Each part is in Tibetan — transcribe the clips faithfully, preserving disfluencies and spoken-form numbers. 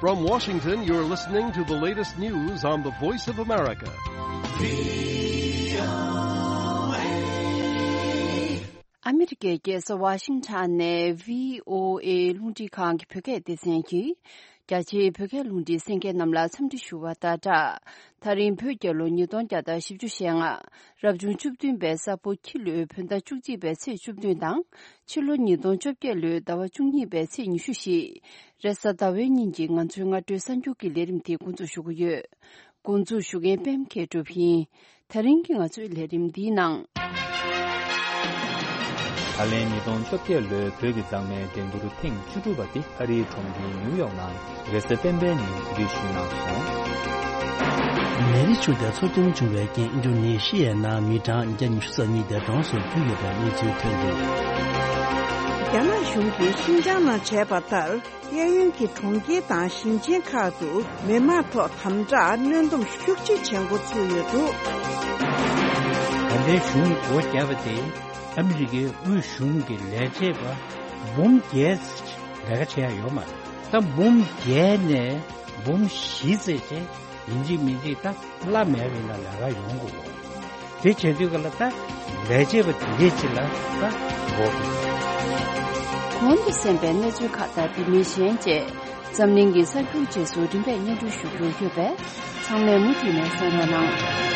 From Washington, you're listening to the latest news on the Voice of America. ཨ་མི་རི་ཀའི་རྒྱལ་ས་ཝ་ཤིང་ཊོན་ནས་བྷི་ཨོ་ཨེ་རླུང་འཕྲིན་ཁང་གི་བོད་སྐད་སྡེ་ཚན་གྱིས། རྒྱ་ཆེའི་བོད་སྐད་རླུང་འཕྲིན་གསན་མཁན་རྣམས་ལ་འཚམས་འདྲི་ཞུ་བ་དང་སྦྲགས། ད་རིང་བོད་རྒྱལ་ལོ་ཉིས་སྟོང་བརྒྱ་དང་བཞི་བཅུ་ཞེ་ལྔ། རབ་བྱུང་བཅུ་བདུན་པའི་ས་ཕོ་ཁྱི་ལོའི་བོད་ཟླ་བཅུ་གཅིག་པའི་ཚེས་བཅུ་བདུན་དང་། ཕྱི་ལོ་ཉིས་སྟོང་བཅོ་བརྒྱད་ལོའི་ཟླ་བ་བཅུ་གཉིས་པའི་ཚེས་ཉི་ཤུ་བཞི། རེས་གཟའ་ཟླ་བའི་ཉིན་གྱི་ང་ཚོའི་སྔ་དྲོའི་གསར་འགྱུར་གྱི་ལས་རིམ་དེ་འགོ་འཛུགས་ཞུ་གི་ཡོད། འགོ་འཛུགས་ཞུ་མཁན་པད་མ་མཁས་གྲུབ་ཡིན། ད་རིང་གི་ང་ཚོའི་ལས་རིམ་འདིའི་ནང་། ད་ལན་ཉིས་སྟོང་བཅོ་བརྒྱད་ལོའི་བོད་ཀྱི་མཛངས་མའི་འགྲན་བསྡུར་ཐེངས་བཅུ་དྲུག་པ་དེ་ཨ་རིའི་གྲོང་ཁྱེར་ནིའུ་ཡོག་ནང་རེས་གཟའ་སྤེན་པའི་ཉིན་གོ་སྒྲིག་ཞུས་གནང་སོང་། མེ་རི་ཆུ་དེ་འཚོ་སྐྱོན་བྱུང་བའི་རྐྱེན་ཨིན་ཌོ་ནེ་ཤི་ཡའི་ནང་མི་གྲངས་བརྒྱ་ཉི་ཤུ་རྩ་གཉིས་འདས་གྲོངས་སུ་གྱུར་ཡོད་པའི་གནས་ཚུལ་ཐོན་འདུག་རྒྱ་ནག་གཞུང་གིས་ཤིན་ཅང་ནང་བྱས་པ་ལྟར། གཡས་གཡོན་གྱི་གྲོང་ཁྱེར་དང་ཞིང་ཆེན་ཁག་ཏུ་མི་མང་ཐོག་དམ་དྲག་གནོན་སྡོམ་ཤུགས་ཆེ་བྱེད་འགོ་ཚུགས་ཡོད་འདུག་ད་ལྟའི་གཞུང་སྒོ་བརྒྱབ་པ་དེ་ཨ་མི་རི་ཀའི་དབུས་གཞུང་གི་ལས་བྱེད་པ་འབུམ་བརྒྱད་ལས་ཀ་བྱེད་ཡ་ཡོད་མ་རེད། ད་འབུམ་བརྒྱད་ནས་འབུམ་བཞི་ཙམ་ཅིག་ཡིན་གཅིག་མིན་གཅིག་ད་བླ་མེད་པའི་ནང་ལས་ཀ་ཡོང་དགོས། དེ་བྱེད་དུས་ག་ལ་ད་ལས་བྱེད་པ་དེ་འདྲའི་ཅིག་ལ་ད་འགོག་དགོས། གོང་དུ་གསན་པའི་གནས་ཚུལ་ཁག་དང་དེ་མིན་གཞན་བཅས་འཛམ་གླིང་གི་གསར་འགྱུར་རྗེས་སུ་རིམ་པས་སྙན་སྒྲོན་ཞུ་རྒྱུ་ཡོད་པས་ཚང་མས་མུ་མཐུད་ནས་གསན་རོགས་གནང་།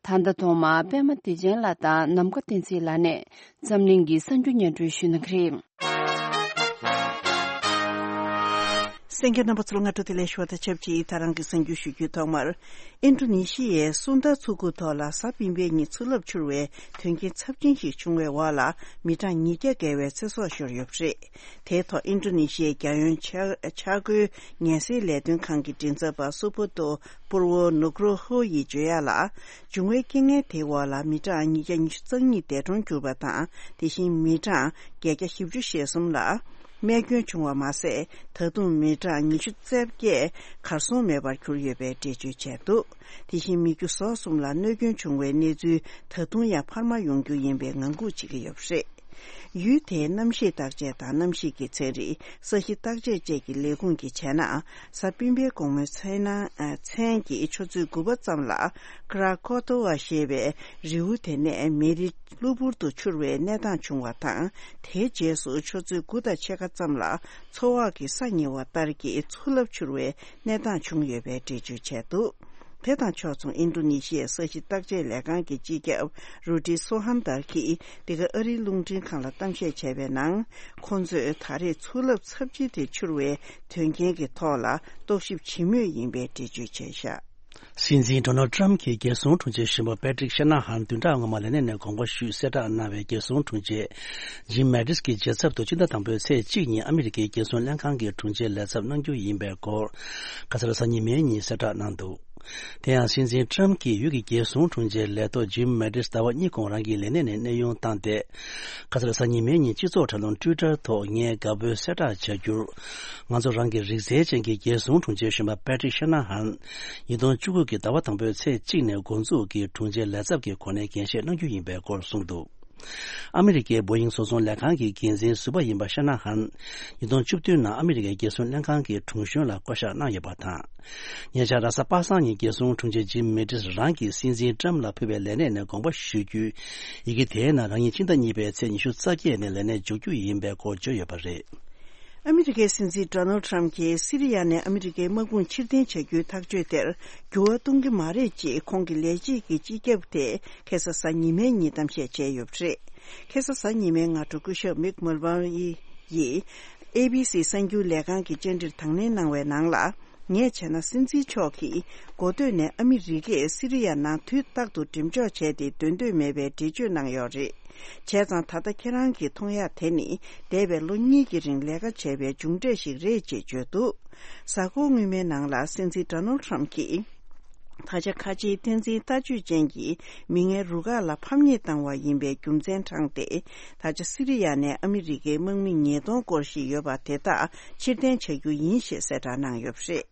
ད་ལྟ་ཐོག་མར་པད་མ་བདེ་ཆེན་ལགས་དང་ནམ་མཁའ་བསྟན་འཛིན་ལགས་ནས་འཛམ་གླིང་གི་གསར་འགྱུར་སྙན་སྒྲོན་ཞུ་གནང་གི་རེད། གསན་མཁན་རྣམ་པ་ཚོར་སྔ་དྲོ་བདེ་ལེགས་ཞུ་བ་དང་ཆབས་ཅིག་ད་རང་གི་གསར་འགྱུར་ཞུ་རྒྱུའི་ཐོག་མར། ཨིན་ཌོ་ནེ་ཤི་ཡའི་སུན་ད་མཚོ་ཁུག་ཐོག་ལ་གཟའ་སྤེན་པའི་ཉིན་མཚོ་རླབས་འཕྱུར་བའི་དོན་རྐྱེན་ཚབས་ཆེན་ཞིག་བྱུང་བའི་འོག་ལ་མི་གྲངས་ཉིས་བརྒྱ་བརྒལ་བའི་ཚེ་སྲོག་ཤོར་ཡོད་པ་རེད། དེའི་ཐོག་ཨིན་ཌོ་ནེ་ཤི་ཡའི་རྒྱལ་ཡོངས་འཆར་འཆར་འགོད་ངལ་སེལ་ལས་དོན་ཁང་གི་མགྲིན་ཚབ་པ་སུ་པོ་ཏོ་པུར་ཝོ་ནུག་རོ་ཧོ་ཡིས་བརྗོད་ཡ་ལ། འབྱུང་བའི་རྐྱེན་ངན་དེའི་འོག་ལ་མི་གྲངས་ཉིས་བརྒྱ་ཉི་ཤུ་རྩ་གཉིས་འདས་གྲོངས་གྱུར་པ་དང་། དེ་བཞིན་མི་གྲངས་བརྒྱད་བརྒྱ་བཞི་བཅུ་ཞེ་གསུམ་ལ་རྨས་སྐྱོན་བྱུང་བ་མ་ཟད། ད་དུང་མི་གྲངས་ཉི་ཤུ་རྩ་བརྒྱད་གར་སོང་མེད་པར་གྱུར་ཡོད་པའི་འགྲེལ་བརྗོད་བྱས་འདུག་དེ་བཞིན་མི་རྒྱུ་ཟོག་གསུམ་ལ་གནོད་སྐྱོན་བྱུང་བའི་གནས་ཚུལ་ད་དུང་ཡང་འཕར་མ་ཡོང་རྒྱུ་ཡིན་པའི་ངང་སྒུག་བྱེད་ཀྱི་ཡོད་པ་རེད། ཡུལ་དེའི་གནམ་གཤིས་བརྟག་དཔྱད་དང་གནམ་གཤིས་ཀྱི་ཚན་རིག་ས་གཞི་བརྟག་དཔྱད་བཅས་ཀྱི་ལས་ཁུངས་ཀྱིས་བྱས་ན། གཟའ་སྤེན་པའི་དགོང་མོའི་མཚན་ན་ཨ་མཚན་གྱི་ཆུ་ཚོད་དགུ་པ་ཙམ་ལ་ཀྲ་ཀོ་ཏོ་ཝ་ཞེས་པའི་རི་བོ་དེ་ནས་མེ་རི་གློ་བུར་དུ་འཕྱུར་བའི་གནས་སྟངས་བྱུང་བ་དང་། དེའི་རྗེས་སུ་ཆུ་ཚོད་དགུ་དང་ཕྱེད་ཀ་ཙམ་ལ་མཚོ་འོག་གི་ས་ཉེ་བ་ལྟར་གྱི་མཚོ་རླབས་འཕྱུར་བའི་གནས་སྟངས་བྱུང་ཡོད་པའི་འགྲེལ་བརྗོད་བྱས་འདུག་དེ་དང་ཕྱོགས་མཚུངས་ཨིན་ཌོ་ནེ་ཤི་ཡའི་ས་གཞི་བརྟག་དཔྱད་ལས་ཁང་གི་སྤྱི་ཁྱབ་རུ་ཏི་སོ་ཧན་དར་གྱིས་འདི་ག་ཨ་རིའི་རླུང་འཕྲིན་ཁང་ལ་གཏམ་བཤད་བྱས་པའི་ནང་། ཁོང་ཚོས་ད་རེས་མཚོ་རླབས་ཚབས་ཆེན་དེ་འཕྱུར་བའི་དོན་རྐྱེན་གྱི་ཐོག་ལ་རྟོག་ཞིབ་བྱེད་མུས་ཡིན་པའི་འགྲེལ་བརྗོད་བྱས་བཞག་སྲིད་འཛིན་ཌོ་ནལ་ཊམ་གྱི་རྒྱལ་སྲུང་དྲུང་ཆེ་གཞོན་པ་པེ་ཏྲིག་ཤ་ན་ཧན་བདུན་ཕྲག་སྔོན་མ་ལས་གནས་ནས་དགོངས་པ་ཞུས་གསལ་བསྒྲགས་གནང་བའི་རྒྱལ་སྲུང་དྲུང་ཆེ་ཇིམ་མེ་ཏིས་ཀྱི་རྗེས་ཚབ་ཏུ་སྤྱི་ཟླ་དང་པོའི་ཚེས་གཅིག་ཉིན་ཨ་མི་རི་ཀའི་རྒྱལ་སྲུང་ལྷན་ཁང་གི་དྲུང་ཆེའི་ལས་ཚབ་གནང་རྒྱུ་ཡིན་པའི་སྐོར། ཁ་སང་གཟའ་ཉི་མའི་ཉིན་གསལ་བསྒྲགས་གནང་འདུག་དེ་ཡང་སྲིད་འཛིན་ཊམ་གྱིས་ཡུལ་གྱི་རྒྱལ་སྲུང་དྲུང་ཆེའི་ལས་ཐོག་ཇིམ་མེ་ཏིས་ཟླ་བ་གཉིས་གོང་རང་གི་ལས་གནས་ནས་གནས་དབྱུང་བཏང་སྟེ། ཁ་སང་གཟའ་ཉི་མའི་ཉིན་སྤྱི་ཚོགས་དྲ་ལམ་ཊུའི་ཊར་ཐོག་ངས་དགའ་པོའི་གསལ་བསྒྲགས་བྱ་རྒྱུར། ང་ཚོ་རང་གི་རིག་རྩལ་ཅན་གྱི་རྒྱལ་སྲུང་དྲུང་ཆེ་གཞོན་པ་པེ་ཏྲིག་ཤ་ན་ཧན། ཉིས་སྟོང་བཅུ་དགུ་གི་ཟླ་བ་དང་པོའི་ཚེས་གཅིག་ནས་འགོ་འཛུགས་ཀྱིས་དྲུང་ཆེ་ལས་ཚབ་ཀྱི་གོ་གནས་འགན་བཞེས་གནང་རྒྱུ་ཡིན་པའི་སྐོར་གསུངས་འདུག་ཨ་མི་རི་ཀའི་བོ་ཡིང་བཟོ་ཚོང་ལས་ཁང་གི་འགན་འཛིན་ཟུར་པ་ཡིན་པ་ཤ་ན་ཧན། ཉིས་སྟོང་བཅུ་བདུན་ནང་ཨ་མི་རི་ཀའི་རྒྱལ་སྲུང་ལྷན་ཁང་གི་དྲུང་གཞོན་ལ་བསྐོ་གཞག་གནང་ཡོད་པ་དང་། ཉེ་ཆར་རེས་གཟའ་པ་སངས་ཉིན་རྒྱལ་སྲུང་དྲུང་ཆེ་ཇིམ་མེ་ཏིས་རང་གིས་སྲིད་འཛིན་ཊམ་ལ་ཕུལ་བའི་ལས་གནས་ནས་དགོངས་པ་ཞུ་རྒྱུའི་ཡི་གེ་དེའི་ནང་རང་ཉིད་ཕྱི་ཟླ་གཉིས་པའི་ཚེས་ཉི་ཤུ་རྩ་བརྒྱད་ནས་ལས་གནས་འཇོག་རྒྱུ་ཡིན་པའི་སྐོར་བརྗོད་ཡོད་པ་རེད། ཨ་མི་རི་ཀའི་སྲིད་འཛིན་ཌོ་ནལ་ཊམ་གྱིས་སི་རི་ཡ་ནས་ཨ་མི་རི་ཀའི་དམག་དཔུང་ཕྱིར་འཐེན་བྱ་རྒྱུའི་ཐག་གཅོད་དེར་འགྱུར་བ་གཏོང་གི་མ་རེད་ཅེས་ཁོང་གི་ལས་བྱེད་ཀྱི་སྤྱི་ཁྱབ་དེས་ཁ་སང་གཟའ་ཉི་མའི་ཉིན་གཏམ་བཤད་བྱས་ཡོད་པ་རེད། ཁ་སང་གཟའ་ཉི་མའི་སྔ་དྲོ་སྐུ་ཞབས་མིག་མུལ་བྷར་ཡིས་ཨེ་བྷི་སི་གསར་འགྱུར་ལས་ཁང་གི་བཅར་འདྲིར་དང་ལེན་གནང་བའི་ནང་ལ། ངས་བྱས་ན་སྲིད་འཛིན་མཆོག་གིས་འགོ་སྟོད་ནས་ཨ་མི་རི་ཀས་སི་རི་ཡ་ནང་དུས་རྟག་ཏུ་འགྲེམས་འཇོག་བྱས་ཏེ་སྡོད་འདོད་མེད་པའི་འགྲེལ་བརྗོད་གནང་ཡོད་རེད། བྱས་ཙང་ད་ལྟ་ཁྱེད་རང་གིས་མཐོང་ཡག་དེ་ནི་འདས་པའི་ལོ་གཉིས་ཀྱི་རིང་ལས་ཀ་བྱས་པའི་མཇུག་འབྲས་ཤིག་རེད་ཅེས་བརྗོད་འདུག་གཟའ་འཁོར་སྔོན་མའི་ནང་ལ་སྲིད་འཛིན་ཌོ་ནལ་ཊམ་གྱིས། ད་ཆ་ཁ་ཆེའི་བསྟན་འཛིན་ལྟ་སྤྱོད་ཅན་གྱི་མི་ངན་རུ་ཁག་ལ་ཕམ་ཉེས་བཏང་བ་ཡིན་པའི་རྒྱུ་མཚན་དྲངས་ཏེ། ད་ཆ་སི་རི་ཡ་ནས་ཨ་མི་རི་ཀའི་དམག་མི་ཉིས་སྟོང་སྐོར་ཞིག་ཡོད་པ་དེ་དག་ཕྱིར་འཐེན་བྱ་རྒྱུ་ཡིན་ཞེས་གསལ་བསྒྲགས་གནང་ཡོད་པ་རེད།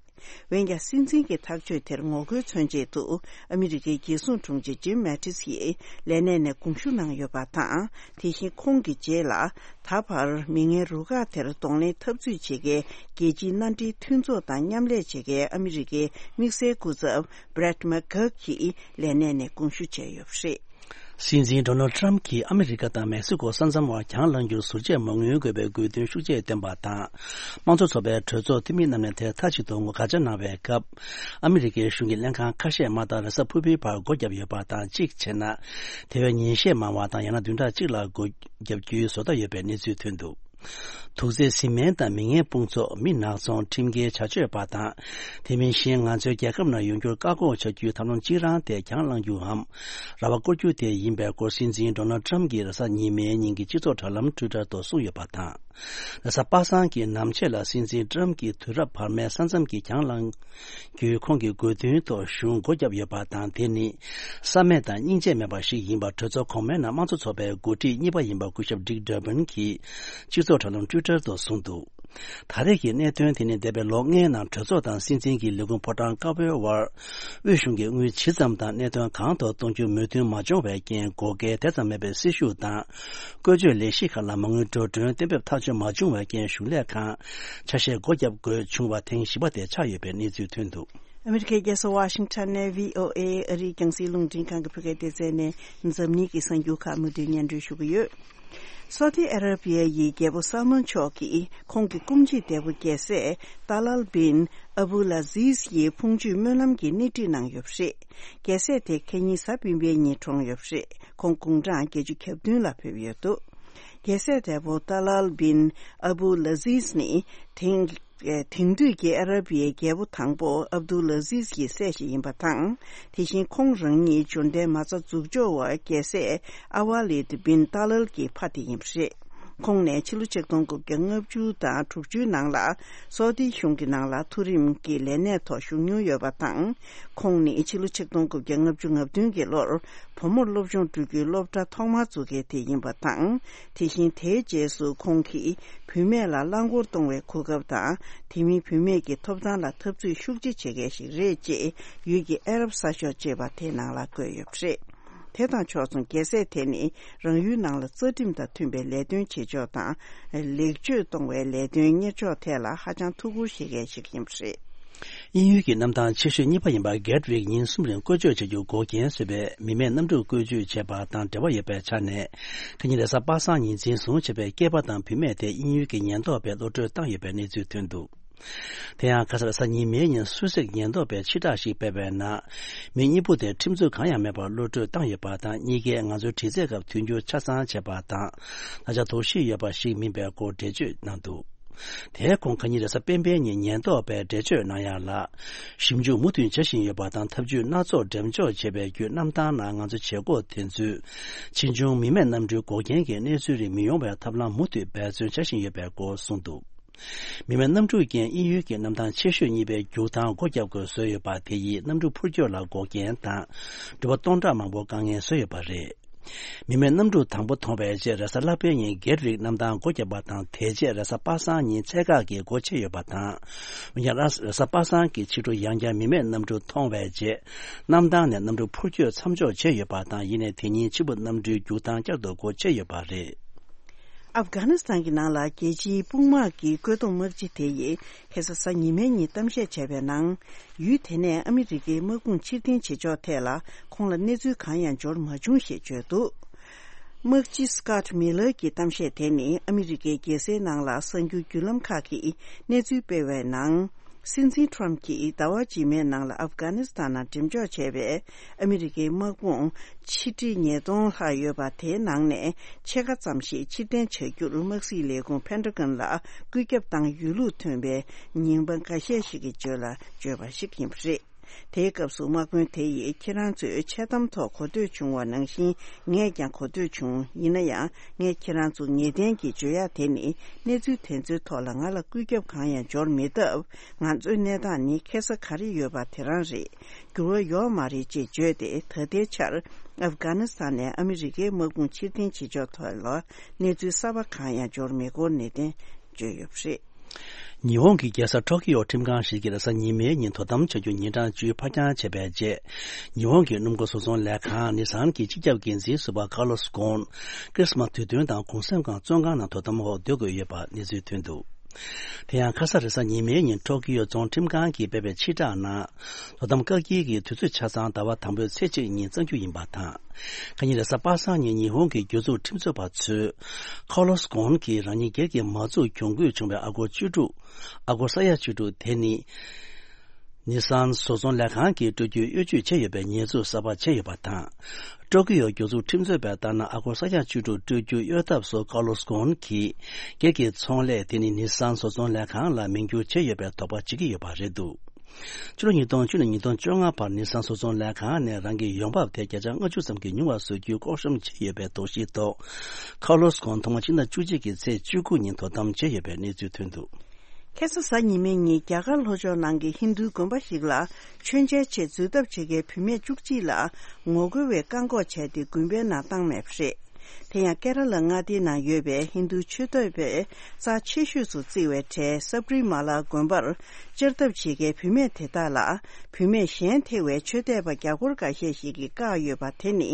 འོན་ཀྱང་སྲིད་འཛིན་གྱི་ཐག་གཅོད་དེར་ངོ་རྒོལ་མཚོན་ཆེད་དུ་ཨ་མི་རི་ཀའི་རྒྱལ་སྲུང་དྲུང་ཆེ་ཇིམ་མེ་ཏིས་ཡིས་ལས་གནས་ནས་དགོངས་ཞུ་གནང་ཡོད་པ་དང་། དེ་བཞིན་ཁོང་གི་རྗེས་ལ་ད་བར་མི་ངན་རུ་ཁག་དེར་གདོང་ལེན་འཐབ་རྩོད་བྱེད་མཁན་རྒྱལ་སྤྱིའི་མནའ་འབྲེལ་མཐུན་ཚོགས་དང་མཉམ་ལས་བྱེད་མཁན་ཨ་མི་རི་ཀའི་དམིགས་བསལ་སྐུ་ཚབ་Brett McGurk གྱིས་ལས་གནས་ནས་དགོངས་ཞུ་བྱས་ཡོད་པ་རེད། སྲིད་འཛིན་ཌོ་ནལ་ཊམ་གྱིས་ཨ་མི་རི་ཀ་དང་མེག་སི་ཀོ་ས་མཚམས་བར་གྱང་ལངས་རྒྱུར་ཟུར་བཅད་མ་དངུལ་དགོས་པའི་དགོས་འདུན་ཤུགས་ཆེ་བཏོན་པ་དང་། དམངས་གཙོ་ཚོགས་པའི་གྲོས་ཚོགས་འཐུས་མི་རྣམས་ནས་དེར་མཐའ་གཅིག་ཏུ་ངོ་དགག་བྱ་གནང་བའི་སྐབས། ཨ་མི་རི་ཀའི་གཞུང་གི་ལྷན་ཁང་ཁ་ཤས་མ་མཐའ་རེས་གཟའ་ཕུར་བུའི་བར་སྒོ་བརྒྱབ་ཡོད་པ་དང་། གཅིག་བྱས་ན། དེ་བས་ཉིན་ཤས་མང་བ་དང་ཡང་ན་བདུན་ཕྲག་གཅིག་ལ་སྒོ་བརྒྱབ་རྒྱུའི་བཟོ་ལྟ་ཡོད་པའི་གནས་ཚུལ་ཐོན་འདུག། དུག་རྫས་བཟི་སྨན་དང་མི་ངན་དཔུང་ཚོགས། མི་ནག་ཚོང་། ཁྲིམས་འགལ་བྱ་སྤྱོད་པ་དང་། དེ་མིན་གཞན་ང་ཚོའི་རྒྱལ་ཁབ་ནང་ཡོང་རྒྱུར་བཀག་འགོག་བྱ་རྒྱུའི་ཐབས་ལམ་གཅིག་རང་དེ་གྱང་ལངས་རྒྱུའམ། ར་བ་བསྐོར་རྒྱུ་དེ་ཡིན་པའི་སྐོར་སྲིད་འཛིན་ཌོ་ནལ་ཊམ་གྱིས་རེས་གཟའ་ཉི་མའི་ཉིན་གྱི་སྤྱི་ཚོགས་དྲ་ལམ་ཊུའི་ཊར་ཐོག་གསུངས་ཡོད་པ་དང་། རེས་གཟའ་པ་སངས་ཀྱི་ནམ་ཕྱེད་ལ་སྲིད་འཛིན་ཊམ་གྱིས་དུས་རབས་བར་མའི་ས་མཚམས་ཀྱི་གྱང་ལངས་རྒྱུའི་ཁོང་གི་དགོས་འདུན་ཐོག་གཞུང་སྒོ་བརྒྱབ་ཡོད་པ་དང་། དེ་ནི་བསམ་མེད་དང་སྙིང་རྗེ་མེད་པ་ཞིག་ཡིན་པ་གྲོས་ཚོགས་གོང་མའི་ནང་དམངས་གཙོ་ཚོགས་པའི་འགོ་ཁྲིད་གཉིས་པ་ཡིན་པ་སྐུ་ཞབས་ཌིག་ཌར་པན་གྱིས་སྤྱི་ཚོགས་དྲ་ལམ་ཊུའི་ཊར་ཐོག་གསུངས་འདུག། ད་རེས་ཀྱི་གནད་དོན་དེ་ནི་འདས་པའི་ལོ་ལྔའི་ནང་གྲོས་ཚོགས་དང་སྲིད་འཛིན་གྱི་ལས་ཁུངས་ཕོ་བྲང་དཀར་པོའི་དབར། དབུས་གཞུང་གིས་དངུལ་ཇི་ཙམ་དང་གནད་དོན་གང་ཐོག་གཏོང་རྒྱུ་མོས་མཐུན་མ་བྱུང་བའི་རྐྱེན། བགོ་སྐལ་དེ་ཙམ་མེད་པའི་སྲི་ཞུ་དང་བཀོལ་སྤྱོད་ལས་གཞི་ཁག་ལ་མ་དངུལ་འགྲོ་གྲོན་གཏན་འབེབས་ཐག་གཅོད་མ་བྱུང་བའི་རྐྱེན། གཞུང་ལས་ཁང་ཆ་ཤས་སྒོ་བརྒྱབ་དགོས་བྱུང་བ་ཐེངས་བཞི་པ་དེ་ཆགས་ཡོད་པའི་གནས་ཚུལ་ཐོན་འདུག། ཨ་མི་རི་ཀའི་རྒྱལ་ས་ཝ་ཤིང་ཊོན་ནས་བྷི་ཨོ་ཨེ་ཨ་རིའི་རྒྱང་སྲིང་རླུང་འཕྲིན་ཁང་གི་བོད་སྐད་སྡེ་ཚན་ནས་འཛམ་གླིང་གི་གསར་འགྱུར་ཁག་མུ་མཐུད་སྙན་སྒྲོན་ཞུ་གི་ཡོད། སོ་ཏི་ཨ་ར་བི་ཡ་ཡི་རྒྱལ་པོ་སལ་མོན་མཆོག་གིས་ཁོང་གི་སྐུ་མཆེད་འདས་པོ་རྒྱལ་སྲས་ཏཱ་ལཱལ་བིན་ཨ་བུ་ལ་ཟིས་ཡི་ཕུང་མཆོད་སྨོན་ལམ་གྱི་སྣེ་ཁྲིད་གནང་ཡོད་པ་རེད། རྒྱལ་སྲས་དེ་ཁ་ཉིན་གཟའ་སྤེན་པའི་ཉིན་གྲོངས་ཡོད་པ་རེད། ཁོང་དགུང་གྲངས་བརྒྱད་ཅུ་གྱ་བདུན་ལ་ཕེབས་ཡོད་འདུག། རྒྱལ་སྲས་འདས་པོ་ཏཱ་ལཱལ་བིན་ཨ་བུ་ལ་ཟིས་ནི་དེང་དེང་དུས་ཀྱི་ཨ་ར་བིའི་རྒྱལ་པོ་དང་པོ་ཨབ་དུ་ལ་ཟིས་ཀྱི་སྲས་ཤིག་ཡིན་པ་དང་། དེ་བཞིན་ཁོང་རང་ཉིད་འབྱོར་ལྡན་མ་རྩ་འཛུགས་སྐྱོང་བ་རྒྱལ་སྲས་ཨ་ཝ་ལིད་བིན་ཏཱ་ལཱལ་གྱི་ཕ་དེ་ཡིན་པ་རེད། ཁོང་ནས་ཕྱི་ལོ་ཆིག་སྟོང་དགུ་བརྒྱ་ལྔ་བཅུ་དང་དྲུག་ཅུའི་ནང་ལ་སོ་ཏི་གཞུང་གི་ནང་ལ་མཐོ་རིམ་གྱི་ལས་གནས་ཐོག་ཞུགས་མྱོང་ཡོད་པ་དང་། ཁོང་ནི་ཕྱི་ལོ་ཆིག་སྟོང་དགུ་བརྒྱ་ལྔ་བཅུ་ང་བདུན་གྱི་ལོར་བུ་མོར་སློབ་སྦྱོང་སྤྲོད་རྒྱུའི་སློབ་གྲྭ་ཐོག་མར་བཙུགས་མཁན་དེ་ཡིན་པ་དང་། དེ་བཞིན་དེའི་རྗེས་སུ་ཁོང་གིས་བུད་མེད་ལ་རླངས་འཁོར་གཏོང་བའི་གོ་སྐབས་དང་། དེ་མིན་བུད་མེད་ཀྱི་ཐོབ་ཐང་ལ་འཐབ་རྩོད་ཤུགས་ཆེ་བྱེད་མཁན་ཞིག་རེད་ཅེས་ཡུལ་གྱི་ཨ་རབ་གསར་ཤོག་ཅེས་པ་དེའི་ནང་ལ་བཀོད་ཡོད་པ་རེད། དེ་དང་ཕྱོགས་མཚུངས་རྒྱལ་སྲས་དེ་ནི་རང་ཡུལ་ནང་ལ་རྩ་ཁྲིམས་དང་མཐུན་པའི་ལས་དོན་བྱེད་ཕྱོགས་དང་། ལེགས་བཅོས་གཏོང་བའི་ལས་དོན་གཉེར་ཕྱོགས་ཐད་ལ་ཧ་ཅང་ཐུགས་ཁུར་བཞེས་མཁན་ཞིག་ཡིན་པ་རེད། དབྱིན་ཡུལ་གྱི་གནམ་ཐང་ཆེ་ཤོས་གཉིས་པ་ཡིན་པ་གེ་ཊི་ཝིག་ཉིན་གསུམ་རིང་བཀོལ་སྤྱོད་བྱ་རྒྱུ་འགོག་རྐྱེན་བཟོས་པའི་མི་མེད་གནམ་གྲུ་བཀོལ་སྤྱོད་བྱས་པ་དང་འབྲེལ་བ་ཡོད་པའི་ཆ་ནས། ཁ་ཉིན་རེས་གཟའ་པ་སངས་ཉིན་འཛིན་བཟུང་བྱས་པའི་སྐྱེས་པ་དང་བུད་མེད་དེ་དབྱིན་ཡུལ་གྱི་ཉེན་རྟོག་པས་གློད་གྲོལ་བཏང་ཡོད་པའི་གནས་ཚུལ་ཐོན་འདུག། དེ་ཡང་ཁ་སང་རེས་གཟའ་ཉི་མའི་ཉིན་སུད་སིར་ཉེན་རྟོག་པས་ཕྱིར་བསྒྲགས་ཤིག་སྤེལ་བའི་ནང་། མི་གཉིས་པོ་དེ་ཁྲིམས་རྩོད་གང་ཡང་མེད་པར་གློད་གྲོལ་བཏང་ཡོད་པ་དང་། གཉིས་ཀས་ང་ཚོའི་དྲི་རྩད་སྐབས་མཐུན་འགྱུར་ཆ་ཚང་བྱས་པ་དང་། ན་ཚ་དོག་ཤི་ཡོད་པ་ཞིག་མིན་པའི་སྐོར་འགྲེལ་བརྗོད་གནང་འདུག། དེའི་གོང་ཁ་ཉིན་རེས་གཟའ་སྤེན་པའི་ཉིན་ཉེན་རྟོག་པས་འགྲེལ་བརྗོད་གནང་ཡག་ལ། ཞིབ་འཇུག་མུ་མཐུད་བྱ་བཞིན་ཡོད་པ་དང་། ཐབས་ཇུས་སྣ་ཚོགས་འགྲེམས་འཇོག་བྱས་པའི་བརྒྱུད་གནམ་ཐང་ནང་ང་ཚོ་བྱེད་སྒོ་དེ་ཚོས་ཕྱིས་འབྱུང་མི་མེད་གནམ་གྲུའི་འགོག་རྐྱེན་གྱི་གནས་ཚུལ་རིགས་མི་ཡོང་བའི་ཐབས་ལམ་མུ་མཐུད་འབད་བརྩོན་བྱ་བཞིན་ཡོད་པའི་སྐོར་གསུངས་འདུག། མི་མེད་གནམ་གྲུ་རྐྱེན་དབྱིན་ཡུལ་གྱི་གནམ་ཐང་ཆེ་ཤོས་གཉིས་པའི་རྒྱུག་ཐང་སྒོ་བརྒྱབ་དགོས་བཟོས་ཡོད་པ་དེ་ཡིས་གནམ་གྲུ་འཕུར་སྐྱོད་ལ་འགོག་རྐྱེན་དང་། འགྲུལ་པ་སྟོང་ཕྲག་མང་པོ་དཀའ་ངལ་བཟོས་ཡོད་པ་རེད། མི་མེད་གནམ་གྲུ་དང་པོ་མཐོང་བའི་རྗེས་རེས་གཟའ་ལྷག་པའི་ཉིན་གེ་ཊི་ཝིག་གནམ་ཐང་སྒོ་བརྒྱབ་པ་དང་། དེ་རྗེས་རེས་གཟའ་པ་སངས་ཉིན་ཚད་བཀག་གིས་སྒོ་ཕྱེ་ཡོད་པ་དང་། འོན་ཀྱང་རེས་གཟའ་པ་སངས་ཀྱི་ཕྱི་དྲོ་ཡང་བསྐྱར་མི་མེད་གནམ་གྲུ་མཐོང་བའི་རྗེས། གནམ་ཐང་ནས་གནམ་གྲུ་འཕུར་སྐྱོད་མཚམས་འཇོག་བྱས་ཡོད་པ་དང་། ཡིན་ནའི་དེ་ཉིན་ཕྱི་པོ་གནམ་གྲུའི་རྒྱུག་ཐང་བསྐྱར་དུ་སྒོ་ཕྱེ་ཡོད་པ་རེད། ཨབ་གྷ་ནི་སི་ཐན་གྱི་ནང་ལ་རྒྱལ་སྤྱིའི་དཔུང་དམག་གི་བཀོད་འདོམས་དམག་སྤྱི་དེ་ཡིས་ཁ་སང་གཟའ་ཉི་མའི་ཉིན་གཏམ་བཤད་བྱས་པའི་ནང་། ཡུལ་དེ་ནས་ཨ་མི་རི་ཀའི་དམག་དཔུང་ཕྱིར་འཐེན་བྱེད་ཕྱོགས་ཐད་ལ་ཁོང་ལ་གནས་ཚུལ་གང་ཡང་འབྱོར་མ་བྱུང་ཞེས་བརྗོད་འདུག། དམག་སྤྱི་སི་ཀོཊ་མི་ལར་གྱི་གཏམ་བཤད་དེ་ནི་ཨ་མི་རི་ཀའི་རྒྱལ་སའི་ནང་ལ་གསར་འགྱུར་བརྒྱུད་ལམ་ཁག་གིས་གནས་ཚུལ་སྤེལ་བའི་ནང་། སྲིད་འཛིན་ཊམ་གྱིས་ཟླ་བ་རྗེས་མའི་ནང་ལ་ཨབ་གྷ་ནི་སི་ཐན་ནང་འགྲེམས་འཇོག་བྱས་པའི་ཨ་མི་རི་ཀའི་དམག་དཔུང་ཆིག་ཁྲི་ཉིས་སྟོང་ལྷག་ཡོད་པ་དེའི་ནང་ནས་ཕྱེད་ཀ་ཙམ་ཞིག་ཕྱིར་འཐེན་བྱ་རྒྱུར་དམག་སྲིད་ལས་ཁུངས་ཕན་ཏྲ་གོན་ལ་བཀོད་ཁྱབ་བཏང་ཡོད་ལུགས་ཐོན་པའི་ཉིན་མ་འགའ་ཤས་ཤིག་གི་རྗེས་ལ་བརྗོད་པ་ཞིག་ཡིན་པ་རེད། དེའི་སྐབས་སུ་དམག་དཔོན་དེ་ཡིས་ཁྱེད་རང་ཚོས་འཆལ་གཏམ་ཐོག་གོ་ཐོས་བྱུང་བ་ནང་བཞིན་ངས་ཀྱང་གོ་ཐོས་བྱུང་། ཡིན་ན་ཡང་ངས་ཁྱེད་རང་ཚོ་ངེས་གཏན་གྱིས་བརྗོད་ཡ་དེ་ནི་གནས་ཚུལ་དེ་ཚོའི་ཐོག་ལ་ང་ལ་བཀོད་ཁྱབ་གང་ཡང་འབྱོར་མེད་སྟབས། ང་ཚོའི་གནས་སྟངས་ནི་ཁེ་ས་ག་རེ་ཡོད་པ་དེ་རང་རེད། འགྱུར་བ་ཡོད་མ་རེད་ཅེས་བརྗོད་དེ། ད་ལྟའི་ཆར་ཨབ་གྷ་ནི་སི་ཐན་ནས་ཨ་མི་རི་ཀའི་དམག་དཔུང་ཕྱིར་འཐེན་བྱེད་ཕྱོགས་ཐོག་ལ་གནས་ཚུལ་གསར་པ་གང་ཡང་འབྱོར་མེད་སྐོར་གནད་དོན་བརྗོད་ཡོད་པ་རེད། ཉི་ཧོང་གི་རྒྱལ་ས་ཊོ་ཀི་ཡོ་ཁྲིམས་ཁང་ཞིག་གིས་རེས་གཟའ་ཉི་མའི་ཉིན་དོ་དམ་བྱ་རྒྱུ་ཉིན་གྲངས་བཅུ་ཕར་འགྱངས་བྱས་པའི་རྗེས། ཉི་ཧོང་གི་སྣུམ་འཁོར་བཟོ་ཚོང་ལས་ཁང་ནི་སཱན་གྱི་སྤྱི་ཁྱབ་འགན་འཛིན་ཟུར་པ་ཁཱར་ལོ་སི་ཀོན། ཁྲིས་མཱས་དུས་སྟོན་དང་གུང་སེང་སྒང་བཙོན་ཁང་ནང་དོ་དམ་འོག་སྡོད་དགོས་ཡོད་པ་གནས་ཚུལ་ཐོན་འདུག་དེ་ཡང་ཁ་ས་རེས་གཟའ་ཉི་མའི་ཉིན་ཊོ་ཀི་ཡོ་རྫོང་ཁྲིམས་ཁང་གིས་སྤེལ་བའི་ཕྱིར་བསྒྲགས་ནང་། དོ་དམ་བཀག་སྐྱིལ་གྱི་དུས་ཚོད་ཆ་ཚང་ཟླ་བ་དང་པོའི་ཚེས་གཅིག་ཉིན་བརྩམ་རྒྱུ་ཡིན་པ་དང་། ཁ་ཉིན་རེས་གཟའ་པ་སངས་ཉིན་ཉི་ཧོང་གི་རྒྱུ་ཚོགས་ཁྲིམས་རྩོད་པ་ཚོས། ཁཱར་ལོ་སི་ཀོན་གྱིས་རང་ཉིད་སྒེར་གྱི་མ་འཛུགས་གྱོང་གུད་བྱུང་བའི་ཨ་སྒོར་བཅུ་དྲུག་ཨ་སྒོར་ས་ཡ་བཅུ་དྲུག་དེ་ནི། ནི་སཱན་བཟོ་ཚོང་ལས་ཁང་གིས་སྤྲོད་རྒྱུའི་གཡོ་ཇུས་བྱས་ཡོད་པའི་ཉེས་འཛུགས་གསར་པ་བྱས་ཡོད་པ་དང་། ཊོ་ཀི་ཡོ་རྒྱུ་ཚོགས་ཁྲིམས་རྩོད་པས་ལྟར་ན་ཨ་སྒོར་ས་ཡ་བཅུ་དྲུག་སྤྲོད་རྒྱུ་གཡོལ་ཐབས་སུ་ཁཱར་ལོ་སི་ཀོན་གྱིས་སྒེར་གྱི་ཚོང་ལས་དེ་ནི་ནི་སཱན་བཟོ་ཚོང་ལས་ཁང་ལ་མིང་བསྒྱུར་བྱས་ཡོད་པའི་དོགས་པ་བྱེད་ཀྱི་ཡོད་པ་རེད་འདུག་ཕྱི་ལོ་ཉིས་སྟོང་བཅུ་ནས་ཉིས་སྟོང་བཅོ་ལྔ་བར་ནི་སཱན་བཟོ་ཚོང་ལས་ཁང་ནས་རང་གི་ཡོང་འབབ་དེ་བརྒྱ་ཆ་ལྔ་བཅུ་ཙམ་གྱིས་ཉུང་བ་བཟོ་རྒྱུའི་ལྐོག་ཤམ་བྱས་ཡོད་པའི་དོགས་གཞིའི་ཐོག་ཁཱར་ལོ་སི་ཀོན་ཐོག་མ་ཕྱི་ཟླ་བཅུ་གཅིག་གི་ཚེས་བཅུ་དགུ་ཉིན་དོ་དམ་བྱས་ཡོད་པའི་གནས་ཚུལ་ཐོན་འདུག་ཁ་སང་གཟའ་ཉི་མའི་ཉིན་རྒྱ་གར་ལྷོ་ཕྱོགས་ནང་གི་ཧིན་རྡུའི་དགོན་པ་ཞིག་ལ་མཆོད་མཇལ་ཆེད་འཛུལ་ཐབས་བྱེད་མཁན་བུད་མེད་བཅུ་གཅིག་ལ་ངོ་རྒོལ་བས་བཀག་འགོག་བྱས་ཏེ་དགོན་པའི་ནང་བཏང་མེད་པ་རེད། དེ་ཡང་ཀེ་ར་ལ་མངའ་སྡེའི་ནང་ཡོད་པའི་ཧིན་རྡུ་ཆོས་དད་པས་རྩ་ཆེ་ཤོས་སུ་བརྩི་བའི་གྲས་སབ་རི་མ་ལ་དགོན་པར་བཅར་ཐབས་བྱེད་མཁན་བུད་མེད་དེ་དག་ལ་བུད་མེད་གཞན་ཐེ་བའི་ཆོས་དད་པ་རྒྱ་སྒོར་འགའ་ཤས་ཤིག་གིས་བཀག་ཡོད་པ་དེ་ནི་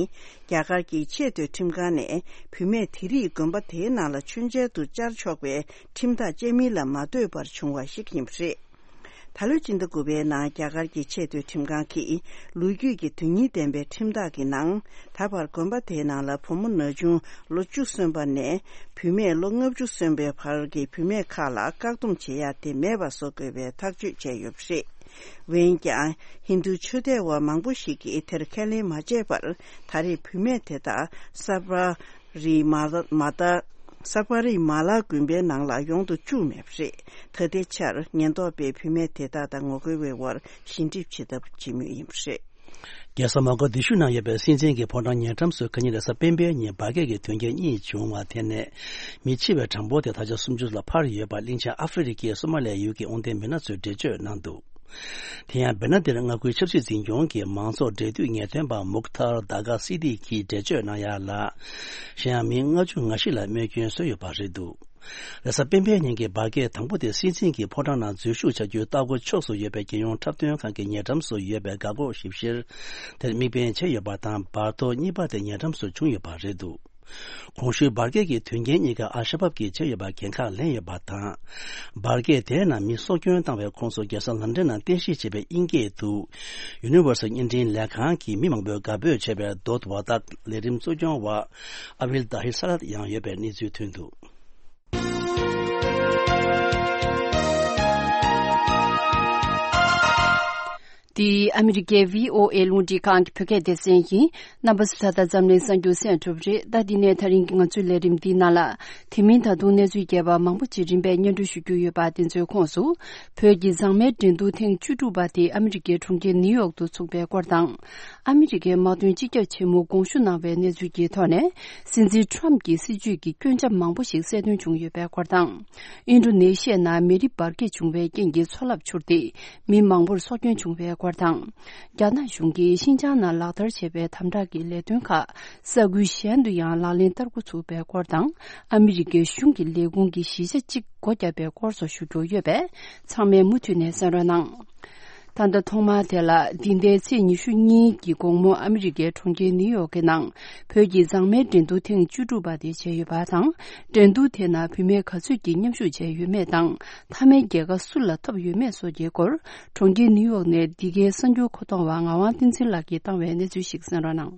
རྒྱ་གར་གྱི་ཆེས་མཐོའི་ཁྲིམས་ཁང་ནས་བུད་མེད་དེ་རིགས་དགོན་པ་དེའི་ནང་ལ་མཆོད་མཇལ་དུ་བཅར་ཆོག་པའི་ཁྲིམས་ཐག་བཅད་མིན་ལ་མ་ལྟོས་པར་བྱུང་བ་ཞིག་ཡིན་པ་རེད། ད་ལོའི་སྤྱི་ཟླ་དགུ་པའི་ནང་རྒྱ་གར་གྱི་ཆེས་མཐོའི་ཁྲིམས་ཁང་གིས་ལོ་རྒྱུས་ཀྱི་དོན་སྙིང་ལྡན་པའི་ཁྲིམས་ཐག་གི་ནང་། ད་བར་དགོན་པ་དེའི་ནང་ལ་བུ་མོ་ན་ཆུང་ལོ་བཅུ་སོན་པ་ནས་བུད་མེད་ལོ་ལྔ་བཅུ་སོན་པའི་བར་གྱི་བུད་མེད་ཁག་ལ་བཀག་སྡོམ་བྱེད་ཡ་དེ་མེད་པ་བཟོ་དགོས་པའི་ཐག་གཅོད་བྱས་ཡོད་པ་རེད། འོན་ཀྱང་ཧིན་རྡུ་ཆོས་དད་པ་མང་པོ་ཞིག་གིས་དེར་ཁས་ལེན་མ་བྱས་པར་ད་རེས་བུད་མེད་དེ་དག་ས་པ། རི་མ་ལ་མ་ད། ས་པ་རི་མ་ལ་དགོན་པའི་ནང་ལ་ཡོང་དུ་བཅུག་མེད་པ་རེད། ད་ལྟའི་ཆར་ཉེན་རྟོག་པས་བུད་མེད་དེ་དག་དང་ངོ་རྒོལ་བའི་དབར་ཞི་འགྲིག་བྱེད་ཐབས་བྱེད་མུས་ཡིན་པ་རེད། རྒྱལ་ས་མོ་ཀ་དི་ཤུ་ནང་ཡོད་པའི་སྲིད་འཛིན་གྱི་ཕོ་བྲང་ཉེ་འགྲམ་སུ་ཁ་ཉིན་རེས་གཟའ་སྤེན་པའི་ཉིན་འབར་གས་ཀྱི་དོན་རྐྱེན་གཉིས་བྱུང་བ་དེ་ནས་མི་འཆི་བའི་གྲངས་འབོར་དེ་ད་ཆ་སུམ་ཅུ་ལ་འཕར་ཡོད་པ་གླིང་ཆེན་ཨ་ཧྥེ་རི་ཁའི་སོ་མ་ལའི་ཡུལ་གྱི་དབང་ལྡན་མི་སྣ་ཚོས་འགྲེལ་བརྗོད་གནང་འདུག་དེ་ཡང་བེ་ན་དེར་མངའ་ཁུལ་ཆབ་སྲིད་འཛིན་སྐྱོང་གི་མང་ཚོགས་འབྲེལ་མཐུད་ངེས་སྟོན་པ་མུག་ཐར་དཱ་ག་སི་ཏི་གིས་འགྲེལ་བརྗོད་གནང་ཡ་ལ། གཞན་ཡང་མི་ལྔ་བཅུ་ང་བཞི་ལ་རྨས་སྐྱོན་བཟོས་ཡོད་པ་རེད་འདུག་རེས་གཟའ་སྤེན་པའི་ཉིན་གྱི་འབར་གས་དང་པོ་དེ་སྲིད་འཛིན་གྱི་ཕོ་བྲང་ནང་འཛུལ་ཞུགས་བྱ་རྒྱུའི་ལྟ་སྒོ་ཕྱོགས་སུ་ཡོད་པའི་རྒྱལ་ཡོངས་འཁྲབ་སྟོན་ཁང་གི་ཉེ་འགྲམ་སུ་ཡོད་པའི་འགག་སྒོ་ཞིབ་བཤེར་དེར་དམིགས་འབེན་བྱས་ཡོད་པ་དང་། འབར་ཐོག་གཉིས་པ་དེ་ཉེ་འགྲམ་སུ་བྱུང་ཡོད་པ་རེད་འདུག་གོང་ཞུས་འབར་གས་ཀྱི་དོན་རྐྱེན་གཉིས་ཀ་ཨལ་ཤ་བབ་ཀྱིས་བྱས་ཡོད་པ་འགན་ཁག་ལེན་ཡོད་པ་དང་། འབར་གས་དེའི་ནང་མི་སྲོག་སྐྱོན་བཏང་བའི་ཁོངས་སུ་རྒྱལ་ས་ལན་ཀྲན་ནང་རྟེན་གཞི་བྱས་པའི་དབྱིན་སྐད་དུ་Universal་བརྙན་འཕྲིན་ལས་ཁང་གི་མི་མང་པོས་དགའ་འབོད་བྱས་པའི་Dot Wadak་ལས་རིམ་གཙོ་སྐྱོང་བ་ཨ་ཝིལ་ཏཱ་ཧིར་ས་ལད་ཡང་ཡོད་པའི་གནས་ཚུལ་ཐོན་འདུག་འདི་ཨ་མི་རི་ཀའི་བྷི་ཨོ་ཨེ་རླུང་འཕྲིན་ཁང་གི་བོད་སྐད་སྡེ་ཚན་ཡིན། རྣམ་པ་ཚོས་ད་ལྟ་འཛམ་གླིང་གསར་འགྱུར་གསན་གྲུབ་རེད། ད་འདི་ནས་ད་རིང་གི་ང་ཚོའི་ལས་རིམ་འདིའི་ནང་ལ། དེ་མིན་ད་དུང་གནས་ཚུལ་རྒྱས་པ་མང་པོ་ཅིག་རིམ་པས་སྙན་སྒྲོན་ཞུ་རྒྱུ་ཡོད་པ་དེ་ཚོའི་ཁོངས་སུ། བོད་ཀྱི་མཛངས་མའི་འགྲན་བསྡུར་ཐེངས་བཅུ་དྲུག་པ་དེ་ཨ་མི་རི་ཀའི་གྲོང་ཁྱེར་ནིའུ་ཡོག་ཏུ་ཚུགས་པའི་སྐོར་དང་། ཨ་མི་རི་ཀའི་དམག་དོན་སྤྱི་ཁྱབ་ཆེན་མོ་དགོངས་ཞུ་གནང་བའི་གནས་ཚུལ་གྱི་ཐོག་ནས། སྲིད་འཛིན་ཊམ་གྱི་སྲིད་བྱུས་ཀྱི་སྐྱོན་ཆ་མང་པོ་ཞིག་གསལ་སྟོན་བྱུང་ཡོད་པའི་སྐོར་དང་། ཨིན་ཌོ་ནེ་ཤི་ཡའི་ནང་མེ་རི་འབར་གས་བྱུང་བའི་རྐྱེན་གྱིས་མཚོ་རླབས་འཕྱུར་ཏེ། མི་མང་པོར་སྲོག་སྐྱོན་བྱུང་བའི་སྐོར་དང་། རྒྱ་ནག་གཞུང་གིས་ཤིན་ཅང་ནང་ལག་བསྟར་བྱས་པའི་དམ་དྲག་གི་ལས་དོན་ཁག་ས་ཁུལ་གཞན་དུ་ཡང་ལག་ལེན་བསྟར་འགོ་ཚུགས་པའི་སྐོར་དང་། ཨ་མི་རི་ཀའི་གཞུང་གི་ལས་ཁུངས་ཀྱི་གཞིས་ཆགས་གཅིག་སྒོ་བརྒྱབ་པའི་སྐོར་སོགས་ཞུ་རྒྱུ་ཡོད་པས། ཚང་མས་མུ་མཐུད་ནས་གསན་རོགས་གནང་། ད་ལྟ་ཐོག་མར་དེ་ལ་འདི་ཟླའི་ཚེས་ཉི་ཤུ་གཉིས་ཀྱི་དགོང་མོ་ཨ་མི་རི་ཀའི་གྲོང་ཁྱེར་ནིའུ་ཡོག་གི་ནང་བོད་ཀྱི་མཛངས་མའི་འགྲན་བསྡུར་ཐེངས་བཅུ་དྲུག་པ་དེ་བྱས་ཡོད་པ་དང་། འགྲན་བསྡུར་དེ་ནང་བུད་མེད་ག་ཚོད་ཀྱིས་མཉམ་ཞུགས་བྱས་ཡོད་མེད་དང་། མཐའ་མའི་རྒྱལ་ཁ་སུ་ལ་ཐོབ་ཡོད་མེད་སོགས་ཀྱི་སྐོར། གྲོང་ཁྱེར་ནིའུ་ཡོག་ནས་འདི་གའི་གསར་འགྱུར་མཁོ་གཏོང་བ་ངག་དབང་བསྟན་འཛིན་ལགས་ཀྱིས་བཏང་བའི་གནས་ཚུལ་ཞིག་གསན་རོགས་གནང་།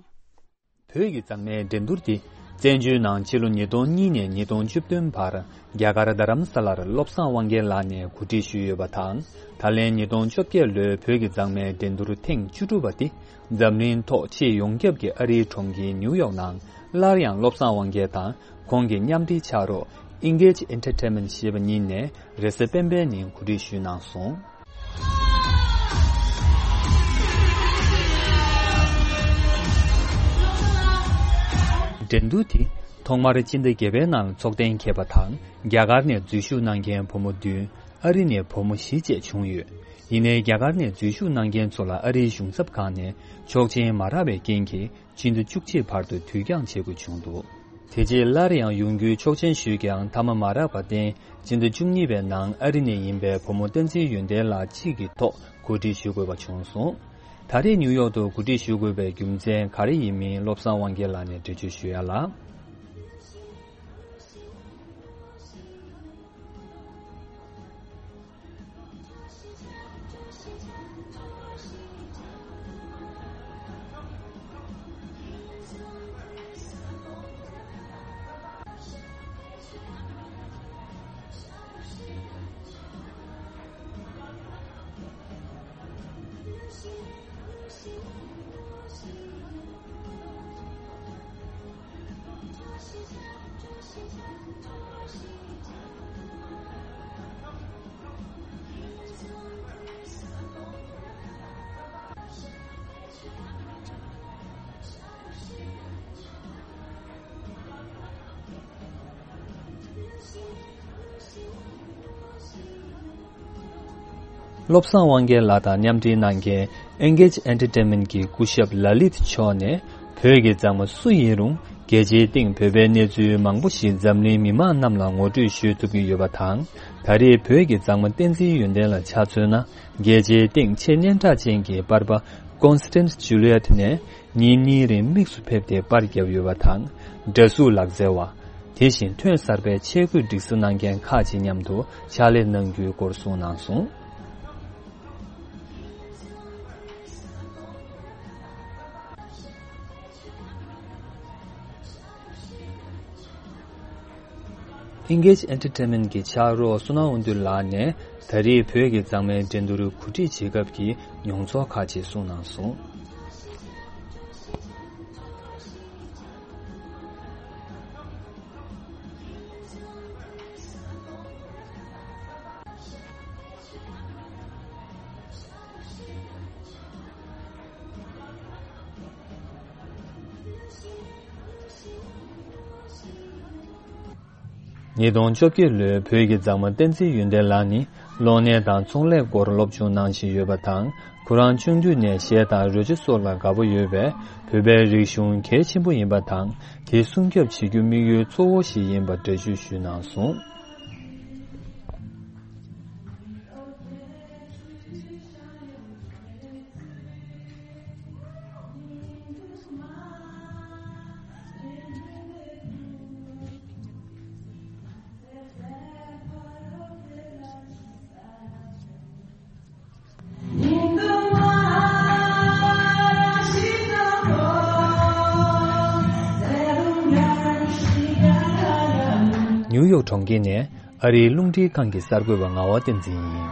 བོད་ཀྱི་མཛངས་མའི་འགྲན་བསྡུར་འདི་བཙན་བྱོལ་ནང་ཕྱི་ལོ་ཉིས་སྟོང་གཉིས་ནས་ཉིས་སྟོང་བཅུ་བདུན་བར་རྒྱ་གར་རྡ་རམ་ས་ལར་བློ་བཟང་དབང་རྒྱལ་ལགས་ནས་གོ་སྒྲིག་ཞུས་ཡོད་པ་དང་། ད་ལན་ཉིས་སྟོང་བཅོ་བརྒྱད་ལོའི་བོད་ཀྱི་མཛངས་མའི་འགྲན་བསྡུར་ཐེངས་བཅུ་དྲུག་པ་འདི་འཛམ་གླིང་ཐོག་ཆེས་ཡོངས་ཁྱབ་ཀྱི་ཨ་རིའི་གྲོང་ཁྱེར་ནིའུ་ཡོག་ནང་སླར་ཡང་བློ་བཟང་དབང་རྒྱལ་དང་ཁོང་གི་མཉམ་འབྲེལ་ཕྱག་རོགས་Engage Entertainment་ཞེས་པ་གཉིས་ནས་རེས་གཟའ་སྤེན་པའི་ཉིན་གོ་སྒྲིག་ཞུས་གནང་སོང་། འགྲན་བསྡུར་དེ་ཐོག་མར་སྤྱི་ཟླ་བརྒྱད་པའི་ནང་འཚོགས་གཏན་འཁེལ་བ་དང་། རྒྱ་གར་ནས་འཛུལ་ཞུགས་གནང་མཁན་བུ་མོ་བདུན། ཨ་རི་ནས་བུ་མོ་བཞི་བཅས་བྱུང་ཡོད། ཡིན་ནའི་རྒྱ་གར་ནས་འཛུལ་ཞུགས་གནང་མཁན་ཚོ་ལ་ཨ་རིའི་གཞུང་ཚབ་ཁང་ནས་ཆོག་མཆན་མ་རག་པའི་རྐྱེན་གྱིས་ཕྱི་ཟླ་བཅུ་གཅིག་བར་དུ་དུས་འགྱངས་བྱེད་དགོས་བྱུང་འདུག་དེ་རྗེས་སླར་ཡང་ཡོང་རྒྱུའི་ཆོག་མཆན་ཞུས་ཀྱང་མཐའ་མ་མ་རག་པར་བརྟེན། སྤྱི་ཟླ་བཅུ་གཉིས་པའི་ནང་ཨ་རི་ནས་ཡིན་པའི་བུ་མོ་བསྟན་འཛིན་ཡོན་ཏན་ལགས་གཅིག་གི་ཐོག་གོ་སྒྲིག་ཞུ་དགོས་པ་བྱུང་སོང་། ད་རེས་ནིའུ་ཡོག་ཏུ་གོ་སྒྲིག་ཞུ་དགོས་པའི་རྒྱུ་མཚན་ག་རེ་ཡིན་མིན་བློ་བཟང་དབང་རྒྱལ་ལགས་ནས་འགྲེལ་བརྗོད་ཞུ་ཡ་ལ། བློ་བཟང་དབང་རྒྱལ་ལགས་དང་མཉམ་འབྲེལ་གནང་མཁན་Engage Entertainment གྱི་སྐུ་ཞབས་ལ་ལིད་མཆོག་ནས། བོད་ཀྱི་མཛངས་མ་སུ་ཡིན་རུང་རྒྱལ་སྤྱིའི་སྟེང་བོད་པའི་གནས་ཚུལ་མང་པོ་ཞིག་འཛམ་གླིང་མི་མང་རྣམས་ལ་ངོ་སྤྲོད་ཞུ་ཐུབ་ཀྱི་ཡོད་པ་དང་། ད་རེས་བོད་ཀྱི་མཛངས་མ་བསྟན་འཛིན་ཡོན་ཏན་ལ་ཆ་མཚོན་ན། རྒྱལ་སྤྱིའི་སྟེང་ཆེས་སྙན་གྲགས་ཅན་གྱི་པར་པ་Constance Juliet ནས་ཉིན་གཉིས་རིང་དམིགས་སུ་ཕེབས་ཏེ་པར་བརྒྱབ་ཡོད་པ་དང་། འདྲ་གཟུགས་ལག་རྩལ་བ། དེ་བཞིན་ཐོན་གསར་པའི་ཆས་གོས་སྒྲིག་གཟུགས་གནང་མཁན་ཁག་ཅིག་མཉམ་དུ་ཕྱག་ལས་གནང་རྒྱུའི་སྐོར་གསུངས་གནང་སོང་། Engage Entertainment གྱི་ཕྱག་རོགས་བསོད་ནམས་དབང་འདུས་ལགས་ནས་ད་རེས་བོད་ཀྱི་མཛངས་མའི་འགྲན་བསྡུར་གོ་སྒྲིག་བྱེད་སྐབས་ཀྱི་མྱོང་ཚོར་ཁག་ཅིག་གསུངས་གནང་སོང་། ཉིས་སྟོང་བཅོ་བརྒྱད་ལོའི་བོད་ཀྱི་མཛངས་མ་བསྟན་འཛིན་ཡོན་ཏན་ལགས་ནི་གློག་བརྙན་དང་ཚོང་ལས་སྐོར་སློབ་སྦྱོང་གནང་བཞིན་ཡོད་པ་དང་། ཁོ་རང་ཆུང་དུས་ནས་གཞས་དང་རོལ་ཆ་སོགས་ལ་དགའ་པོ་ཡོད་པས། བོད་པའི་རིག་གཞུང་གལ་ཆེན་པོ་ཡིན་པ་དང་། དེ་སྲུང་སྐྱོབ་བྱེད་རྒྱུ་དམིགས་ཡུལ་གཙོ་བོ་ཞིག་ཡིན་པ་འགྲེལ་བརྗོད་ཞུས་གནང་སོང་། ནིའུ་ཡོག་གྲོང་ཁྱེར་ནས་ཨ་རིའི་རླུང་འཕྲིན་ཁང་གི་གསར་འགོད་པ་ངག་དབང་བསྟན་འཛིན་ཡིན།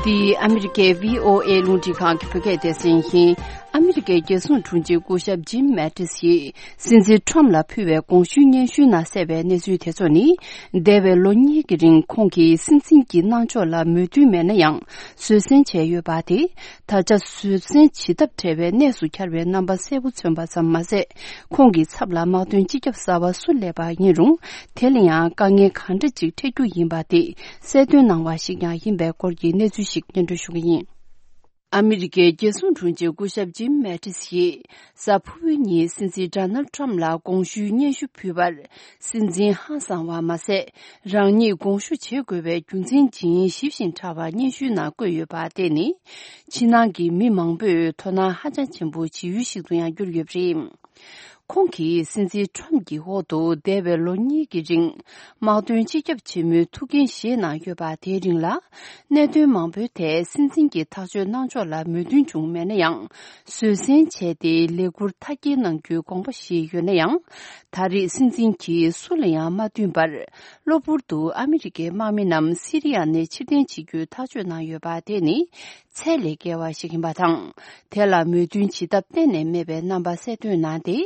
འདི་ཨ་མི་རི་ཀའི་བྷི་ཨོ་ཨེ་རླུང་འཕྲིན་ཁང་གི་བོད་སྐད་སྡེ་ཚན་ཡིན། ཨ་མི་རི་ཀའི་རྒྱལ་སྲུང་དྲུང་ཆེ་སྐུ་ཞབས་ཇིམ་མེ་ཏིས་ཡིས། སྲིད་འཛིན་ཁྲོམ་ལ་ཕུལ་བའི་དགོངས་ཞུའི་སྙན་ཞུའི་ནང་གསལ་བའི་གནས་ཚུལ་དེ་ཚོ་ནི། འདས་པའི་ལོ་གཉིས་ཀྱི་རིང་ཁོང་གིས་སྲིད་འཛིན་གྱི་གནང་ཕྱོགས་ལ་མོས་མཐུན་མེད་ན་ཡང་བཟོད་བསྲན་བྱས་ཡོད་པ་དེ། ད་ཆ་བཟོད་བསྲན་བྱེད་ཐབས་བྲལ་བའི་གནས་སུ་གྱར་བའི་རྣམ་པ་གསལ་པོ་མཚོན་པ་ཙམ་མ་ཟད། ཁོང་གི་ཚབ་ལ་དམག་དོན་སྤྱི་ཁྱབ་གསར་པ་སུ་སླེབས་པ་ཡིན་རུང་། དེ་ལ་ཡང་དཀའ་ངལ་གང་འདྲ་ཅིག་འཕྲད་རྒྱུ་ཡིན་པ་དེ་གསལ་སྟོན་གནང་བ་ཞིག་ཀྱང་ཡིན་པའི་སྐོར་གྱི་གནས་ཚུལ་ཞིག་སྙན་སྒྲོན་ཞུ་གི་ཡིན། ཨ་མི་རི་ཀའི་རྒྱལ་སྲུང་དྲུང་ཆེ་སྐུ་ཞབས་ཇིམ་མེ་ཏིས་ཡིས། གཟའ་ཕུར་བུའི་ཉིན་སྲིད་འཛིན་ཌོ་ནལ་ཌི་ཊརམ་ཕ་ལ་དགོངས་ཞུའི་སྙན་ཞུ་ཕུལ་བར། སྲིད་འཛིན་ཧང་སངས་པ་མ་ཟད། རང་ཉིད་དགོངས་ཞུ་བྱེད་དགོས་པའི་རྒྱུ་མཚན་ཇི་ཡིན་ཞིབ་ཞིང་ཕྲ་བ་སྙན་ཞུའི་ནང་བཀོད་ཡོད་པ་དེ་ནི། ཕྱི་ནང་གི་མི་མང་པོས་དོ་སྣང་ཧ་ཅང་ཆེན་པོ་བྱེད་ཡུལ་ཞིག་ཏུ་ཡང་གྱུར་ཡོད་པ་རེད། ཁོང་གིས་སྲིད་འཛིན་ཁྲོམ་གྱི་འོག་ཏུ་འདས་པའི་ལོ་གཉིས་ཀྱི་རིང་། དམག་དོན་སྤྱི་ཁྱབ་ཆེན་མོའི་ཐུགས་འགན་བཞེས་གནང་ཡོད་པ་དེའི་རིང་ལ། གནད་དོན་མང་པོའི་ཐད་སྲིད་འཛིན་གྱི་ཐག་གཅོད་གནང་ཕྱོགས་ལ་མོས་མཐུན་བྱུང་མེད་ན་ཡང་། བཟོད་བསྲན་བྱས་ཏེ་ལས་འཁུར་མཐའ་སྐྱེལ་གནང་རྒྱུའི་དགོངས་པ་བཞེས་ཡོད་ན་ཡང་། ད་རེས་སྲིད་འཛིན་གྱིས་སུ་ལ་ཡང་མ་བསྟུན་པར། གློ་བུར་དུ་ཨ་མི་རི་ཀའི་དམག་མི་རྣམས་སི་རི་ཡ་ནས་ཕྱིར་འཐེན་བྱེད་རྒྱུའི་ཐག་གཅོད་གནང་ཡོད་པ་དེ་ནི། ཚད་ལས་བརྒལ་བ་ཞིག་ཡིན་པ་དང་། དེ་ལ་མོས་མཐུན་བྱེད་ཐབས་གཏན་ནས་མེད་པའི་རྣམ་པ་གསལ་སྟོན་གནང་སྟེ།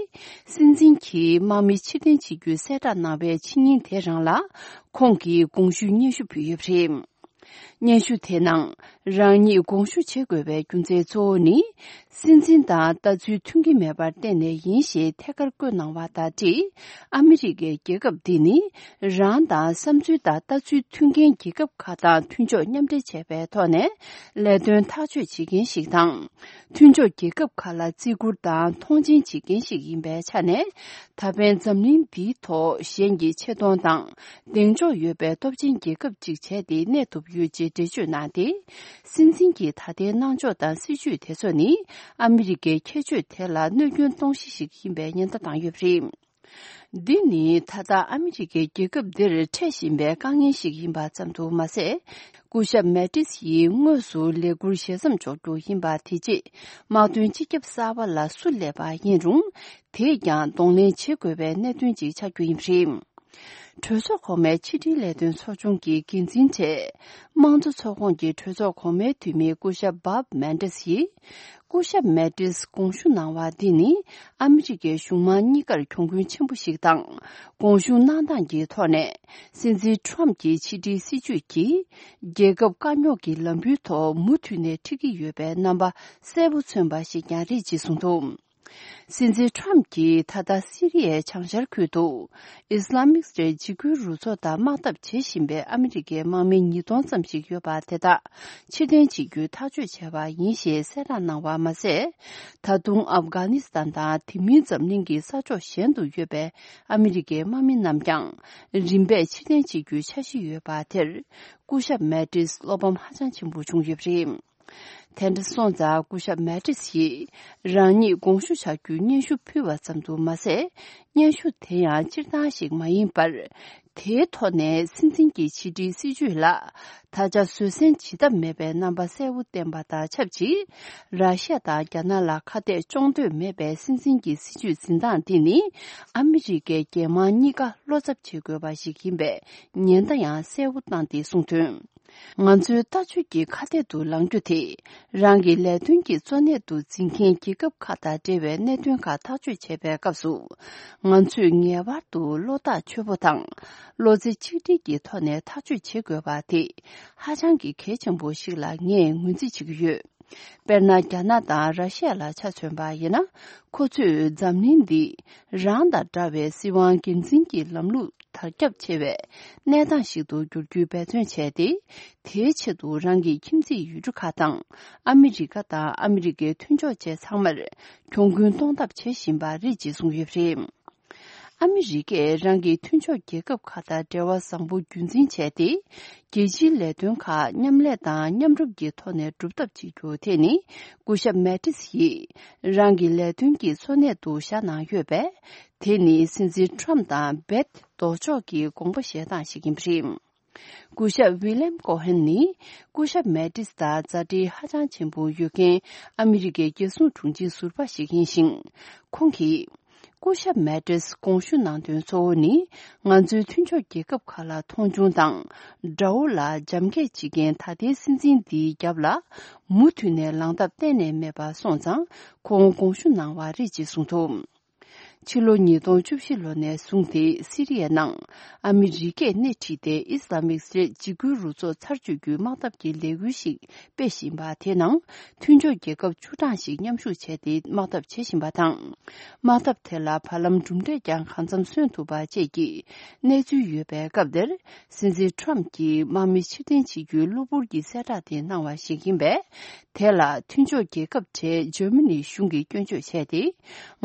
སྲིད་འཛིན་གྱིས་དམག་མི་ཕྱིར་འཐེན་བྱེད་རྒྱུའི་གསལ་བསྒྲགས་གནང་བའི་ཕྱི་ཉིན་དེ་རང་ལ། ཁོང་གིས་དགོངས་ཞུའི་སྙན་ཞུ་ཕུལ་ཡོད་པ་རེད། སྙན་ཞུ་དེའི་ནང་རང་ཉིད་དགོངས་ཞུ་བྱེད་དགོས་པའི་རྒྱུ་མཚན་གཙོ་བོ་ནི། སྲིད་འཛིན་དང་ལྟ་ཚུལ་མཐུན་གྱི་མེད་པར་བརྟེན་ནས་ཡིན་ཞེས་ཐད་ཀར་བཀོད་གནང་བ་དང་འབྲེལ། ཨ་མི་རི་ཀའི་རྒྱལ་ཁབ་འདི་ནི་རང་དང་བསམ་ཚུལ་དང་ལྟ་ཚུལ་མཐུན་རྐྱེན་རྒྱལ་ཁབ་ཁག་དང་མཐུན་ཕྱོགས་མཉམ་འབྲེལ་བྱས་པའི་ཐོག་ནས་ལས་དོན་ཐག་གཅོད་བྱེད་མཁན་ཞིག་དང་། མཐུན་ཕྱོགས་རྒྱལ་ཁབ་ཁག་ལ་བརྩི་བཀུར་དང་མཐོང་ཆེན་བྱེད་མཁན་ཞིག་ཡིན་པའི་ཆ་ནས། ད་ཕན་འཛམ་གླིང་འདིའི་ཐོག་གཞན་གྱི་ཆེ་མཐོང་དང་གདེང་འཇོག་ཡོད་པའི་སྟོབས་ཆེན་རྒྱལ་ཁབ་ཅིག་བྱས་ཏེ་གནས་ཐུབ་ཡོད་ཅེས་འགྲེལ་བརྗོད་གནང་སྟེ། སྲིད་འཛིན་གྱི་ད་ལྟའི་གནང་ཕྱོགས་དང་སྲིད་བྱུས་དེ་ཚོ་ནི་ཨ་མི་རི་ཀའི་ཁྱད་ཆོས་དེ་ལ་གནོད་སྐྱོན་གཏོང་གཞི་ཞིག་ཡིན་པའི་ཉེན་བརྡ་བཏང་ཡོད་པ་རེད། འདི་ནི་ད་ལྟ་ཨ་མི་རི་ཀའི་རྒྱལ་ཁབ་འདིར་འཕྲད་བཞིན་པའི་དཀའ་ངལ་ཞིག་ཡིན་པ་ཙམ་དུ་མ་ཟད། སྐུ་ཞབས་མེ་ཏིས་ཡིས་དངོས་སུ་ལས་འཁུར་ཞལ་མཚམས་འཇོག་རྒྱུ་ཡིན་པ་དེ་རྗེས་དམག་དོན་སྤྱི་ཁྱབ་གསར་པ་ལ་སུ་སླེབས་པ་ཡིན་རུང་། དེས་ཀྱང་གདོང་ལེན་བྱེད་དགོས་པའི་གནད་དོན་ཅིག་ཆགས་རྒྱུ་ཡིན་པ་རེད། གྲོས་ཚོགས་གོང་མའི་ཕྱི་འབྲེལ་ལས་དོན་ཚོགས་ཆུང་གི་འགན་འཛིན་གྲས། དམངས་གཙོ་ཚོགས་ཁོངས་ཀྱི་གྲོས་ཚོགས་གོང་མའི་འཐུས་མི་སྐུ་ཞབས་བྷབ་མན་ཏིས་ཡིས། སྐུ་ཞབས་མེ་ཏིས་དགོངས་ཞུ་གནང་བ་འདི་ནི་ཨ་མི་རི་ཀའི་གཞུང་མང་གཉིས་ཀར་གྱོང་གུན་ཆེན་པོ་ཞིག་དང་། དགོངས་ཞུ་གནང་སྟངས་ཀྱི་ཐོག་ནས། སྲིད་འཛིན་ཁྲོམ་གྱི་ཕྱི་འབྲེལ་སྲིད་བྱུས་ཀྱིས། རྒྱལ་ཁབ་དཀའ་རྙོག་གི་ལམ་བུའི་ཐོག་མུ་མཐུད་ནས་ཁྲིད་ཀྱི་ཡོད་པའི་རྣམ་པ་གསལ་པོ་མཚོན་པ་ཞིག་ཀྱང་རེད་ཅེས་གསུངས་འདུག། སྲིད་འཛིན་ཁྲོམ་གྱིས་ད་ལྟ་སི་རི་ཡའི་བྱང་ཤར་ཁུལ་དུ། ཨི་སི་ལ་མིག་སི་ཊའི་འཇིགས་སྐུལ་རུ་ཚོགས་དང་དམག་འཐབ་བྱེད་བཞིན་པའི་ཨ་མི་རི་ཀའི་དམག་མི་ཉིས་སྟོང་ཙམ་ཞིག་ཡོད་པ་དེ་དག་ཕྱིར་འཐེན་བྱེད་རྒྱུའི་ཐག་གཅོད་བྱས་པ་ཡིན་ཞེས་གསལ་བསྒྲགས་གནང་བ་མ་ཟད། ད་དུང་ཨབ་གྷ་ནི་སི་ཐན་དང་དེ་མིན་འཛམ་གླིང་གི་ས་ཕྱོགས་གཞན་དུ་ཡོད་པའི་ཨ་མི་རི་ཀའི་དམག་མི་རྣམས་ཀྱང་རིམ་པས་ཕྱིར་འཐེན་བྱེད་རྒྱུའི་འཆར་གཞི་ཡོད་པ་དེར། སྐུ་ཞབས་མེ་ཏིས་བློ་ཕམ་ཧ་ཅང་ཆེན་པོ་བྱུང་ཡོད་པ་རེད། དེ་འདྲ་སོང་ཙང་སྐུ་ཞབས་མེ་ཏིས་ཡིས་རང་ཉིད་དགོངས་ཞུ་བྱ་རྒྱུའི་སྙན་ཞུ་ཕུལ་བ་ཙམ་དུ་མ་ཟད། སྙན་ཞུ་དེ་ཡང་སྤྱིར་བཏང་ཞིག་མ་ཡིན་པར། དེའི་ཐོག་ནས་སྲིད་འཛིན་གྱི་ཕྱི་འབྲེལ་སྲིད་བྱུས་ལ་ད་ཆ་བཟོད་བསྲན་བྱེད་ཐབས་མེད་པའི་རྣམ་པ་གསལ་པོ་བསྟན་པ་དང་ཆབས་ཅིག། ར་ཤི་ཡ་དང་རྒྱ་ནག་ལ་ཁ་གཏད་གཅོག་འདོད་མེད་པའི་སྲིད་འཛིན་གྱི་སྲིད་བྱུས་འཛིན་སྟངས་འདི་ནི་ཨ་མི་རི་ཀའི་རྒྱལ་དམངས་གཉིས་ཀ་བློ་འཚབ་བྱེད་དགོས་པ་ཞིག་ཡིན་པའི་ཉེན་བརྡ་ཡང་གསལ་པོ་བཏང་སྟེ་གསུངས་དོན། ང་ཚོའི་ལྟ་སྤྱོད་ཀྱི་ཁ་གཏད་དུ་ལངས་རྒྱུ་དེ། རང་གི་ལས་དོན་གྱི་གཙོ་གནད་དུ་འཛིན་མཁན་རྒྱལ་ཁབ་ཁག་དང་འབྲེལ་བའི་གནད་དོན་ཁག་ཐག་གཅོད་བྱེད་པའི་སྐབས་སུ། ང་ཚོས་ངེས་པར་དུ་བློ་ཐག་ཆོད་པོ་དང་། བློ་རྩེ་གཅིག་སྒྲིལ་གྱི་ཐོག་ནས་ཐག་གཅོད་བྱེད་དགོས་པ་དེ། ཧ་ཅང་གི་གལ་ཆེན་པོ་ཞིག་ལ་ངས་ངོས་འཛིན་བྱེད་ཀྱི་ཡོད། དཔེར་ན། རྒྱ་ནག་དང་ར་ཤི་ཡ་ལ་ཆ་མཚོན་པ་ཡིན་ན། ཁོ་ཚོས་འཛམ་གླིང་འདི་རང་དང་འདྲ་བའི་སྲིད་དབང་སྒེར་འཛིན་གྱི་ལམ་ལུགས་དར་ཁྱབ་ཆེ་བའི་གནས་སྟངས་ཤིག་ཏུ་འགྱུར་རྒྱུའི་འབད་བརྩོན་བྱས་ཏེ། དེའི་ཆེད་དུ་རང་གི་ཁྱིམ་མཚེས་ཡུལ་གྲུ་ཁག་དང་། ཨ་མི་རི་ཀ་དང་ཨ་མི་རི་ཀའི་མཐུན་ཕྱོགས་བཅས་ཚང་མར་གྱོང་གུན་གཏོང་ཐབས་བྱེད་བཞིན་པ་རེད་ཅེས་གསུངས་ཡོད་པ་རེད། ཨ་མི་རི་ཀས་རང་གི་མཐུན་ཕྱོགས་རྒྱལ་ཁབ་ཁག་དང་འབྲེལ་བ་བཟང་པོ་རྒྱུན་འཛིན་བྱས་ཏེ། རྒྱལ་སྤྱིའི་ལས་དོན་ཁག་མཉམ་ལས་དང་མཉམ་རུབ་ཀྱི་ཐོག་ནས་སྒྲུབ་ཐབས་བྱེད་རྒྱུ་དེ་ནི། སྐུ་ཞབས་མེ་ཏིས་ཡིས་རང་གི་ལས་དོན་གྱི་གཙོ་གནད་དུ་བཞག་གནང་ཡོད་པས། དེ་ནི་སྲིད་འཛིན་ཁྲོམ་དང་རྦད་ལྡོག་ཕྱོགས་ཀྱི་དགོངས་པ་བཞེས་སྟངས་ཤིག་ཡིན་པ་རེད། སྐུ་ཞབས་ཝི་ལེམ་ཀོ་ཧན་ནི། སྐུ་ཞབས་མེ་ཏིས་དང་མཛའ་འབྲེལ་ཧ་ཅང་ཆེན་པོ་ཡོད་མཁན་ཨ་མི་རི་ཀའི་རྒྱལ་སྲུང་དྲུང་ཆེ་ཟུར་པ་ཞིག་ཡིན་ཞིང་། ཁོང་གིས། སྐུ་ཞབས་མེ་ཏིས་དགོངས་ཞུ་གནང་དོན་གཙོ་བོ་ནི། ང་ཚོའི་མཐུན་ཕྱོགས་རྒྱལ་ཁབ་ཁག་ལ་མཐོང་ཆུང་དང་། དགྲ་བོ་ལ་རྒྱབ་འགེབས་བྱེད་མཁན་ད་ལྟའི་སྲིད་འཛིན་འདིའི་རྒྱབ་ལ། མུ་མཐུད་ནས་ལངས་ཐབས་གཏན་ནས་མེད་པ་སོང་ཙང་། ཁོང་དགོངས་ཞུ་གནང་བ་རེད་ཅེས་གསུངས་འདུག། ཕྱི་ལོ་ཉིས་སྟོང་བཅུ་བཞི་ལོ་ནས་བཟུང་སྟེ་སི་རི་ཡའི་ནང་ཨ་མི་རི་ཀས་སྣེ་ཁྲིད་དེ་ཨི་སི་ལ་མིག་སི་ཊའི་འཇིགས་སྐུལ་རུ་ཚོགས་ཚར་གཅོད་རྒྱུའི་དམག་འཐབ་ཀྱི་ལས་འགུལ་ཞིག་སྤེལ་བཞིན་པ་དེ་ནང་མཐུན་ཕྱོགས་རྒྱལ་ཁབ་བཅུ་གྲངས་ཤིག་མཉམ་ཞུགས་བྱས་ཏེ་དམག་འཐབ་བྱེད་བཞིན་པ་དང་། དམག་འཐབ་དེ་ལ་བར་ལམ་གྲུབ་འབྲས་ཀྱང་གང་འཚམ་སོན་ཐུབ་པ་བཅས་ཀྱི་གནས་ཚུལ་ཡོད་པའི་སྐབས་དེར། སྲིད་འཛིན་ཁྲོམ་གྱིས་དམག་མི་ཕྱིར་འཐེན་བྱེད་རྒྱུའི་གློ་བུར་གྱི་གསལ་བསྒྲགས་དེ་གནང་བ་ཞིག་ཡིན་པས། དེ་ལ་མཐུན་ཕྱོགས་རྒྱལ་ཁབ་གྲས་འཇར་མ་ནི་གཞུང་གིས་སྐྱོན་བརྗོད་བྱས་ཏེ།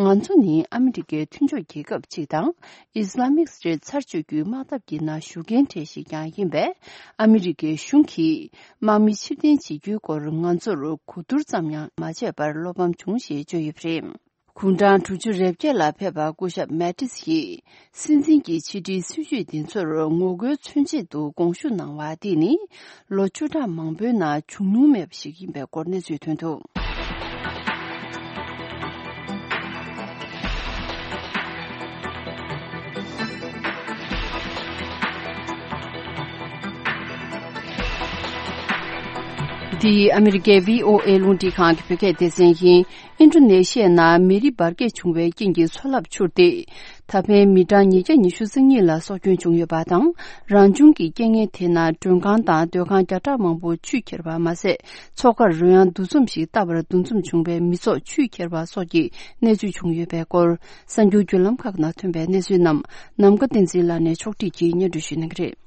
ང་ཚོ་ནི་ཨ་མི་རི་ཀའི་མཐུན་ཕྱོགས་རྒྱལ་ཁབ་ཅིག་དང་། ཨི་སི་ལ་མིག་སི་ཊའི་ཚར་གཅོད་རྒྱུའི་དམག་འཐབ་ཀྱི་ནང་ཞུགས་མཁན་གྲས་ཤིག་ཀྱང་ཡིན་པས། ཨ་མི་རི་ཀའི་གཞུང་གིས་དམག་མི་ཕྱིར་འཐེན་བྱེད་རྒྱུའི་སྐོར་ང་ཚོར་གོ་བསྡུར་ཙམ་ཡང་མ་བྱས་པར་བློ་ཕམ་བྱུང་ཞེས་བརྗོད་ཡོད་པ་རེད། དགུང་གྲངས་དྲུག་ཅུ་རེ་བརྒྱད་ལ་ཕེབས་པ་སྐུ་ཞབས་མེ་ཏིས་ཡིས་སྲིད་འཛིན་གྱི་ཕྱི་དྲིལ་སྲིད་བྱུས་འདི་ཚོར་ངོ་རྒོལ་མཚོན་ཆེད་དུ་དགོངས་ཞུ་གནང་བ་འདི་ནི་ལོ་བཅུ་ཕྲག་མང་པོའི་ནང་བྱུང་མྱོང་མེད་པ་ཞིག་ཡིན་པའི་སྐོར་གནས་ཚུལ་ཐོན་འདུག། འདི་ཨ་མི་རི་ཀའི་བྷི་ཨོ་ཨེ་རླུང་འཕྲིན་ཁང་གི་བོད་སྐད་སྡེ་ཚན་ཡིན། ཨིན་ཌོ་ནེ་ཤི་ཡའི་ནང་མེ་རི་འབར་གས་བྱུང་བའི་རྐྱེན་གྱིས་མཚོ་རླབས་འཕྱུར་ཏེ། ད་ཕན་མི་གྲངས་ཉིས་བརྒྱ་ཉི་ཤུ་རྩ་གཉིས་ལ་སྲོག་སྐྱོན་བྱུང་ཡོད་པ་དང་། རང་བྱུང་གི་རྐྱེན་ངན་དེ་ནང་མགྲོན་ཁང་དང་སྡོད་ཁང་བརྒྱ་ཕྲག་མང་པོ་ཆུས་ཁྱེར་བ་མ་ཟད། མཚོ་ཁར་རོལ་དབྱངས་འདུ་འཛོམས་ཤིག་བཏབ་པར་འདུ་འཛོམས་བྱུང་བའི་མི་ཚོགས་ཆུས་ཁྱེར་བ་སོགས་ཀྱི་གནས་ཚུལ་བྱུང་ཡོད་པའི་སྐོར། གསར་འགྱུར་བརྒྱུད་ལམ་ཁག་ནང་ཐོན་པའི་གནས་ཚུལ་རྣམས་ནམ་མཁའ་བསྟན་འཛིན་ལགས་ནས་ཕྱོགས་སྒྲིག་གིས་སྙན་སྒྲོན་ཞུ་གནང་གི་རེད།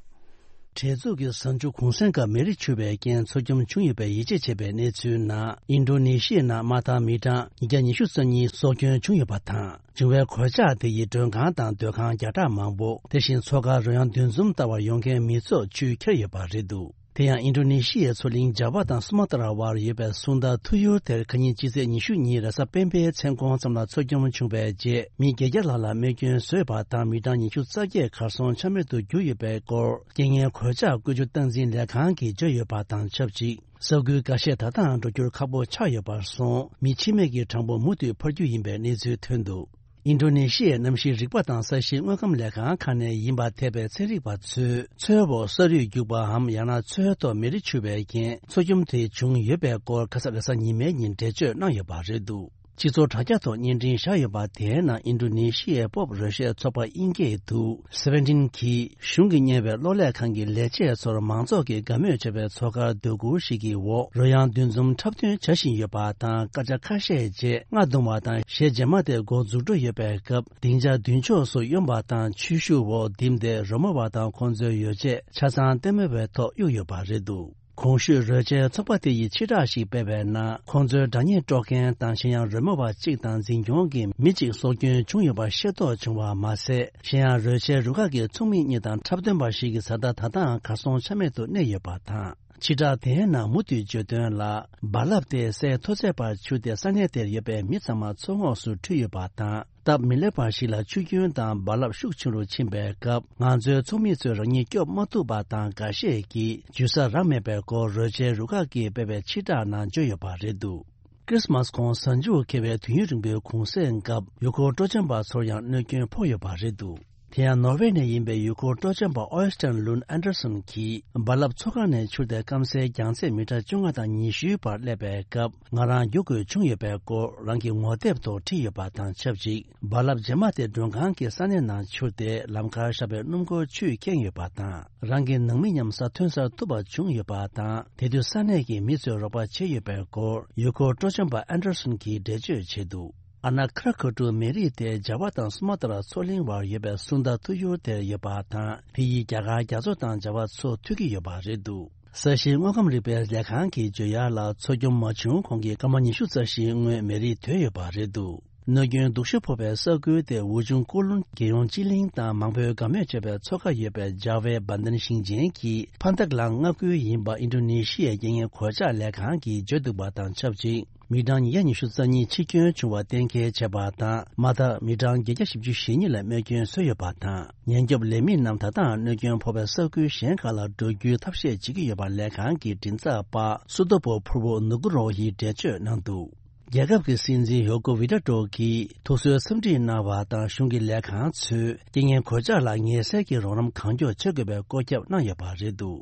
གྲོས་ཚོགས་ཀྱི་གཟའ་མཇུག་གུང་སེང་སྐབས་མེ་རི་འཕྱུར་བའི་རྐྱེན་འཚོ་སྐྱོན་བྱུང་ཡོད་པའི་ཡིད་ཆེས་བྱས་པའི་གནས་ཚུལ་ནང་། ཨིན་ཌོ་ནེ་ཤི་ཡའི་ནང་མ་མཐའ་མི་གྲངས་ཉིས་བརྒྱ་ཉི་ཤུ་རྩ་གཉིས་སྲོག་སྐྱོན་བྱུང་ཡོད་པ་དང་། བྱུང་བའི་གོད་ཆག་དེ་ཡིས་མགྲོན་ཁང་དང་སྡོད་ཁང་བརྒྱ་ཕྲག་མང་པོ། དེ་བཞིན་མཚོ་ཁར་རོལ་དབྱངས་འདུ་འཛོམས་ལྟ་བར་ཡོང་མཁན་མི་ཚོགས་ཆུས་ཁྱེར་ཡོད་པ་རེད་འདུག་དེ་ཡང་ཨིན་ཌོ་ནེ་ཤི་ཡའི་མཚོ་གླིང་ཇཱ་ཝ་དང་སུ་མ་ཏྲ་བར་ཡོད་པའི་སུང་ད་ཐུ་ཡུར་དེར་ཁ་ཉིན་ཕྱི་ཚེས་ཉི་ཤུ་ཉིན་རེས་གཟའ་སྤེན་པའི་མཚན་གུང་ཙམ་ལ་མཚོ་སྐྱོན་བྱུང་བའི་རྗེས། མི་བརྒྱད་བརྒྱ་ལྷག་ལ་རྨས་སྐྱོན་བཟོས་པ་དང་། མི་གྲངས་ཉི་ཤུ་རྩ་བརྒྱད་གར་སོང་ཆ་མེད་དུ་གྱུར་ཡོད་པའི་སྐོར། རྐྱེན་ངན་གོད་ཆག་བཀོད་རྒྱུ་སྟངས་འཛིན་ལས་ཁང་གིས་བརྗོད་ཡོད་པ་དང་ཆབས་ཅིག་ས་ཁུལ་འགའ་ཤས་ད་ལྟའང་འགྲོ་རྒྱུར་ཁག་པོ་ཆགས་ཡོད་པར་སོང་། མི་འཆི་རྨས་ཀྱི་གྲངས་འབོར་མུ་མཐུད་འཕར་རྒྱུ་ཡིན་པའི་གནས་ཚུལ་ཐོན་འདུག་ཨིན་ཌོ་ནེ་ཤི་ཡའི་གནམ་གཤིས་རིག་པ་དང་ས་གཤིས་དངོས་ཁམས་ལས་ཁང་ཁག་ནས་ཡིན་པ་ཐེ་བའི་ཚན་རིག་པ་ཚོས། མཚོའི་འོག་ས་རུད་རྒྱུག་པའམ། ཡང་ན་མཚོའི་ཐོག་མེ་རི་འཕྱུར་བའི་རྐྱེན་མཚོ་སྐྱོམ་དེ་བྱུང་ཡོད་པའི་སྐོར། ཁ་ས་རེས་གཟའ་ཉི་མའི་ཉིན་འགྲེལ་བརྗོད་གནང་ཡོད་པ་རེད་འདུག་སྤྱི་ཚོགས་དྲ་རྒྱ་ཐོག་བརྙན་འཕྲིན་བཞག་ཡོད་པ་དེའི་ནང་། ཨིན་ཌོ་ནེ་ཤི་ཡའི་སྤོབས་རོལ་གཞས་ཚོགས་པ་དབྱིན་སྐད་དུ་Seventeen གིས། གཞུང་གིས་གཉེར་བའི་གློག་ཀླད་ཁང་གི་ལས་བྱེད་ཚོར་མང་ཚོགས་ཀྱིས་དགའ་མོས་བྱེད་པའི་མཚོ་ཁར་སྡོད་གུར་ཞིག་གི་འོག་རོལ་དབྱངས་འདུ་འཛོམས་འཁྲབ་སྟོན་བྱ་བཞིན་ཡོད་པ་དང་། སྐར་ཆ་ཁ་ཤས་རྗེས་རྔ་བརྡུང་བ་དང་གཞས་རྗེས་མ་དེ་འགོ་འཛུགས་འགྲོ་ཡོད་པའི་སྐབས། སྡིངས་ཆ་མདུན་ཕྱོགས་སུ་གཡོན་པ་དང་ཆོས་ཞུ་འོག་བསྡིངས་ཏེ། རོལ་མོ་བ་དང་ཁོང་ཚོའི་ཡོ་བྱད་ཆ་ཚང་ལྟད་མོ་བའི་ཐོག་གཡུགས་ཡོད་པ་རེད་འདུག་གོང་ཞུས་རོལ་ཆའི་ཚོགས་པ་དེ་ཡིས་ཕྱིར་བསྒྲགས་ཤིག་སྤེལ་བའི་ནང་། ཁོང་ཚོའི་སྒྲ་སྙན་དཀྲོག་མཁན་དང་གཞན་ཡང་རོལ་མོ་བ་གཅིག་དང་འཛིན་སྐྱོང་གི་མི་གཅིག་སྲོག་སྐྱོན་བྱུང་ཡོད་པ་ཤེས་རྟོགས་བྱུང་བ་མ་ཟད། གཞན་ཡང་རོལ་ཆའི་རུ་ཁག་གི་ཚོགས་མི་གཉིས་དང་འཁྲབ་སྟོན་པ་ཞིག་གི་བཟའ་ཟླ་ད་ལྟའང་གར་སོང་ཆ་མེད་དུ་གནས་ཡོད་པ་དང་། ཕྱིར་བསྒྲགས་དེའི་ནང་མུ་མཐུད་བརྗོད་དོན་ལ། རྦ་རླབས་དེ་སའི་མཐོ་ཚད་བར་འཕྱུར་ཏེ། ས་གནས་དེར་ཡོད་པའི་མི་ཚང་མ་མཚོ་ངོགས་སུ་ཁྲིད་ཡོད་པ་དང་། སྟབས་མི་ལེགས་པ་ཞིག་ལ་ཆུ་རྒྱུན་དང་རྦ་རླབས་ཤུགས་ཆེ་རུ་ཕྱིན་པའི་སྐབས། ང་ཚོའི་ཚོགས་མི་ཚོས་རང་ཉིད་སྐྱོབ་མ་ཐུབ་པ་དང་། འགའ་ཤས་ཀྱིས་འཇུ་ས་རག་མེད་པའི་སྐོར། རོལ་ཆའི་རུ་ཁག་གིས་སྤེལ་བའི་ཕྱིར་བསྒྲགས་ནང་བརྗོད་ཡོད་པ་རེད་འདུག་ཁྲིས་མས་གོང་གཟའ་མཇུག་འཁེལ་བའི་དུས་ཡུན་རིང་པོའི་གུང་སེང་སྐབས། ཡུལ་སྐོར་སྤྲོ་འཆམ་པ་ཚོར་ཡང་གནོད་སྐྱོན་ཕོག་ཡོད་པ་རེད་འདུག་དེ་ཡང་ནོར་ཝེ་ནས་ཡིན་པའི་ཡུལ་སྐོར་སྤྲོ་འཆམ་པ་ཨོ་ཡེ་སི་ཊན་ལུན་ཨན་ཌར་སན་གྱིས། རྦ་རླབས་མཚོ་ཁ་ནས་འཕྱུར་ཏེ་སྐམ་སའི་རྒྱང་ཚད་མི་ཊར་བཅོ་ལྔ་དང་ཉི་ཤུའི་བར་སླེབས་པའི་སྐབས། ང་རང་རྒྱུག་དགོས་བྱུང་ཡོད་པའི་སྐོར་རང་གི་ངོ་དེབ་ཐོག་བྲིས་ཡོད་པ་དང་ཆབས་ཅིག་རྦ་རླབས་རྗེས་མ་དེ་མགྲོན་ཁང་གི་ས་གནས་ནང་འཕྱུར་ཏེ། ལམ་ཁར་བཞག་པའི་སྣུམ་འཁོར་ཆུས་ཁེངས་ཡོད་པ་དང་། རང་གི་ནང་མི་མཉམ་ས་ཐོན་སར་ཐུག་པ་བྱུང་ཡོད་པ་དང་། དེ་དུས་ས་གནས་ཀྱི་མི་ཚོས་རོགས་པ་བྱས་ཡོད་པའི་སྐོར། ཡུལ་སྐོར་སྤྲོ་འཆམ་པ་ཨན་ཌར་སན་གྱིས་འགྲེལ་བརྗོད་བྱས་འདུག་ཨ་ན་ཁ་ར་ཁ་ཏུ་མེ་རི་དེ་ཇ་བ་དང་སུ་མ་ཏྲ་མཚོ་གླིང་བར་ཡོད་པའི་སུན་ད་ཐུ་ཡུར་དེར་ཡོད་པ་དང་། དེ་ཡིས་རྒྱ་གར་རྒྱ་མཚོ་དང་ཇ་བ་མཚོ་མཐུད་ཀྱི་ཡོད་པ་རེད་འདུག་ས་གཤིས་དངོས་ཁམས་རིག་པའི་ལས་ཁང་གིས་བརྗོད་ཡག་ལ། མཚོ་སྐྱོམ་མ་བྱུང་གོང་གི་སྐར་མ་ཉི་ཤུ་རྩ་བཞིའི་སྔོན་མེ་རི་དོད་ཡོད་པ་རེད་འདུག་གནོད་སྐྱོན་སྡུག་ཤོས་ཕོག་པའི་ས་ཁུལ་དེ་འུ་ཆུང་ཀོ་ལུན་རྒྱལ་ཡོངས་སྤྱི་གླིང་དང་མང་པོས་དགའ་མོས་བྱེད་པའི་མཚོ་ཁ་ཡོད་པའི་ཇཱ་ཝའི་བན་དན་ཞིང་ཆེན་གྱི་ཕན་ཐག་ལམ་མངའ་ཁུལ་ཡིན་པ་ཨིན་ཌོ་ནེ་ཤི་ཡའི་རྐྱེན་ངན་གོད་ཆག་ལས་ཁང་གིས་བརྗོད་འདུག་པ་དང་ཆབས་ཅིག་མི་གྲངས་ཉིས་བརྒྱ་ཉི་ཤུ་རྩ་གཉིས་འཆི་སྐྱོན་བྱུང་བ་གཏན་འཁེལ་བྱས་པ་དང་། མ་མཐའ་མི་གྲངས་བརྒྱད་བརྒྱ་བཞི་བཅུ་ཞེ་གཉིས་ལ་རྨས་སྐྱོན་བཟོས་ཡོད་པ་དང་། ཉེན་སྐྱོབ་ལས་མི་རྣམས་ད་ལྟའང་གནོད་སྐྱོན་ཕོག་པའི་ས་ཁུལ་གཞན་ཁག་ལ་འགྲོ་རྒྱུའི་ཐབས་ཤེས་བྱེད་ཀྱི་ཡོད་པ་ལས་ཁང་གི་མགྲིན་ཚབ་པ་སུ་ཏོ་པོ་ཕུར་བོ་ནུ་ཀུ་རོ་ཡིས་འགྲེལ་བརྗོད་གནང་འདུག་རྒྱལ་ཁབ་ཀྱི་སྲིད་འཛིན་ཡོ་ཀོ་ཝི་ཌ་ཏྲོ་གིས་ཐུགས་གསོའི་འཚམས་འདྲི་གནང་བ་དང་། གཞུང་གི་ལས་ཁང་ཚོས་རྐྱེན་ངན་གོད་ཆག་ལ་ངེས་གསལ་གྱི་རོགས་རམ་གང་མགྱོགས་བྱེད་དགོས་པའི་བཀོད་ཁྱབ་གནང་ཡོད་པ་རེད་འདུག་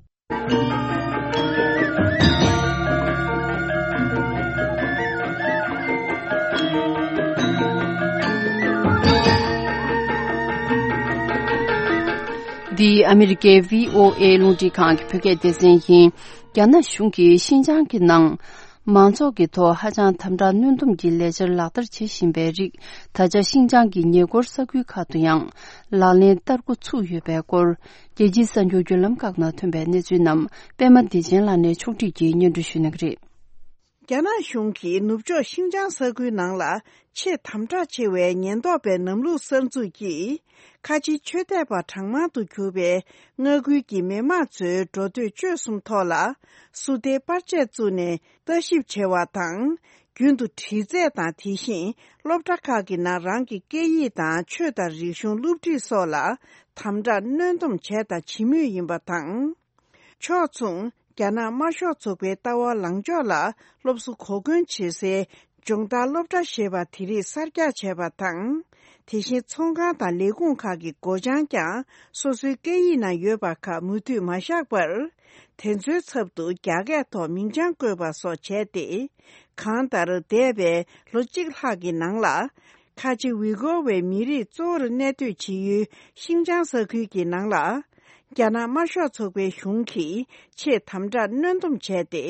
འདི་ཨ་མི་རི་ཀའི་བྷི་ཨོ་ཨེ་རླུང་འཕྲིན་ཁང་གི་བོད་སྐད་སྡེ་ཚན་ཡིན། རྒྱ་ནག་གཞུང་གིས་ཤིན་ཅང་གི་ནང་། མང་ཚོགས་ཀྱི་ཐོག་ཧ་ཅང་དམ་དྲག་གནོན་སྡོམ་གྱི་ལས་འཆར་ལག་བསྟར་བྱེད་བཞིན་པའི་རིགས། ད་ཆ་ཤིན་ཅང་གི་ཉེ་འཁོར་ས་ཁུལ་ཁག་ཏུ་ཡང་ལག་ལེན་བསྟར་འགོ་ཚུགས་ཡོད་པའི་སྐོར། རྒྱལ་སྤྱིའི་གསར་འགྱུར་བརྒྱུད་ལམ་ཁག་ནང་ཐོན་པའི་གནས་ཚུལ་རྣམས་པད་མ་བདེ་ཆེན་ལགས་ནས་ཕྱོགས་སྒྲིག་གིས་སྙན་སྒྲོན་ཞུ་གནང་གི་རེད། རྒྱ་ནག་གཞུང་གིས་ནུབ་ཕྱོགས་ཤིན་ཅང་ས་ཁུལ་ནང་ལ་ཆེས་དམ་དྲག་ཆེ་བའི་ཉེན་རྟོག་པའི་ལམ་ལུགས་གསར་འཛུགས་ཀྱིས། ཁ་ཆེའི་ཆོས་དད་པ་གྲངས་མང་དུ་གྱུར་པའི་མངའ་ཁུལ་གྱི་མི་དམངས་ཚོའི་འགྲོ་སྡོད་སྤྱོད་གསུམ་ཐོག་ལ་སུ་ཏའི་པར་ཆས་བཙུགས་ནས་ལྟ་ཞིབ་བྱེད་པ་དང་། རྒྱུན་དུ་དྲི་རྩད་དང་། དེ་བཞིན་སློབ་གྲྭ་ཁག་གི་ནང་རང་གི་སྐད་ཡིག་དང་ཆོས་དང་རིག་གཞུང་སློབ་ཁྲིད་སོགས་ལ་དམ་དྲག་གནོན་སྡོམ་བྱས་དང་བྱེད་མུས་ཡིན་པ་དང་། ཕྱོགས་མཚུངས། རྒྱ་ནག་དམར་ཤོག་ཚོགས་པའི་ལྟ་བ་ལངས་ཕྱོགས་ལ་སློབ་གསོ་གོ་སྐོན་བྱེད་སའི་སྦྱོང་བརྡར་སློབ་གྲྭ་ཞེས་པ་དེ་རིགས་གསར་རྒྱག་བྱས་པ་དང་། དེ་བཞིན་ཚོང་ཁང་དང་ལས་ཁུངས་ཁག་གི་སྒོ་བྱང་ཀྱང་སོ་སོའི་སྐད་ཡིག་ནང་ཡོད་པ་ཁག་མུ་མཐུད་མ་བཞག་པར། དེ་ཚོའི་ཚབ་ཏུ་རྒྱ་སྐད་ཐོག་མིང་བྱང་བཀོད་པ་སོགས་བྱས་ཏེ། གང་ལྟར་འདས་པའི་ལོ་གཅིག་ལྷག་གི་ནང་ལ། ཁ་ཆེ་ཝི་གོ་བའི་མི་རིགས་གཙོ་བོར་གནས་སྡོད་བྱེད་ཡུལ་ཤིང་ཅང་ས་ཁུལ་གྱི་ནང་ལ། རྒྱ་ནག་དམར་ཤོག་ཚོགས་པའི་གཞུང་གིས་ཆེས་དམ་དྲག་གནོན་སྡོམ་བྱས་ཏེ།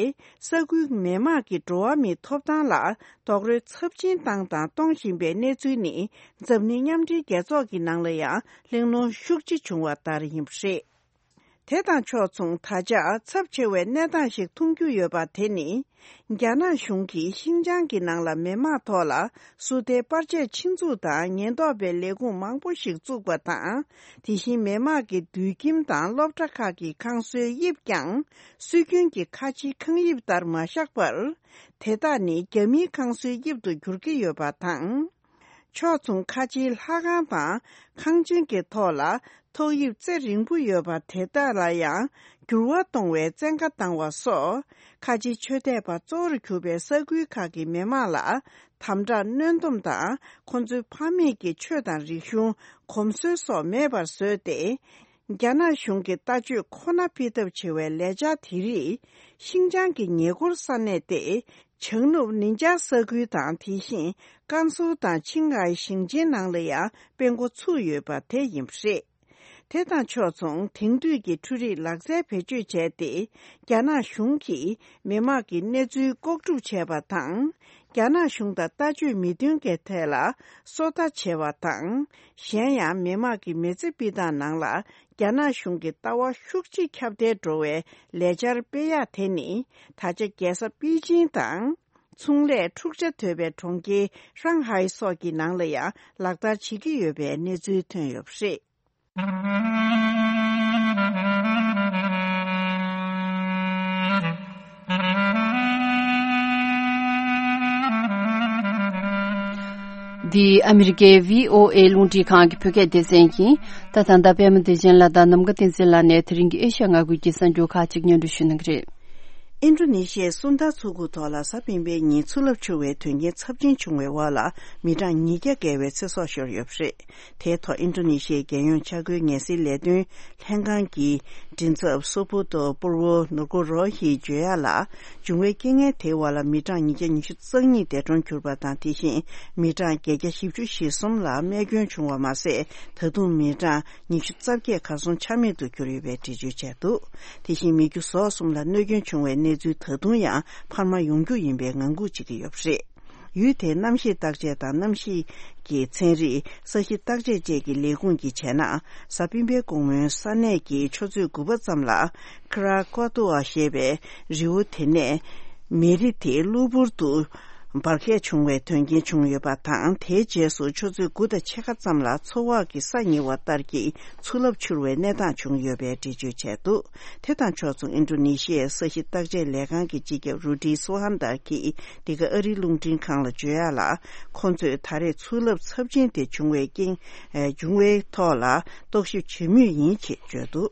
ས་ཁུལ་མི་དམངས་ཀྱི་འགྲོ་བ་མིའི་ཐོབ་ཐང་ལ་རྡོག་རོལ་ཚབས་ཆེན་བཏང་དང་གཏོང་བཞིན་པའི་གནས་ཚུལ་ནི། འཛམ་གླིང་མཉམ་འབྲེལ་རྒྱལ་ཚོགས་ཀྱི་ནང་ལ་ཡང་གླེང་སློང་ཤུགས་ཆེ་བྱུང་བ་ལྟར་ཡིན་པ་རེད། དེ་དང་ཕྱོགས་མཚུངས། ད་ཆ་ཚབས་ཆེ་བའི་གནས་སྟངས་ཤིག་མཐོང་རྒྱུ་ཡོད་པ་དེ་ནི། རྒྱ་ནག་གཞུང་གིས་ཤིན་ཅང་གི་ནང་ལ་མི་དམངས་ཐོག་ལ་སུ་ཏའི་པར་ཆས་ཆེད་འཛུགས་དང་ཉེན་རྟོག་པའི་ལས་ཁུངས་མང་པོ་ཞིག་བཙུགས་པ་དང་། དེ་བཞིན་མི་དམངས་ཀྱི་དུད་ཁྱིམ་དང་སློབ་གྲྭ་ཁག་གི་ཁང་བཟོའི་དབྱིབས་ཀྱང་སྲོལ་རྒྱུན་གྱི་ཁ་ཆེའི་ཁང་དབྱིབས་ལྟར་མ་བཞག་པར། དེ་དག་ནི་རྒྱ་མིའི་ཁང་བཟོའི་དབྱིབས་སུ་འགྱུར་གྱི་ཡོད་པ་དང་། ཕྱོགས་མཚུངས། ཁ་ཆེའི་ལྷ་ཁང་དང་ཁང་ཆེན་གྱི་ཐོག་ལ་ཐོག་དབྱིབས་རྩེ་རིང་པོ་ཡོད་པ་དེ་དག་ལ་ཡང་འགྱུར་བ་གཏོང་བའི་བཙན་བཀའ་བཏང་བ་སོགས། ཁ་ཆེ་ཆོས་དད་པ་གཙོ་བོར་གྱུར་པའི་ས་ཁུལ་ཁག་གི་མི་དམངས་ལ་དམ་དྲག་གནོན་སྡོམ་དང་། ཁོ་ཚོའི་ཕ་མེས་ཀྱི་ཆོས་དང་རིག་གཞུང་། གོམས་སྲོལ་སོགས་མེད་པར་བཟོས་ཏེ། རྒྱ་ནག་གཞུང་གི་ལྟ་སྤྱོད་ཁོ་ན་ཕུད་ཐབས་བྱེད་པའི་ལས་འཆར་དེ་རིགས། ཤིན་ཅང་གི་ཉེ་འཁོར་ས་གནས་ཏེ། བྱང་ནུབ་ནིན་ཅཱ་ས་ཁུལ་དང་། དེ་བཞིན་ཀན་སུའུ་དང་ཆིང་ཧའེ་ཞིང་ཆེན་ནང་ལ་ཡང་སྤེལ་འགོ་ཚུགས་ཡོད་པ་དེ་ཡིན་པ་རེད། དེ་དང་ཕྱོགས་མཚུངས། དེང་དུས་ཀྱི་འཕྲུལ་རིག་ལག་རྩལ་བེད་སྤྱོད་བྱས་ཏེ། རྒྱ་ནག་གཞུང་གིས་མི་དམངས་ཀྱི་གནས་ཚུལ་ལྐོག་སྒྲུབ་བྱས་པ་དང་། རྒྱ་ནག་གཞུང་དང་ལྟ་སྤྱོད་མི་མཐུན་གྱི་ཐད་ལ་སོ་ལྟ་བྱས་པ་དང་། གཞན་ཡང་མི་དམངས་ཀྱི་མི་ཚེ་སྤྱི་དང་ནང་ལ་རྒྱ་ནག་གཞུང་གི་ལྟ་བ་ཤུགས་ཆེ་ཁྱབ་གདལ་འགྲོ་བའི་ལས་འཆར་སྤེལ་ཡག་དེ་ནི། ད་ཆ་རྒྱལ་ས་པེ་ཅིང་དང་། ཚོང་ལས་འཁྲུག་ཆ་དོད་པའི་གྲོང་ཁྱེར་ཧྲང་ཧའེ་སོགས་ཀྱི་ནང་ལ་ཡང་ལག་བསྟར་བྱེད་ཀྱི་ཡོད་པའི་གནས་ཚུལ་ཐོན་ཡོད་པ་རེད། འདི་ཨ་མི་རི་ཀའི་བྷི་ཨོ་ཨེ་རླུང་འཕྲིན་ཁང་གི་བོད་སྐད་སྡེ་ཚན་ཡིན། ད་ད་ལྟ་པད་མ་བདེ་ཆེན་ལགས་དང་ནམ་མཁའ་བསྟན་འཛིན་ལགས་ནས་དེ་རིང་གི་ཨེ་ཤ་ཡ་མངའ་ཁུལ་གྱི་གསར་འགྱུར་ཁག་ཅིག་སྙན་སྒྲོན་ཞུ་གནང་གི་རེད། ཨིན་ཌོ་ནེ་ཤི་ཡའི་སུན་ད་མཚོ་ཁུག་ཐོག་ལ་གཟའ་སྤེན་པའི་ཉིན་ཆུ་རླབས་འཕྱུར་བའི་དོན་རྐྱེན་ཚབས་ཆེན་བྱུང་བའི་འོག་ལ་མི་གྲངས་ཉིས་བརྒྱ་བརྒལ་བའི་ཚེ་སྲོག་ཤོར་ཡོད་པ་རེད། དེའི་ཐོག་ཨིན་ཌོ་ནེ་ཤི་ཡའི་རྒྱལ་ཡོངས་འཆར་འགོད་ངལ་སེལ་ལས་དོན་ལྷན་ཁང་གི་མགྲིན་ཚབ་སོ་པོ་ཏོ་པུར་བོ་ནུར་ཀོ་རོ་ཧིས་བརྗོད་ཡག་ལ། འབྱུང་བའི་རྐྱེན་ངན་དེའི་འོག་ལ་མི་གྲངས་ཉིས་བརྒྱ་ཉི་ཤུ་རྩ་གཉིས་འདས་གྲོངས་གྱུར་པ་དང་། དེ་བཞིན་མི་གྲངས་བརྒྱད་བརྒྱ་བཞི་བཅུ་ཞེ་གསུམ་ལ་རྨས་སྐྱོན་བྱུང་བ་མ་ཟད། ད་དུང་མི་གྲངས་ཉི་ཤུ་རྩ་བརྒྱད་གར་སོང་ཆ་མེད་དུ་གྱུར་ཡོད་པའི་འགྲེལ་བརྗོད་བྱས་འདུག་དེ་བཞིན་མི་རྒྱུ་ཟོག་གསུམ་ལ་གནོད་སྐྱོན་བྱུང་བའི་གནས་ཚུལ་ད་དུང་ཡང་འཕར་མ་ཡོང་རྒྱུ་ཡིན་པའི་ངང་སྒུག་བྱེད་ཀྱི་ཡོད་པ་རེད། ཡུལ་དེའི་གནམ་གཤིས་བརྟག་དཔྱད་དང་གནམ་གཤིས་ཀྱི་ཚན་རིག་ས་གཤིས་བརྟག་དཔྱད་བཅས་ཀྱི་ལས་ཁུངས་ཀྱིས་བྱས་ན། གཟའ་སྤེན་པའི་དགོང་མོའི་ས་གནས་ཀྱི་ཆུ་ཚོད་དགུ་པ་ཙམ་ལ་ཁ་ར་ཀོ་ཏུ་ཨ་ཞེས་པའི་རི་བོ་དེ་ནས་མེ་རི་དེ་གློ་བུར་དུ་འབར་གས་བྱུང་བའི་དོན་རྐྱེན་བྱུང་ཡོད་པ་དང་། དེའི་རྗེས་སུ་ཆུ་ཚོད་དགུ་དང་ཕྱེད་ཀ་ཙམ་ལ་མཚོ་འོག་གི་ས་ཉིལ་བ་ལྟར་གྱི་ཆུ་རླབས་འཕྱུར་བའི་གནས་སྟངས་བྱུང་ཡོད་པའི་འགྲེལ་བརྗོད་བྱས་འདུག་དེ་དང་ཕྱོགས་མཚུངས། ཨིན་ཌོ་ནེ་ཤི་ཡའི་ས་གཤིས་བརྟག་དཔྱད་ལས་ཁང་གི་སྤྱི་ཁྱབ་རུ་ཌི་སུ་ཧན་དར་གྱིས་འདི་ག་ཨ་རིའི་རླུང་འཕྲིན་ཁང་ལ་བརྗོད་ཡག་ལ། ཁོང་ཚོས་ད་རེས་ཆུ་རླབས་ཚབས་ཆེན་དེ་བྱུང་བའི་རྐྱེན། ཨེ། བྱུང་བའི་ཐོག་ལ་རྟོག་ཞིབ་བྱེད་མུས་ཡིན་ཞེས་བརྗོད་འདུག་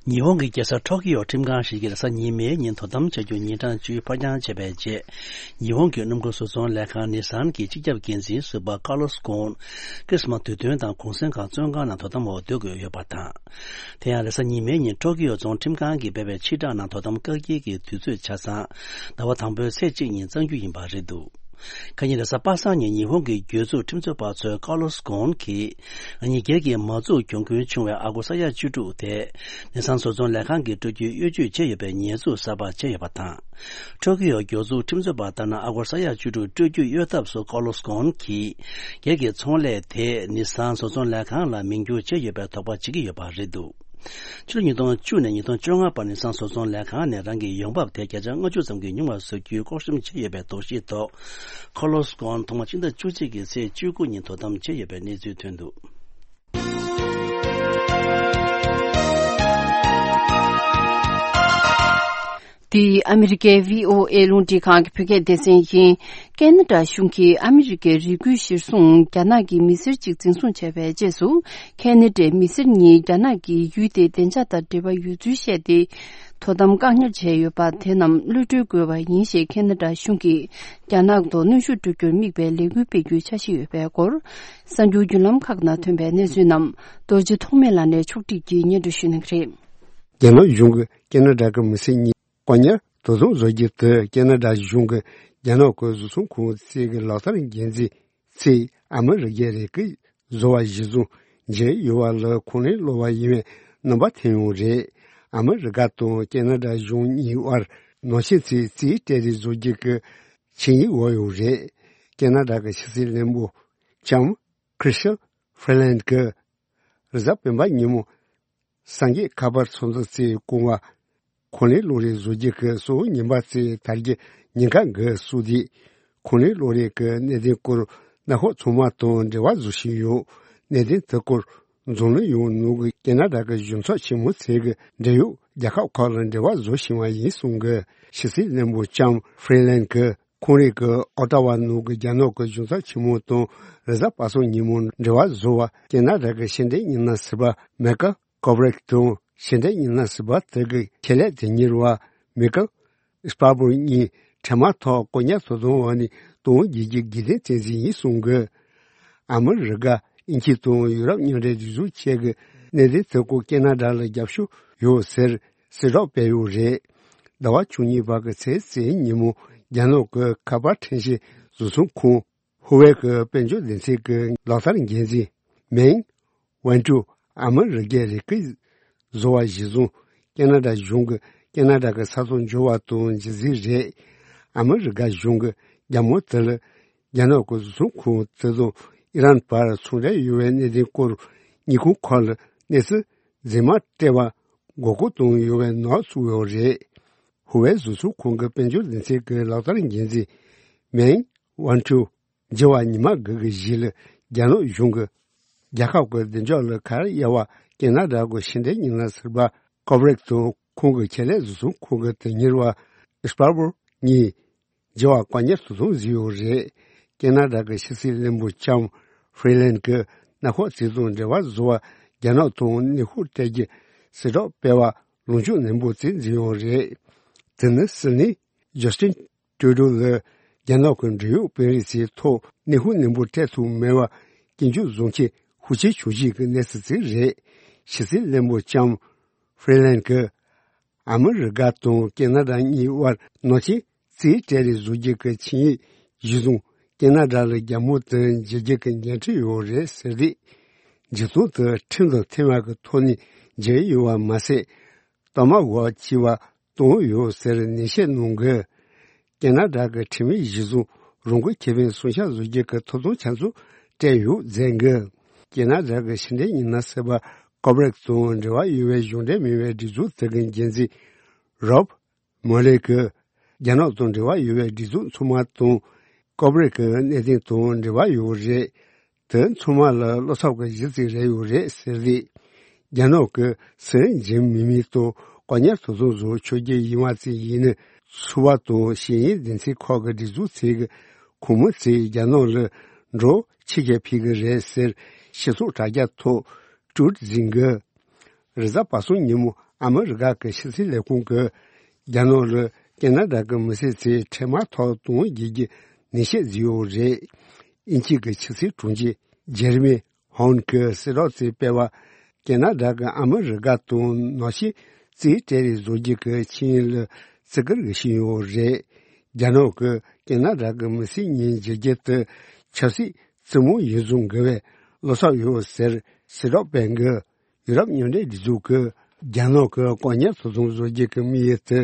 ཉི་ཧོང་གི་རྒྱལ་ས་ཊོ་ཀི་ཡོ་ཁྲིམས་ཁང་ཞིག་གིས་རེས་གཟའ་ཉི་མའི་ཉིན་དོ་དམ་བྱ་རྒྱུ་ཉིན་གྲངས་བཅུ་ཕར་འགྱངས་བྱས་པའི་རྗེས། ཉི་ཧོང་གི་སྣུམ་འཁོར་བཟོ་ཚོང་ལས་ཁང་ནི་སཱན་གྱི་སྤྱི་ཁྱབ་འགན་འཛིན་ཟུར་པ་ཀར་ལོ་སི་གྷོན་ཁྲིས་མ་དུས་སྟོན་དང་གུང་སེང་སྒང་བཙོན་ཁང་ནང་དོ་དམ་འོག་སྡོད་དགོས་ཡོད་པ་དང་། དེ་ཡང་རེས་གཟའ་ཉི་མའི་ཉིན་ཊོ་ཀི་ཡོ་རྫོང་ཁྲིམས་ཁང་གིས་སྤེལ་བའི་ཕྱིར་བསྒྲགས་ནང་དོ་དམ་བཀག་སྐྱིལ་གྱི་དུས་ཚོད་ཆ་ཚང་ཟླ་བ་དང་པོའི་ཚེས་གཅིག་ཉིན་གཙང་རྒྱུ་ཡིན་པ་རེད་འདུག་ཁ་ཉིན་རེས་གཟའ་པ་སངས་ཉིན་ཉི་ཧོང་གི་གྱོད་འཛུགས་ཁྲིམས་རྩོད་པ་ཚོས་ཀར་ལོ་སི་གྷོན་གྱིས་ཉིན་འགར་གྱི་མ་འཛུགས་གྱོང་གུན་བྱུང་བའི་ཨ་སྒོར་ས་ཡ་བཅུ་དྲུག་དེ་ནི་སཱན་བཟོ་ཚོང་ལས་ཁང་གིས་སྤྲོད་རྒྱུའི་གཡོ་ཇུས་བྱས་ཡོད་པའི་ཉེས་འཛུགས་གསར་པ་བྱས་ཡོད་པ་དང་། ཊོ་ཀི་ཡོ་གྱོད་འཛུགས་ཁྲིམས་རྩོད་པ་ལྟར་ན། ཨ་སྒོར་ས་ཡ་བཅུ་དྲུག་སྤྲོད་རྒྱུ་གཡོལ་ཐབས་སུ་ཀར་ལོ་སི་གྷོན་གྱིས་སྒེར་གྱི་ཚོང་ལས་དེ་ནི་སཱན་བཟོ་ཚོང་ལས་ཁང་ལ་མིང་བསྒྱུར་བྱས་ཡོད་པའི་དོགས་པ་བྱེད་ཀྱི་ཡོད་པ་རེད་འདུག་ཕྱི་ལོ་ཉིས་སྟོང་བཅུ་ནས་ཉིས་སྟོང་བཅོ་ལྔ་བར་ནི་སཱན་བཟོ་ཚོང་ལས་ཁང་ནས་རང་གི་ཡོང་འབབ་དེ་བརྒྱ་ཆ་ལྔ་བཅུ་ཙམ་གྱིས་ཉུང་བ་བཟོ་རྒྱུའི་ལྐོག་ཤམ་བྱས་ཡོད་པའི་དོགས་གཞིའི་ཐོག་ཀར་ལོ་སི་གྷོན་ཐོག་མ་ཕྱི་ཟླ་བཅུ་གཅིག་གི་ཚེས་བཅུ་དགུ་ཉིན་དོ་དམ་བྱས་ཡོད་པའི་གནས་ཚུལ་ཐོན་འདུག་འདི་ཨ་མི་རི་ཀའི་བྷི་ཨོ་ཨེ་རླུང་འཕྲིན་ཁང་གི་བོད་སྐད་སྡེ་ཚན་ཡིན། ཁེ་ན་ཌ་གཞུང་གིས་ཨ་མི་རི་ཀའི་རི་ཁུལ་གཞིར་བཟུང་རྒྱ་ནག་གི་མི་སེར་གཅིག་འཛིན་བཟུང་བྱས་པའི་རྗེས་སུ། ཁེ་ན་ཌའི་མི་སེར་གཉིས་རྒྱ་ནག་གིས་ཡུལ་དེའི་བདེ་འཇགས་དང་འབྲེལ་བ་ཡོད་ཚུལ་བཤད་དེ། དོ་དམ་བཀག་ཉར་བྱས་ཡོད་པ་དེ་རྣམས་གློད་གྲོལ་དགོས་པ་ཡིན་ཞེས་ཁེ་ན་ཌ་གཞུང་གིས་རྒྱ་ནག་ཐོག་གནོན་ཤུགས་སྤྲོད་རྒྱུར་དམིགས་པའི་ལས་འགུལ་སྤེལ་རྒྱུའི་འཆར་གཞི་ཡོད་པའི་སྐོར། གསར་འགྱུར་བརྒྱུད་ལམ་ཁག་ནང་ཐོན་པའི་གནས་ཚུལ་རྣམས་རྡོ་རྗེ་ཐོགས་མེད་ལགས་ནས་ཕྱོགས་སྒྲིག་གིས་སྙན་སྒྲོན་ཞུ་གནང་གི་རེད། རྒྱ་ནག་གཞུང་གིས་ཁེ་ན་ཌ་གི་མི་སེར་གཉིས་བཀག་ཉར་དོ་དམ་བཟོ་རྒྱུ་དེ་ཁེ་ན་ཌ་གཞུང་གིས་རྒྱ་ནག་གི་བཟོ་ཚོང་ཁང་གཅིག་གི་ལག་བསྟར་འགན་འཛིན་ཚེ་ ཨ་མི་རི་ཀའི་རིགས་ཀྱི་བཟོ་བ་གཞི་བཟུང་བྱས་ཡོད་པ་ལ་ཁོང་ལས་སླ་བ་ཡིན་པའི་རྣམ་པ་ཐོན་ཡོད་རེད། ཨ་མི་རི་ཀ་དང་ཁེ་ན་ཌ་གཞུང་གཉིས་དབར་ནང་ཆེན་ཚོའི་རྩིས་སྤྲད་རེས་བཟོ་རྒྱུ་གི་ཆིངས་ཡིག་འོག་ཡོད་རེད། ཁེ་ན་ཌ་གི་ཕྱི་སྲིད་བློན་པོ་ལྕམ་ཁྲི་སི་ཊ་ཧྥི་རི་ལན་གྱིས་རེས་གཟའ་སྤེན་པ་ཉིན་མོ་སངས་རྒྱས་ཁ་པར་ཚོགས་འདུ་རྩིས་སྐོང་བ། ཁོང་ལས་སློབ་རེས་བཟོ་རྒྱུ་གི་གསོ་བོ་ཉིན་པ་རྩིས་དར་རྒྱུ་ཉིན་ཁ་འགའ་སུ་དེ། ཁོང་ལས་སློབ་རེས་ཀྱི་གནད་དོན་སྐོར་གནད་འགག་ཚང་མ་དང་འབྲེལ་བ་བཟོ་བཞིན་ཡོད། གནད་དོན་དེ་སྐོར་འཛམ་གླིང་ཡོངས་ནང་གི་ཁེ་ན་ཌ་གི་གཞུང་ཚབ་ཆེན་མོ་ཚོས་གི་འབྲེལ་ཡོད་རྒྱལ་ཁབ་ཁག་ལ་འབྲེལ་བ་བཟོ་བཞིན་པ་ཡིན་གསུང་གི། ཕྱི་སྲིད་བློན་པོ་ལྕམ་ཧྥི་རི་ལན་གྱིས་ཁོང་རང་གི་ཨོ་ཏཱ་ཝ་ནང་གི་རྒྱ་ནག་གི་གཞུང་ཚབ་ཆེན་མོ་དང་རེས་གཟའ་པ་སངས་ཉིན་མོ་འབྲེལ་བ་བཟོ་བ་ཁེ་ན་ཌ་གི་ཕྱི་འབྲེལ་ཉི་ན་ཟུར་པ་མེ་ཀལ་ཀོ་བྷི་རེག་དང་ཕྱི་འབྲེལ་ཉི་ན་ཟུར་པ་དེ་གི་ཆེད་ལས་དོན་གཉེར་བ་མེ་ཀལ་སྤར་བོར་གཉིས་འཕྲལ་མ་ཐོག་བཀག་ཉར་དོ་དམ་འོག་ནས་གཏོང་རྒྱུའི་དགོས་འདུན་བསྟན་གཟིགས་ཡིན་གསུང་གི། ཨ་མི་རི་ཀ་དབྱིན་ཇི་དང་ཡུ་རོབ་མཉམ་འབྲེལ་སྒྲིག་འཛུགས་བཅས་ཀྱི་གནད་དོན་དེ་སྐོར་ཁེ་ན་ཌ་ལ་རྒྱབ་སྐྱོར་ཡོད་ཟེར་གསལ་བསྒྲགས་སྤེལ་ཡོད་རེད། ཟླ་བ་བཅུ་གཉིས་པ་གི་ཚེས་གཅིག་ཉིན་མོ་རྒྱ་ནག་གི་ཁ་པར་ཕྲེང་བཞི་བཟོ་ཚོང་ཁང་ཧུ་ཝེ་གི་དཔལ་འབྱོར་སྡེ་ཚན་གྱི་ལག་བསྟར་འགན་འཛིན་མེང་ཝན་ཀྲུའུ་ཨ་མི་རི་ཀའི་རིགས་ཀྱི་བཟོ་བ་གཞི་བཟུང་ཁེ་ན་ཌ་གཞུང་གི་ཁེ་ན་ཌ་གི་ས་ཐོག་འབྱོར་བ་དང་རྗེས་འཛིན་རེད། ཨ་མི་རི་ཀ་གཞུང་གི་རྒྱ་མོ་དེ་ལ་རྒྱ་ནག་གི་བཟོ་ཚོང་ཁང་དེ་དང་ཨི་རན་བར་ཚོང་འབྲེལ་ཡོད་པའི་གནད་དོན་སྐོར་ཉིན་གུང་ཁག་ལ་གནས་ཚུལ་རྫུན་མ་སྤྲད་པ་མགོ་སྐོར་བཏང་ཡོད་པའི་ནག་བཙུགས་ཡོད་རེད། ཧུ་ཝེ་བཟོ་ཚོང་ཁང་གི་དཔལ་འབྱོར་སྡེ་ཚན་གྱི་ལག་བསྟར་འགན་འཛིན་མེང་ཝན་ཀྲུའུ་བརྗེ་བ་ཉི་མ་དགུ་གི་གཞུག་ལ་རྒྱ་ནག་གཞུང་གིས་རྒྱལ་ཁབ་ཀྱི་བདེ་འཇགས་ལ་ཁ་གཡར་བ་ཁེ་ན་ཌ་གི་ཕྱི་འབྲེལ་ཉི་ན་ཟུར་པ་ཀོ་བྷི་རེག་དང་ཁོང་གི་ཆེད་ལས་བཟོ་ཚོང་ཁང་གི་དོན་གཉེར་བ་སྤར་བོར་གཉིས་བརྗེ་བ་བཀག་ཉར་དུ་བཟུང་བཟོས་ཡོད་རེད། ཁེ་ན་ཌ་གི་ཕྱི་སྲིད་བློན་པོ་ལྕམ་ཧྥི་རི་ལན་གྱིས་གནམ་འོག་རྩིས་དང་འབྲེལ་བ་བཟོ་བར་རྒྱ་ནག་དང་གནོན་ཤུགས་སྤྲད་རྒྱུ་གསལ་བསྒྲགས་སྤེལ་བ་ལངས་ཕྱོགས་ནན་པོ་བརྩི་འཛིན་ཡོད་རེད། དེ་ནི་སྲིད་བློན་ཇོ་སི་ཊིན་ཀྲུ་ཌོ་ལ་རྒྱ་ནག་གི་འབྲེལ་ཡོད་དཔོན་རིགས་ཚོའི་ཐོག་གནོན་ཤུགས་ནན་པོ་སྤྲད་ཐུབ་མེད་པར་སྐྱོན་བརྗོད་བཟོ་མཁན་ཤུགས་ཆེ་བྱུང་རྗེས་ཀྱི་གནས་ཚུལ་ཅིག་རེད། ཕྱི་སྲིད་བློན་པོ་ལྕམ་ཧྥི་རི་ལན་གྱིས་ཨ་མི་རི་ཀ་དང་ཁེ་ན་ཌ་གཉིས་དབར་ནང་ཆེན་རྩིས་སྤྲད་རེས་བཟོ་རྒྱུ་གི་ཆིངས་ཡིག་གཞི་བཟུང་ཁེ་ན་ཌ་ལ་རྒྱ་མོ་དེ་འཇལ་རྒྱུ་གི་འགན་འཁྲི་ཡོད་རེད་ཟེར་ཏེ། འཇིགས་སྣང་དེ་ཁྲིམས་དང་མཐུན་པ་གི་ཐོག་ནས་འཇལ་ཡོད་པ་མ་ཟད། གཏའ་མ་འགོག་བྱས་པ་བཏང་ཡོད་ཟེར་ནན་བཤད་གནང་གི། ཁེ་ན་ཌ་གི་ཁྲིམས་ཡིག་གཞི་བཟུང་རང་འགུལ་ཁེ་ཕན་སྲུང་སྐྱོབ་བཟོ་རྒྱུ་གི་ཐོབ་ཐང་ཆ་ཚང་སྤྲད་ཡོད་མཛད་གི། ཁེ་ན་ཌ་གི་ཕྱི་འབྲེལ་ཉི་ན་ཟུར་པ་ཀོ་བྷི་རེག་དང་འབྲེལ་བ་ཡོད་པའི་གཞུང་འབྲེལ་མིན་པའི་སྒྲིག་འཛུགས་དེ་གི་འགན་འཛིན་རོབ་མོ་ལེ་གིས་རྒྱ་ནག་དང་འབྲེལ་བ་ཡོད་པའི་སྒྲིག་འཛུགས་ཚང་མ་དང་ཀོ་བྷི་རེག་གི་གནད་དོན་དང་འབྲེལ་བ་ཡོད་རེད། དེ་ཚང་མ་ལ་བློ་འཚབ་ཀྱི་གཞི་རྩིས་རེ་ཡོད་རེད་ཟེར་རེད། རྒྱ་ནག་གི་སྲིད་འཛིན་མི་མི་ཐོག་བཀག་ཉར་དུ་བཟུང་བཟོ་ཆོག་རྒྱུ་ཡིན་པ་ཙམ་ཡིན་ན་ཚོགས་པ་དང་ཤེས་ཡོན་སྡེ་ཚན་ཁག་གི་སྒྲིག་འཛུགས་ཚོས་ཀྱི་ཁོང་མི་ཚོས་རྒྱ་ནག་ལ་འགྲོ་ཕྱི་རྒྱལ་ཕེབས་ཀྱི་རེད་ཟེར་སྤྱི་ཚོགས་དྲ་རྒྱ་ཐོག་ཀྲུའུ་ཊི་བཟོས་འགོད། རེས་གཟའ་པ་སངས་ཉིན་མོ་ཨ་མི་རི་ཀ་གི་ཕྱི་སྲིད་ལས་ཁུངས་ཀྱིས་རྒྱ་ནག་ལ་ཁེ་ན་ཌ་གི་མི་སེར་ཚོས་འཕྲལ་མ་ཐོག་གཏོང་རྒྱུ་གི་ནན་བཤད་བཟོས་ཡོད་རེད། དབྱིན་ཇི་གི་ཕྱི་སྲིད་དྲུང་ཆེ་ཇེ་རི་མི་ཧོན་གྱིས་གསལ་བསྒྲགས་ཚོད་སྤེལ་བ། ཁེ་ན་ཌ་གིས་ཨ་མི་རི་ཀ་དང་ནང་ཆེན་རྩིས་སྤྲད་རེས་བཟོ་རྒྱུ་གི་ཆིངས་ཡིག་ལ་བརྩི་བཀུར་ཞུས་ཡོད་རེད། རྒྱ་ནག་གིས་ཁེ་ན་ཌ་གི་མི་སེར་གཉིས་འཇལ་རྒྱུ་དེ་ཆབ་སྲིད་རྩེད་མོ་ཡིན་བཟོ་དགོས་པའི་བློ་འཚབ་ཡོད་ཟེར་གསལ་བསྒྲགས་སྤེལ་འགོད། ཡུ་རོབ་མཉམ་འབྲེལ་སྒྲིག་འཛུགས་ཀྱིས་རྒྱ་ནག་གི་བཀག་ཉར་དུ་བཟུང་བཟོ་རྒྱུ་གི་དམིགས་ཡུལ་དེ་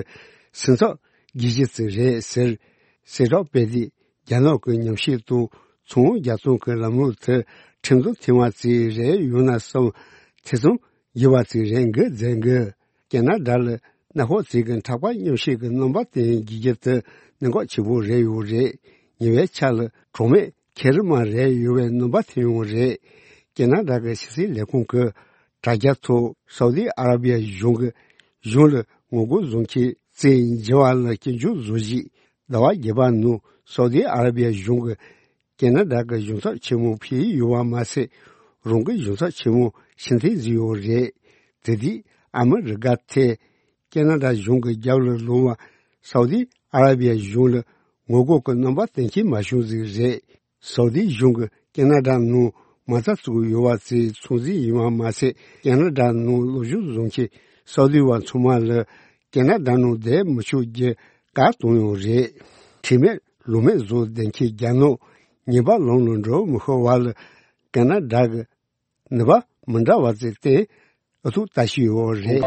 སེམས་འཚབ་རྒྱུ་གཞི་ཅིག་རེད་ཟེར་གསལ་བསྒྲགས་སྤེལ་ཏེ། རྒྱ་ནག་གི་ཉམས་ཞིབ་དང་ཚོང་རྒྱག་སྟངས་ཀྱི་ལམ་ལུགས་དེ་ཁྲིམས་དང་མཐུན་པ་ཅིག་རེད་ཡོང་ན་བསམ་ཐེ་ཚོམ་ཡོད་པ་ཅིག་རེད་འགོད་མཛད་འགོད། ཁེ་ན་ཌ་ལ་གནམ་འོག་རྩིས་ཀྱི་འཁྲབ་ཁ་མཉམ་བཤད་ཀྱི་རྣམ་པ་དེ་རྒྱུ་རྒྱུ་དེ་གནད་འགག་ཆེ་པོ་རེད་ཡོད་རེད། ཉེ་བའི་ཆར་ལ་གྲོགས་མེད་ཁེ་རི་མ་རེད་ཡོད་པའི་རྣམ་པ་ཐོན་ཡོང་རེད། ཁེ་ན་ཌ་གི་ཕྱི་སྲིད་ལས་ཁུངས་ཀྱི་དྲ་རྒྱ་ཐོག་སའུ་དི་ཨ་ར་བི་ཡ་གཞུང་གི་གཞུང་ལ་ངོ་རྒོལ་བཟོ་མཁན་རྩིས་འཇལ་བ་ལ་སྐྱོན་བརྗོད་བཟོ་གཞིས། ཟླ་བ་བརྒྱད་པ་ནང་སའུ་དི་ཨ་ར་བི་ཡ་གཞུང་གི་ཁེ་ན་ཌ་གི་གཞུང་ཚབ་ཆེན་མོ་ཕེབས་ཡོད་པ་མ་ཟད། རང་གི་གཞུང་ཚབ་ཆེན་མོ་ཕྱིར་འཐེན་བཟོས་ཡོད་རེད། དེ་དུས་ཨ་མི་རི་ཀ་ཐད་ཁེ་ན་ཌ་གཞུང་གི་རྒྱབ་ལ་ལོང་བ་སའུ་དི་ཨ་ར་བི་ཡ་གཞུང་ལ་ངོ་རྒོལ་གྱི་རྣམ་པ་སྟོན་མཁན་མ་བྱུང་ཟིག་རེད། སའུ་དི་གཞུང་གིས་ཁེ་ན་ཌ་ནང་མ་རྩ་བཙུགས་ཡོད་པ་ཚོའི་ཚོང་རྫས་ཡིན་པ་མ་ཟད། ཁེ་ན་ཌ་ནང་སློབ་སྦྱོང་བཟོ་མཁན་སའུ་དི་བ་ཚང་མ་ལ་ཁེ་ན་ཌ་ནང་བསྡད་མི་ཆོག་རྒྱུ་བཀག་བཏང་ཡོད་རེད། ཁྲེལ་མེད་ལོ་མེད་བཟོ་བསྡད་མཁན་རྒྱ་ནག་ ཉེས་པ་ལངས་ནས་འགྲོ་མི་ཤེས་པ་ལ་ཀ་ན་ཌ་གི་ནུས་པ་མི་འདྲ་བ་ཟེར་ཏེ་ཨ་ཐུག་ལྟ་ཞིག་ཡོད་རེད།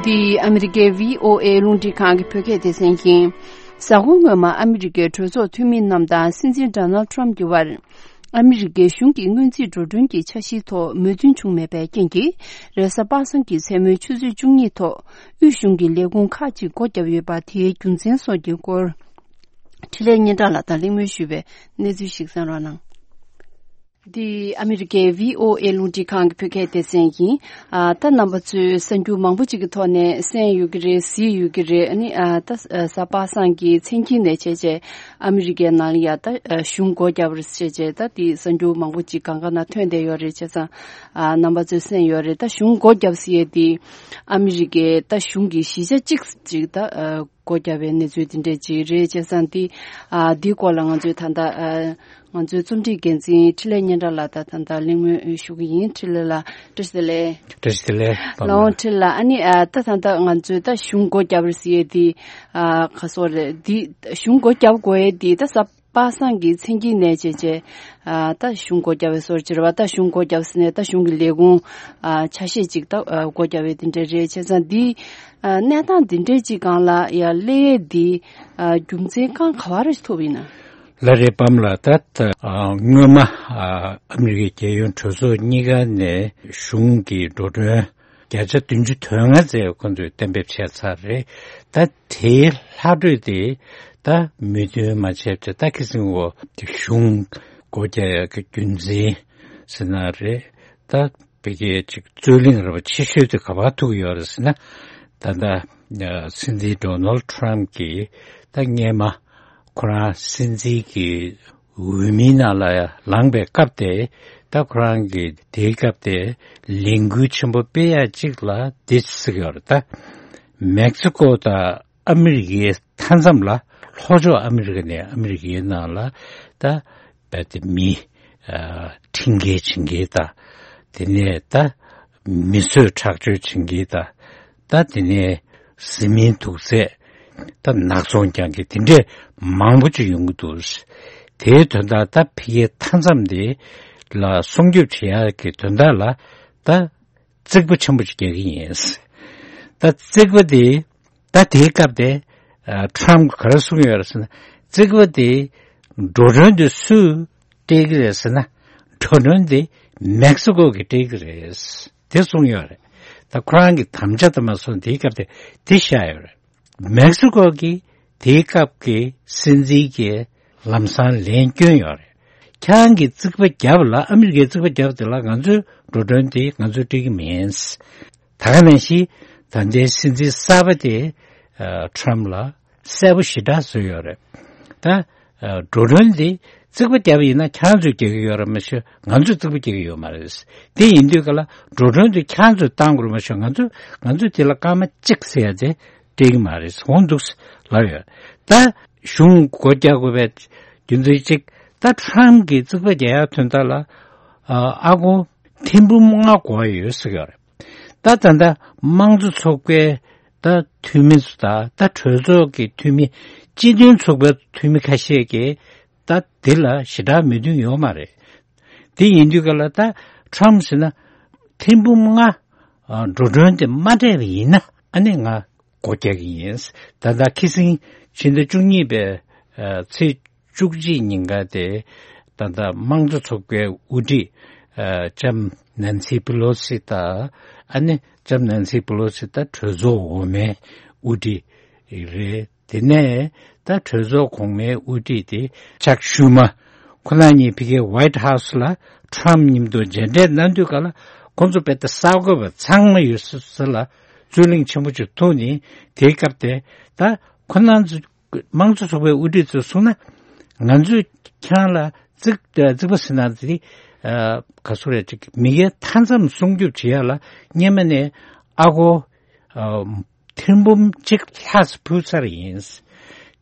འདི་ཨ་མི་རི་ཀའི་བྷི་ཨོ་ཨེ་རླུང་འཕྲིན་ཁང་གི་བོད་སྐད་སྡེ་ཚན་ཡིན། གཟའ་འཁོར་སྔོན་མ་ཨ་མི་རི་ཀའི་གྲོས་ཚོགས་འཐུས་མི་རྣམས་དང་སྲིད་འཛིན་ཌོ་ནལ་ཊམ་གྱི་བར། ཨ་མི་རི་ཀའི་གཞུང་གི་སྔོན་རྩིས་འགྲོ་གྲོན་གྱི་འཆར་གཞིའི་ཐོག་མོས་མཐུན་བྱུང་མེད་པའི་རྐྱེན་གྱིས། རེས་གཟའ་པ་སངས་ཀྱི་མཚན་མོའི་ཆུ་ཚོད་བཅུ་གཉིས་ཐོག་དབུས་གཞུང་གི་ལས་ཁུངས་ཁག་ཅིག་སྒོ་བརྒྱབ་ཡོད་པ་དེའི་རྒྱུ་མཚན་སོགས་ཀྱི་སྐོར། འཕྲིན་ལས་སྙན་གྲགས་ལགས་དང་གླེང་མོལ་ཞུས་པའི་གནས་ཚུལ་ཞིག་གསན་རོགས་གནང་། འདི་ཨ་མི་རི་ཀའི་བྷི་ཨོ་ཨེ་རླུང་འཕྲིན་ཁང་གི་བོད་སྐད་སྡེ་ཚན་ཡིན། ཨ། ད་རྣམ་པ་ཚོས་གསར་འགྱུར་མང་པོ་ཅིག་གི་ཐོག་ནས་གསན་ཡོད་ཀྱི་རེད། གཟིགས་ཡོད་ཀྱི་རེད། ཨ་ནི་ཨ། ད་གཟའ་པ་སངས་ཀྱི་མཚན་དཀྱིལ་ནས་བྱས་བྱས་ཨ་མི་རི་ཀའི་ནང་ལ་ཡ་ད་གཞུང་སྒོ་བརྒྱབ་རེད་བྱས་བྱས་ད་དེ་གསར་འགྱུར་མང་པོ་ཅིག་གང་ག་ན་ཐོན་བསྡད་ཡོད་རེད། བྱས་ཙང་ཨ། རྣམ་པ་ཚོས་གསན་ཡོད་རེད། ད་གཞུང་སྒོ་བརྒྱབ་ཟེར་ཡས་དེ་ཨ་མི་རི་ཀའི་ད་གཞུང་གི་གཞིས་ཆགས་གཅིག་ཅིག་ད་ཨ། སྒོ་བརྒྱབ་པའི་གནས་ཚུལ་དེ་འདྲས་ཅིག་རེད། བྱས་ཙང་འདི་ཨ། འདིའི་སྐོར་ལ་ང་ཚོའི་ད་ལྟ་ཨ། ང་ཚོའི་རྩོམ་སྒྲིག་འགན་འཛིན་འཕྲིན་ལས་སྙན་གྲགས་ལགས་དང་ད་ལྟ་གླེང་མོལ་ཞུ་གི་ཡིན། འཕྲིན་ལས་ལགས་བཀྲ་ཤིས་བདེ་ལེགས། བཀྲ་ཤིས་བདེ་ལེགས། ལགས་འོང་། འཕྲིན་ལས་ལགས། ཨ་ནི་ཨ། ད་ད་ལྟ་ང་ཚོའི་ད་གཞུང་སྒོ་བརྒྱབ་རེད་ཟེར་ཡས་འདི་ཨ། ག་སོགས་རེད། འདི་གཞུང་སྒོ་བརྒྱབ་དགོས་ཡས་འདི་ད་གཟའ་པ་སངས་ཀྱི་མཚན་དཀྱིལ་ནས་བྱས་བྱས་ཨ། ད་གཞུང་སྒོ་བརྒྱབ་པའི་བཟོ་འདྲ་བྱས་རེད་པ། ད་གཞུང་སྒོ་བརྒྱབ་ཟེར་ནས་ད་གཞུང་གི་ལས་ཁུངས་ཨ། ཆ་ཤས་ཅིག་ད་ཨ། སྒོ་བརྒྱབ་པའི་དེ་འདྲ་རེད། བྱས་ཙང་འདི་ཨ། གནས་སྟངས་འདི་འདྲས་ཅིག་སྒང་ལ་ཡ་སླེབས་ཡས་འདི་ཨ། རྒྱུ་མཚན་གང་ག་བ་རེ་ཐུག་ཡིན་ན། ལགས་རེད། པམ་ལགས། ད་ད་ཨ། སྔོན་མ་ཨ། ཨ་མི་རི་ཀའི་རྒྱལ་ཡོངས་གྲོས་ཚོགས་གཉིས་ཀ་ནས་གཞུང་གི་འགྲོ་གྲོན་བརྒྱ་ཆ་བདུན་ཅུ་དོན་ལྔ་ཙམ་ཁོང་ཚོས་གཏན་འབེབས་བྱས་ཚར་རེད། ད་དེའི་ལྷག་འཕྲོས་དེ་ད་མོས་མཐུན་མ་བྱས་པ་ད་ཁི་སིང་འོ་གཞུང་སྒོ་རྒྱག་ཡག་གི་རྒྱུ་མཚན་ཟེར་ན་རེད། ད་བོད་སྐད་ཅིག་རྩོད་གླེང་ར་བ་ཆེ་ཤོས་དེ་ག་པར་ཐུག་ཡོད་རེད་ཟེར་ན། ད་ལྟ་སྲིད་འཛིན་ཌོ་ནལ་ཊམ་གྱིས་ད་སྔས་མ་ཁོ་རང་སྲིད་འཛིན་གྱི་འོས་མིའི་ནང་ལ་ལངས་པའི་སྐབས་དེ། ད་ཁོ་རང་གིས་དེའི་སྐབས་དེ་ལས་འགུལ་ཆེན་པོ་སྤེལ་ཡག་ཅིག་ལ་འདི་ཟེར་གྱི་ཡོད་རེད། ད་མེག་སི་ཀོ་དང་ཨ་མི་རི་ཀའི་མཐའ་མཚམས་ལ། ལྷོ་ཕྱོགས་ཨ་མི་རི་ཀ་ནས་ཨ་མི་རི་ཀའི་ནང་ལ་ད་རྦད་དེ་མི་ཨ། ཁྲིམས་འགལ་བྱེད་མཁན་དང་། དེ་ནས་ད་མི་གསོད་ཁྲག་སྦྱོར་བྱེད་མཁན་དང་། ད་དེ་ནས་བཟི་སྨན་དུག་རྫས་ད་ནག་ཚོང་རྒྱག་མཁན་དེ་འདྲས་མང་པོ་ཅིག་ཡོང་གི་འདུག། དེའི་དོན་དག་ད་ཕ་གིའི་མཐའ་མཚམས་དེ་ལ་སྲུང་སྐྱོབ་བྱེད་ཡག་གི་དོན་དག་ལ་ད་རྩིག་པ་ཆེན་པོ་ཅིག་རྒྱག་གི་ཡིན། ད་རྩིག་པ་དེ་ད་དེའི་སྐབས་དེ་ཨ། ཊམ་གྱིས་ག་རེ་གསུངས་ཡོད་རེད་ཟེར་ན། རྩིག་པ་དེ་འགྲོ་གྲོན་དེ་སུས་སྤྲད་ཀྱི་རེད་ཟེར་ན། འགྲོ་གྲོན་དེ་མེག་སི་ཀོ་གིས་སྤྲད་ཀྱི་རེད། དེ་གསུངས་ཡོད་རེད། ད་ཁོ་རང་གི་དམ་བཅའ་དེ་མ་སོང་། དེའི་སྐབས་དེ་དེ་བཞག་ཡོད་རེད། མེག་སི་ཀོ་གིས་དེའི་སྐབས་ཀྱི་སྲིད་འཛིན་གྱི་ལམ་སང་ལན་བསྐྱོན་ཡོད་རེད། ཁྱེད་རང་གིས་རྩིག་པ་བརྒྱབ་ལ། ཨ་མི་རི་ཀས་རྩིག་པ་བརྒྱབ་དེ་ལ་ང་ཚོའི་འགྲོ་གྲོན་དེ་ང་ཚོས་སྤྲད་ཀྱི་མིན། ད་ག་ནང་བཞིན་ད་ལྟའི་སྲིད་འཛིན་གསར་པ་དེ་ཨ། ཊམ་ལ་གསལ་པོ་ཞེ་དྲག་བཟོས་ཡོད་རེད། ད་ཨ། འགྲོ་གྲོན་དེ་རྩིག་པ་བརྒྱབ་ཡིན་ན་ཁྱེད་རང་ཚོས་རྒྱག་གི་ཡོད་རེད་མ་གཞི་ང་ཚོས་རྩིག་པ་རྒྱག་གི་ཡོད་མ་རེད། དེ་ཡིན་དུས་ག་ལ་འགྲོ་གྲོན་དེ་ཁྱེད་རང་ཚོས་བཏང་དགོས་རེད་མ་གཞི་ང་ཚོས་ང་ཚོས་དེ་ལ་སྐར་མ་གཅིག་ཟེར་ཡ་དེ་སྤྲད་ཀྱི་མ་རེད། འོང་འདུག་ལབ་ཡོད། ད་གཞུང་སྒོ་རྒྱག་དགོས་པའི་རྒྱུ་མཚན་གཅིག་ད་ཊམ་གྱིས་རྩིག་པ་རྒྱག་ཡག་དོན་དག་ལ་ཨ། ཨ་སྒོར་ཐེར་འབུམ་ལྔ་དགོས་ཡོད་ཟེར་གྱི་ཡོད་རེད། ད་ད་ལྟ་དམངས་གཙོ་ཚོགས་པའི་ད་འཐུས་མི་ཚོ་དང་ད་གྲོས་ཚོགས་ཀྱི་འཐུས་མི། སྤྱི་མཐུན་ཚོགས་པའི་འཐུས་མི་ཁ་ཤས་ཀྱིས་ད་འདི་ལ་ཞེ་དྲག་མོས་མཐུན་ཡོད་མ་རེད། དེ་ཡིན་དུས་ག་ལ་ད་ཊམ་ཟེར་ན་ཐེར་འབུམ་ལྔ་ཨ། འགྲོ་གྲོན་དེ་མ་སྤྲད་པ་ཡིན་ན་ཨ་ནི་ང་སྒོ་རྒྱག་གི་ཡིན། ད་ལྟ་ཁི་སིང་ཕྱི་ཟླ་བཅུ་གཉིས་པའི་ཨ། ཚེས་བཅུ་གཅིག་ཉིན་ཀ་དེ་ད་ལྟ་དམངས་གཙོ་ཚོགས་པའི་དབུ་ཁྲིད་ཨ། ལྕམ་ནན་སི་པི་ལོ་སི་དང་། ཨ་ནི་ལྕམ་ནན་སི་པི་ལོ་སི་ད་གྲོས་ཚོགས་འོག་མའི་དབུ་ཁྲིད་རེད། དེ་ནས་ད་གྲོས་ཚོགས་གོང་མའི་དབུ་ཁྲིད་དེ་ཅག་ཤུ་མ། ཁོ་རང་གཉིས་ཕ་གིའི་ཝའིཊ་ཧའུ་སི་ལ་ཊམ་མཉམ་དུ་མཇལ་འཕྲད་གནང་དུས་ག་ལ་ཁོང་ཚོ་རྦད་དེ་གསར་འགོད་པ་ཚང་མ་ཡོད་ས་ས་ལ་རྩོད་གླེང་ཆེན་པོ་ཅིག་ཐུག་ནས། དེའི་སྐབས་དེ་ད་ཁོ་རང་ཚོ་དམངས་གཙོ་ཚོགས་པའི་དབུ་ཁྲིད་ཚོས་གསུངས་ན། ང་ཚོས་ཁྱེད་རང་ལ་རྩིག་རྩིག་པ་ཟེར་ན་དེ་ཨ། ག་ཚོད་རེད་ཅིག་མི་སྒེར་མཐའ་མཚམས་སྲུང་སྐྱོབ་བྱེད་ཡག་ལ་སྔོན་མ་ནས་ཨ་སྒོར་ཨ། ཐེར་འབུམ་གཅིག་ལྷག་ཙམ་ཕུལ་ཚར་ཡིན།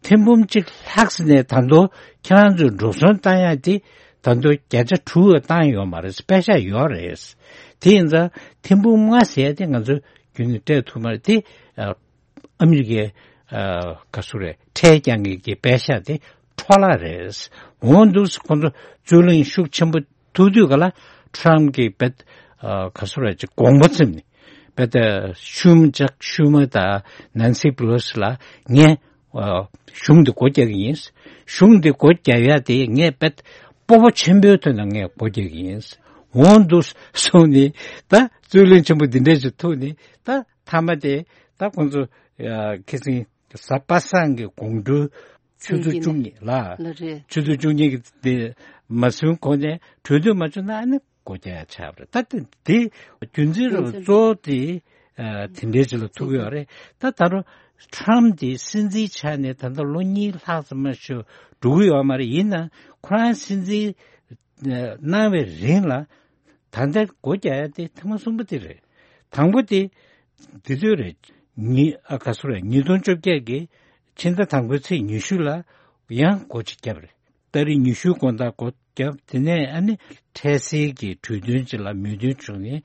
ཐེར་འབུམ་གཅིག་ལྷག་ཙམ་ནས་ད་དུང་ཁྱེད་རང་ཚོས་འགྲོ་སོང་བཏང་ཡག་དེ་ད་དུང་བརྒྱ་ཆ་དྲུག་བཏང་ཡོད་མ་རེད། པེ་ཤག་ཡོད་རེད། དེ་ཡིན་ཙང་ཐེར་འབུམ་ལྔ་ཟེར་ཡག་དེ་ང་ཚོས་རྒྱུན་ནས་སྤྲད་ཐུབ་མ་རེད། དེ་ཨ་ཨ་མི་རི་ཀའི་ཨ་ག་ཚོད་རེད། ཁྲལ་རྒྱག་མཁན་གྱི་པེ་ཤག་དེ་འཕྲོ་བརླག་རེད། འོ་འདུག་སེ་ཁོང་ཚོ་རྩོད་གླེང་ཤུགས་ཆེན་པོ་ཐུག་དུས་ག་ལ་ཊམ་གྱིས་བེད་ཨ་ག་ཚོད་རེད་ཅིག་དགོངས་པ་ཚིམ་ནས་བེད་ཤུལ་མ་ཇག་ཤུལ་མ་དང་ནན་སི་པི་ལོ་སི་ལ་ངས་ཨ་གཞུང་འདི་སྒོ་རྒྱག་གི་ཡིན། གཞུང་འདི་སྒོ་རྒྱག་ཡ་དེ་ངས་བེད་སྤོབས་པ་ཆེན་པོའི་ཐོག་ནས་ངས་སྒོ་རྒྱག་གི་ཡིན། འོ་འདུག་སེ་གསུངས་ནས་ད་རྩོད་གླེང་ཆེན་པོ་འདི་འདྲ་ཞིག་ཐུག་ནས་ད་མཐའ་མ་དེ་ད་ཁོང་ཚོ་ཨ་ཁ་སང་གཟའ་པ་སངས་ཀྱི་དགོང་དྲོ་ཆུ་ཚོད་བཅུ་གཉིས་ལ། ལ་རེད། ཆུ་ཚོད་བཅུ་གཉིས་ཀྱི་དེ་མ་སོན་གོང་ནས་གྲོས་མཐུན་མ་བྱུང་ན་ཨ་ནི་སྒོ་རྒྱག་ཡ་ཆགས་པ་རེད། ད་དེ་དེ་རྒྱུ་མཚན་རེད་པ། རྒྱུ་མཚན་གཙོ་བོ་དེ་ཨ་དེ་འདྲའི་ཅིག་ལ་ཐུག་ཡོད་རེད། ད་ད་རུང་ཊམ་དེ་སྲིད་འཛིན་ཆགས་ནས་ད་ལྟ་ལོ་གཉིས་ལྷག་ཙམ་མ་ཞིག་འགྲོ་གི་ཡོད་མ་རེད། ཡིན་ནའང་ཁོ་རང་སྲིད་འཛིན་གནང་བའི་རིང་ལ་ད་ལྟ་སྒོ་རྒྱག་ཡ་དེ་ཐེངས་མ་གསུམ་པ་དེ་རེད། དང་པོ་དེ་དེ་དུས་རེད། ཉི་ཨ་ག་ཚོད་རེད། ཉིས་སྟོང་བཅོ་བརྒྱད་ཀྱི་ཕྱི་ཟླ་དང་པོའི་ཚེས་ཉི་ཤུ་ལ་ཡང་སྒོ་གཅིག་བརྒྱབ་རེད། ཏ་རིག་ཉི་ཤུའི་དགོང་དག་སྒོ་བརྒྱབ། དེ་ནས་ཨ་ནི་འཕྲལ་སེལ་གྱི་གྲོས་མཐུན་ཅིག་ལ་མོས་མཐུན་བྱུང་ནས་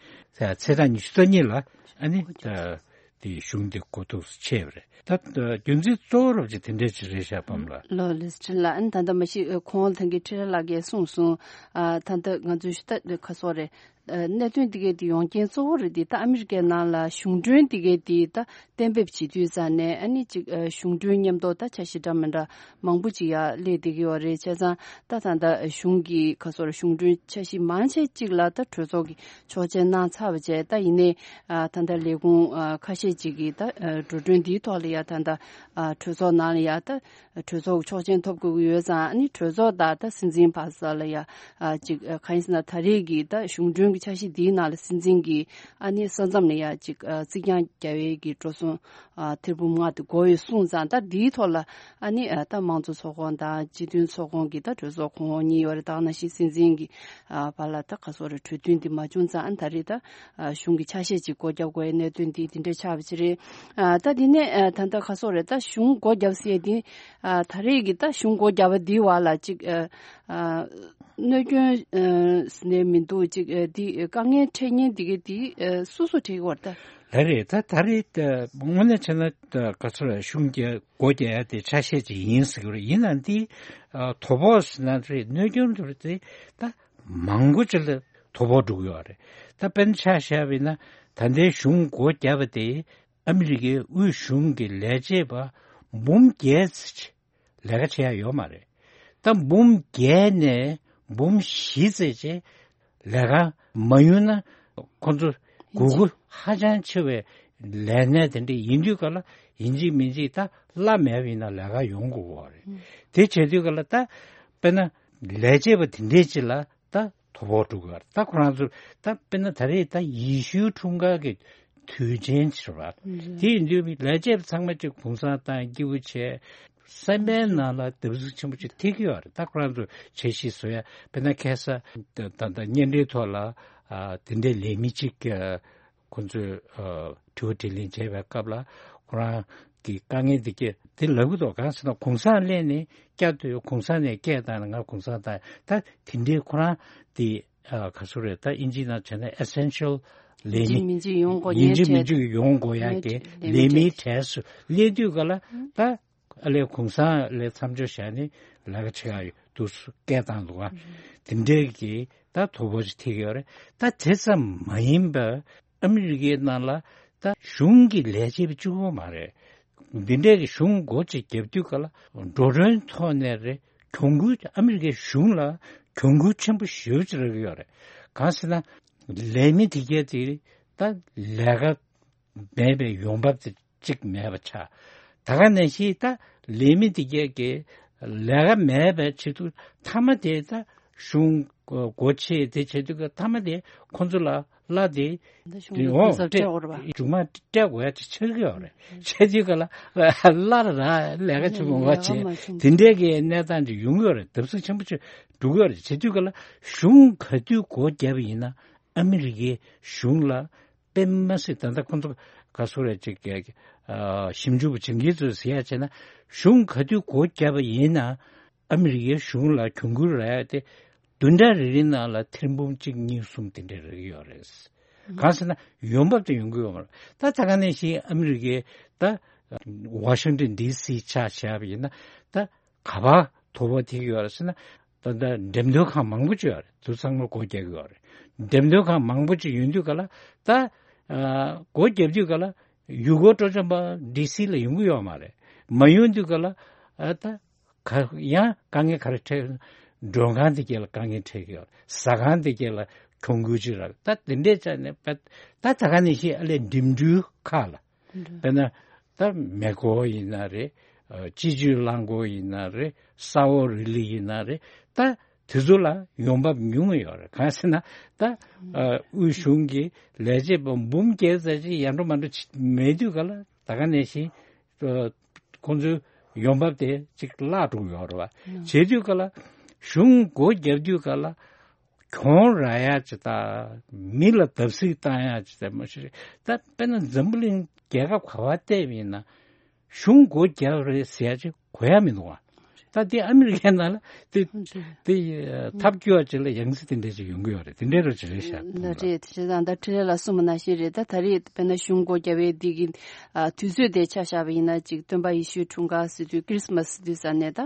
ཚེས་གྲངས་ཉི་ཤུ་རྩ་གཉིས་ལ་ཨ་ནི་ད་དེ་གཞུང་དེ་འགོ་ཐུག་ཆེ་བ་རེད། ད་རྒྱུ་མཚན་གཙོ་བོ་རོབ་ཅིག་དེ་འདྲས་ཅིག་རེད་ཤག་པམ་ལགས། ལོ་ལིས་ཁྲིན་ལགས། ཨ་ནི་ད་ལྟ་མ་གཞི་ཁོང་ཐང་གི་ཁྲི་ར་ལགས་ཀྱིས་གསུངས་སོང་། ཨ་ད་ལྟ་ང་ཚོའི་ཤུ་ད་ཁ་སོ་རེད། ཨ་གནད་དོན་འདི་གའི་དེ་ཡོང་རྐྱེན་གཙོ་བོ་རེད་དེ། ད་ཨ་མི་རི་ཀའི་ནང་ལ་གཞུང་གྲོན་འདི་གའི་དེ་ད་གཏན་འབེབས་བྱེད་དུས་ཙང་ནས་ཨ་ནི་ཅིག་ཨ་གཞུང་གྲོན་མཉམ་དུ་ད་འཆར་གཞི་འདྲ་མི་འདྲ་མང་པོ་ཅིག་ཡར་སླེབས་བསྡད་ཀྱི་ཡོད་རེད། བྱས་ཙང་ད་ད་ལྟ་གཞུང་གི་ཁ་སོར་གཞུང་གྲོན་འཆར་གཞི་མང་ཆེ་ཅིག་ལ་ད་གྲོས་ཚོགས་ཀྱི་ཆོག་མཆན་གནང་ཚར་བ་བྱས། ད་ཡིན་ནའི་ཨ་ད་ལྟ་ལས་ཁུངས་ཨ་ཁ་ཤས་ཅིག་གིས་ད་ཨ་འགྲོ་གྲོན་འདིའི་ཐོག་ལ་ཡ་ད་ལྟ་ཨ་གྲོས་ཚོགས་ནང་ལ་ཡ་ད་གྲོས་ཚོགས་ཀྱི་ཆོག་མཆན་ཐོབ་དགོས་ཀྱི་ཡོད་ཙང་། ཨ་ནི་གྲོས་ཚོགས་དང་ད་སྲིད་འཛིན་བར་ས་ལ་ཡ་ཨ་ཅིག་ཨ་གང་ཡིན་ཟེར་ན་ད་རེས་ཀྱི་ད་གཞུང་གྲོན་གྱི་འཆར་གཞི་འདིའི་ནང་ལ་སྲིད་འཛིན་གྱིས་ཨ་ནི་ས་མཚམས་ལ་ཡ་ཅིག་ཨ་རྩིག་གྱང་རྒྱག་ཡས་ཀྱི་འགྲོ་སོང་ཨ་ཐེར་འབུམ་ལྔ་དེ་དགོས་ཡོད་གསུངས་ཙང་། ད་འདིའི་ཐོག་ལ་ཨ་ནི་ཨ་ད་དམངས་གཙོ་ཚོགས་ཁོངས་དང་སྤྱི་མཐུན་ཚོགས་ཁོངས་ཀྱི་ད་གྲོས་ཚོགས་གོང་འོག་གཉིས་ཡོད་རེད། ད་ག་ནང་བཞིན་སྲིད་འཛིན་གྱི་ཨ་བར་ལ་ད་ག་སོ་རེ་གྲོས་མཐུན་འདི་མ་བྱུང་ཙང་། ཨ་ད་རེས་ད་ཨ་གཞུང་གི་ཆ་ཤས་ཅིག་སྒོ་བརྒྱབ་དགོས་ཡའི་གནད་དོན་འདི་འདི་འདྲ་ཆགས་པ་ཅིག་རེད། ཨ་ད་འདི་ནས་ཨ་ད་ལྟ་ག་སོ་རེད། ད་གཞུང་སྒོ་བརྒྱབ་ཟེར་འདི་ཨ་ད་རེས་ཀྱི་ད་གཞུང་སྒོ་བརྒྱབ་པ་འདི་བར་ལ་ཅིག་ཨ་ཨ་གནོད་སྐྱོན་ཨ་ཟེར་ནས་མི་འདུག་ཅིག་ཨ་འདི་དཀའ་ངལ་འཕྲད་མཁན་འདི་ག་འདི་ཨ་སུ་སུ་འཕྲད་ཀྱི་ཡོད་རེད་ད། ལགས་རེད། ད་ད་རེས་ད་དངོས་གནས་བྱས་ན་ད་ག་ཚོད་རེད། གཞུང་རྒྱ་སྒོ་རྒྱག་ཡ་དེ་ཆ་ཤས་ཅིག་ཡིན་ཟེར་གྱི་རེད། ཡིན་ནའང་འདི་ཨ་དོ་ཕོག་ཟེར་ན་རེད། གནོད་སྐྱོན་དེ་རེད་དེ་ད་མང་པོ་ཅིག་ལ་དོ་ཕོག་འགྲོ་གི་ཡོད་རེད། ད་དཔེར་ན་ཆ་བཞག་པ་ཡིན་ན་ད་ལྟའི་གཞུང་སྒོ་བརྒྱབ་པ་དེ་ཨ་མི་རི་ཀའི་དབུས་གཞུང་གི་ལས་བྱེད་པ་འབུམ་བརྒྱད་ཙམ་ཅིག་ལས་ཀ་བྱེད་ཡ་ཡོད་མ་རེད། ད་འབུམ་བརྒྱད་ནས་འབུམ་བཞི་ཙམ་ཅིག་ལས་ཀ་མ་ཡོང་ན་ཁོང་ཚོ་དགོས་མཁོ་ཧ་ཅང་ཆེ་བའི་ལས་གནས་དེ་འདྲ་ཡིན་དུས་ག་ལ་ཡིན་གཅིག་མིན་གཅིག་ད་གླ་མེད་པ་ཡིན་ན་ལས་ཀ་ཡོང་དགོས་པ་རེད། དེ་བྱེད་དུས་ག་ལ་ད་དཔེར་ན་ལས་བྱེད་པ་དེ་འདྲས་ཅིག་ལ་ད་དོ་ཕོག་འགྲོ་གི་ཡོད་རེད། ད་ཁོ་རང་ཚོ་ད་དཔེར་ན་ད་རེས་ད་ཡེ་ཤུའི་འཁྲུངས་སྐར་གྱི་དུས་ཆེན་ཅིག་རེད་པ། དེ་ཡིན་དུས་ལས་བྱེད་པ་ཚང་མ་ཅིག་གུང་སེང་བཏང་སྐྱིད་པོ་བྱས། སེམས་པའི་ནང་ལ་བརྡབ་གསིག་ཆེན་པོ་ཅིག་ཐེབས་ཀྱི་ཡོད་རེད། ད་ཁོ་རང་ཚོ་འཆར་གཞི་བཟོ་ཡ་དཔེར་ན་ཁ་སང་ད་ད་ད་བརྙན་འཕྲིན་ཐོག་ལ་ཨ་དེ་འདྲའི་ལས་མི་གཅིག་ཨ་ཁོ་ཚོས་ཨ་དྲི་བ་དྲིས་ལན་བྱས་པའི་སྐབས་ལ་ཁོ་རང་གི་དཀའ་ངལ་འདི་སྐད་དེ་ལབ་ཀྱི་འདུག་གང་ཟེར་ན་གུང་སེང་སླེབས་ནས་བསྐྱར་དུ་གུང་སེང་ནས་སྐད་བཏང་ནས་ང་གུང་སེང་བཏང་། ད་དེ་འདྲའི་ཁོ་རང་དེ་ཨ་ག་ཚོད་རེད། ད་ཨིན་ཇིའི་ནང་བྱས་ན་essential་ལས་མི་ཡིན་གཅིག་མིན་གཅིག་ཡོང་དགོས་ཡིན་ཉེན་གཅིག་མིན་ཁྲལ་གཅིག་ཡོང་དགོས་ཡ་གི་ལས་མིའི་གྲས་སུ་སླེབས་དུས་ག་ལ་ད་ཨ་ལས་གུང་སེང་ལས་མཚམས་འཇོག་བྱས་ནས་ལས་ཀ་བྱེད་ཡ་འདུག་སྐད་བཏང་འདུག་ག་དེ་འདྲའི་གི་ད་དོ་ཕོག་ཅིག་ཐེབས་ཡོད་རེད། ད་དེ་ཙམ་མ་ཡིན་པར་ཨ་མི་རི་ཀའི་ནང་ལ་ད་གཞུང་གི་ལས་བྱེད་པ་གཅིག་པོ་མ་རེད། འདི་འདྲའི་གི་གཞུང་སྒོ་ཅིག་བརྒྱབ་དུས་ག་ལ་འགྲོ་གྲོན་ཐོག་ནས་རེད། གྱོང་གུན་ཨ་མི་རི་ཀའི་གཞུང་ལ་གྱོང་གུན་ཆེན་པོ་ཞེ་པོ་ཅིག་རག་གི་ཡོད་རེད། གང་ཟེར་ན་ལས་མི་དེ་གས་དེ་ད་ལས་ཀ་མེད་པའི་ཡོང་འབབ་དེ་གཅིག་མེད་པ་ཆགས། ད་ག་ནང་བཞིན་ད་ལས་མི་དེ་གས་ཀྱི་ལས་ཀ་མེད་པའི་ཆེད་དུ་མཐའ་མ་དེ་ད་གཞུང་སྒོ་ཕྱེ་དེ་བྱེད་དུས་ཀ་མཐའ་མ་དེ་ཁོང་ཚོ་ལ་གླ་དེ་ད་གཞུང་དེ་ལ་འོང་སྤྲད་སྤྲད་འོར་བ་མཇུག་མ་སྤྲད་དགོས་ཡ་ཅིག་ཆགས་ཀྱི་ཡོད་རེད། བྱེད་དུས་ཀ་ལ་གླ་ར་ལས་ཀ་ཆེན་པོ་མ་བྱེད་དེ་འདྲའི་གི་གནས་སྟངས་ཅིག་ཡོང་གི་ཡོད་རེད། བརྡབ་གསིག་ཆེན་པོ་ཅིག་འགྲོ་གི་ཡོད་རེད། བྱེད་དུས་ཀ་ལ་གཞུང་ག་དུས་སྒོ་བརྒྱབ་པ་ཡིན་ན་ཨ་མི་རི་ཀའི་གཞུང་ལ་ དཔེ་མ་སྲིད། ད་ལྟ་ཁོང་ཚོ་ག་སོ་རེ་ཅིག་གི་ཨ་ཞིབ་འཇུག་པ་བྱེད་མཁན་ཚོས་ཟེར་ཡ་བྱས་ན། གཞུང་ག་དུས་སྒོ་བརྒྱབ་པ་ཡིན་ན་ཨ་མི་རི་ཀའི་གཞུང་ལ་གྱོང་གུན་རག་ཡ་དེ་བདུན་ཕྲག་རེ་རེའི་ནང་ལ་ཐེར་འབུམ་གཅིག་གཉིས་གསུམ་དེ་འདྲ་རག་གི་ཡོད་རེད། གང་ཟེར་ན་ཡོང་འབབ་དེ་ཡོང་གི་ཡོད་མ་རེད། ད་ད་ག་ནང་བཞིན་ཨ་མི་རི་ཀའི་ད་ཝ་ཤིང་ཏོན་ཌི་སི་ཆ་བཞག་པ་ཡིན་ན། ད་ག་པར་དོ་ཕོག་ཐེབས་ཀྱི་ཡོད་རེད་ཟེར་ན། ད་ལྟ་འགྲེམས་སྟོན་ཁང་མང་པོ་ཅིག་ཡོད་རེད། དེ་ཚང་མ་སྒོ་རྒྱག་གི་ཡོད་རེད། འགྲེམས་སྟོན་ཁང་མང་པོ་ཅིག་ཡོང་དུས་ག་ལ། ད་ཨ་སྒོ་རྒྱབ་དུས་ག་ལ་ཡུལ་སྐོར་སྤྲོ་འཆམ་པ་ཌི་སི་ལ་ཡོང་གི་ཡོད་མ་རེད། མ་ཡོང་དུས་ག་ལ་ཨ་ད་ག་ཡང་དཀའ་ངལ་ག་རེ་འཕྲད། མགྲོན་ཁང་དེ་གས་ལ་དཀའ་ངལ་འཕྲད་ཀྱི་ཡོད་རེད། ཟ་ཁང་དེ་གས་ལ་གྱོང་གུན་ཅིག་རག་ད་དེ་འདྲས་ཆ་ནས་ད་ད་ག་ནང་བཞིན་ཨ་ལས་འགྲིམ་འགྲུལ་ཁག་ལ། དཔེར་ན་ད་མེ་འཁོར་ཡིན་ན་རེད། ཨ་སྤྱི་སྤྱོད་རླངས་འཁོར་ཡིན་ན་རེད། ས་འོག་རི་ལི་ཡིན་ན་རེད། ད་དེ་ཚོ་ལ་ཡོང་འབབ་ཉུང་ངུ་ཡོད་རེད། གང་ཟེར་ན་ད་ཨ་དབུས་གཞུང་གི་ལས་བྱེད་པ་འབུམ་བརྒྱད་ཙམ་ཅིག་ཡར་འགྲོ་མར་འགྲོ་བྱེད་མེད་དུས་ག་ལ། ད་ག་ནང་བཞིན་ཨ་ཁོང་ཚོའི་ཡོང་འབབ་དེ་ཅིག་བརླག་འགྲོ་གི་ཡོད་རེད་བ། བྱེད་དུས་ག་ལ་གཞུང་སྒོ་བརྒྱབ་དུས་ག་ལ། གྱོང་རག་ཡ་ཅིག་དང་། མི་ལ་བརྡབ་གསིག་བཏང་ཡ་ཅིག་དང་མ་གཞི་རེད། ད་དཔེར་ན་འཛམ་བུ་གླིང་རྒྱལ་ཁབ་ག་པར་བལྟས་པ་ཡིན་ན་གཞུང་སྒོ་རྒྱབ་རེད་ཟེར་ཡ་ཅིག་གོ་ཡ་མི་འདུག་བ། ད་དེ་ཨ་མི་རི་ཀའི་ནང་ལ་དེ་དེ་ཐབས་སྐྱོ་བ་ཅིག་ལ་ཡང་སེ་དེ་འདྲ་ཅིག་ཡོང་གི་ཡོད་རེད། དེ་འདྲའི་རོ་ཅིག་རེད་ཤག་ལ་རེད། དེ་བྱས་ཙང་ད་འཕྲིན་ལས་ལགས་གསུངས་པ་ནང་བཞིན་རེད། ད་ད་རེས་དཔེར་ན་གཞུང་སྒོ་རྒྱབ་པའི་འདི་གི་ཨ་དུས་ཚོད་དེ་ཆ་བཞག་པ་ཡིན་ན་ཅིག་སྟོན་པ་ཡེ་ཤུའི་འཁྲུངས་སྐར་ཟེར་དུས་ཁྲི་སི་མ་སི་ཟེར་དུས་ས་ནས་ད་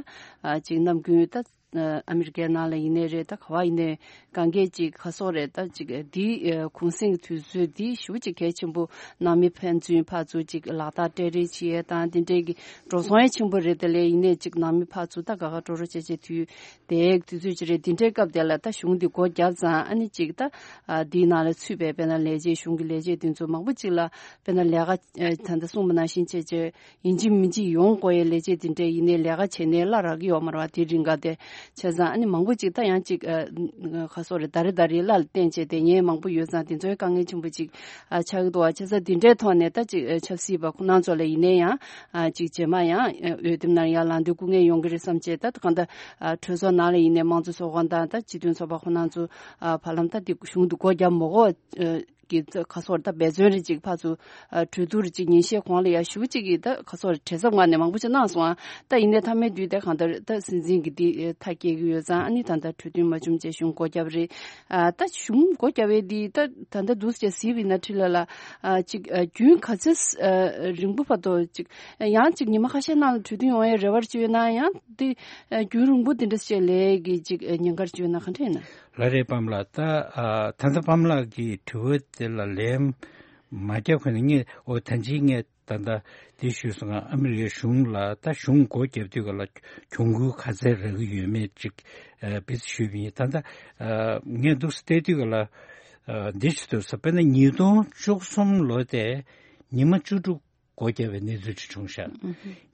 ཨ་ཅིག་ནམ་རྒྱུན་ད། ཨ་མི་རི་ཀའི་ནང་ལ་ཡིན་ནའི་རེད། ད་ག་བ་ཡིན་ནའི་གང་གས་ཅིག་ག་སོག་རེད། ད་ཅིག་འདི་ཨ་གུང་གསེང་དུས་ཚོད་འདི་ཞེ་པོ་ཅིག་གལ་ཆེན་པོ། ནང་མི་ཕན་ཚུན་ཕར་ཚུར་ཅིག་ལག་རྟགས་སྤྲད་རེས་བྱེད་ཡས་དང་དེ་འདྲའི་གི་འགྲོ་སོང་ཡང་ཆེན་པོ་རེད། དེ་ལས་ཡིན་ནའི་ཅིག་ནང་མི་ཕར་ཚུར་ད་དགའ་དགའ་སྤྲོ་སྤྲོ་བྱས་བྱས་དུས་དེའི་དུས་ཚོད་ཅིག་རེད། འདི་འདྲའི་སྐབས་དེ་ལ་ད་གཞུང་འདི་སྒོ་བརྒྱབ་ཙང་ཨ་ནི་ཅིག་ད་ཨ་འདིའི་ནང་ལ་ཚུད་པའི་དཔེར་ན་ལས་བྱེད་གཞུང་གི་ལས་བྱེད་དེ་ཚོ་མང་པོ་ཅིག་ལ་དཔེར་ན་ལས་ཀ་ཨ་ད་ལྟ་གསུངས་པ་ནང་བཞིན་བྱས་བྱས། ཡིན་གཅིག་མིན་གཅིག་ཡོང་དགོས་ཡའི་ལས་བྱེད་དེ་འདྲས་ཡིན་ནའི་ལས་ཀ་བྱས་ནའི་གླ་རག་གི་ཡོད་མ་རེད་བ། དེ་རིང་ག་དེ་བྱས་ཙང་ཨ་ནི་མང་པོ་ཅིག་ད་ཡང་ཅིག་ཨ་ཁ་སོ་རེ་ད་རེ་ད་རེ་གླ་ལ་བརྟེན་བྱས་དེ་ཉེན་མང་པོ་ཡོད་ཙང་དེ་ཚོའི་དཀའ་ངལ་ཆེན་པོ་ཅིག་ཨ་ཆགས་ཀྱི་འདུག་བ། བྱས་ཙང་དེ་འདྲའི་ཐོག་ནས་ད་ཅིག་ཨ་ཆབ་སྲིད་པ་ཁོ་རང་ཚོ་ལ་ཡིན་ནའི་ཡང་ཨ་ཅིག་རྗེས་མ་ཡང་ཨ་འོས་འདེམས་ནང་ཡར་ལངས་དུས་སྐུ་ངལ་ཡོང་གི་རེད་བསམ་བྱས། ད་གང་ལྟར་ཨ་གྲོས་ཚོགས་ནང་ལ་ཡིན་ནའི་དམངས་གཙོ་ཚོགས་ཁང་དང་ད་སྤྱི་མཐུན་ཚོགས་པ་ཁོ་རང་ཚོ་ཨ་བར་ལམ་ད་དེ་གཞུང་དུ་སྒོ་བརྒྱབ་མ་དགོས། གི་ཁ་སོར་ད་འབད་བརྩོན་རེ་ཅིག་ཕར་ཚུར་ཨ་གྲོས་བསྡུར་རེ་ཅིག་ཉིན་ཤས་གོང་ལ་ཡ་ཞུ་ཅིག་གི་ད་ཁ་སོར་བྲེལ་འཚུབ་ངང་ནས་མང་པོ་ཅིག་གནང་སོང་ཨ། ད་ཡིན་ནའི་མཐའ་མའི་དུས་དེ་གང་ལྟར་ད་སྲིད་འཛིན་གྱི་འདི་མཐའ་སྐྱེལ་གི་ཡོད་ཙང་ཨ་ནི་ད་ལྟ་གྲོས་མཐུན་མ་བྱུང་བྱས་གཞུང་སྒོ་བརྒྱབ་རེད། ཨ་ད་གཞུང་སྒོ་བརྒྱབ་པའི་འདི་ད་ད་ལྟ་འདུག་སེ་བྱས་གཟིགས་པ་ཡིན་ན་འཕྲིན་ལས་ལ་ཨ་ཅིག་ཨ་རྒྱུན་ག་ཚོད་ཨ་རིང་པོ་བར་དུ་ཅིག་ཡང་ཅིག་ཉི་མ་ཁ་ཤས་ནང་ལ་གྲོས་མཐུན་ཡོང་ཡའི་རེ་བ་ཅིག་ཡོད་ན་ཡང་འདི་ཨ་རྒྱུན་རིང་པོ་འདི་འདྲ་བྱས་ལས་ཀྱི་ཅིག་ཨ་ཉེན་ཁ་ཅིག་ཡོད་ན་ག་འདྲ་ཡིན་ན། ལགས་རེད་པཱ་ལགས། ད་ཨ་ད་ལྟ་པཱ་ལགས་ཀྱི་དྲི་བ་དེ་ལ་ལན་མ་རྒྱག་གོང་ནས་ངས་འོ་ད་ཅི་ངས་ད་ལྟ་འདི་ཞུས་སོང་ང་། ཨ་མི་རི་ཀའི་གཞུང་ལ་ད་གཞུང་སྒོ་བརྒྱབ་དུས་ག་ལ་གྱོང་གུན་ག་ཚད་རག་གི་ཡོད་མེད་ཅིག་ཨ་བེད་ཞུས་པ་ཡིན། ད་ལྟ་ཨ་ངས་འདུག་སེ་བལྟས་དུས་ག་ལ་ཨ་འདི་ཞུ་ཐུབ་ས་དཔེར་ན་ཉིས་སྟོང་བཅུ་གསུམ་ལོ་དེ་ཉི་མ་བཅུ་དྲུག་སྒོ་བརྒྱབ་པའི་གནས་ཚུལ་ཅིག་བྱུང་ཤག་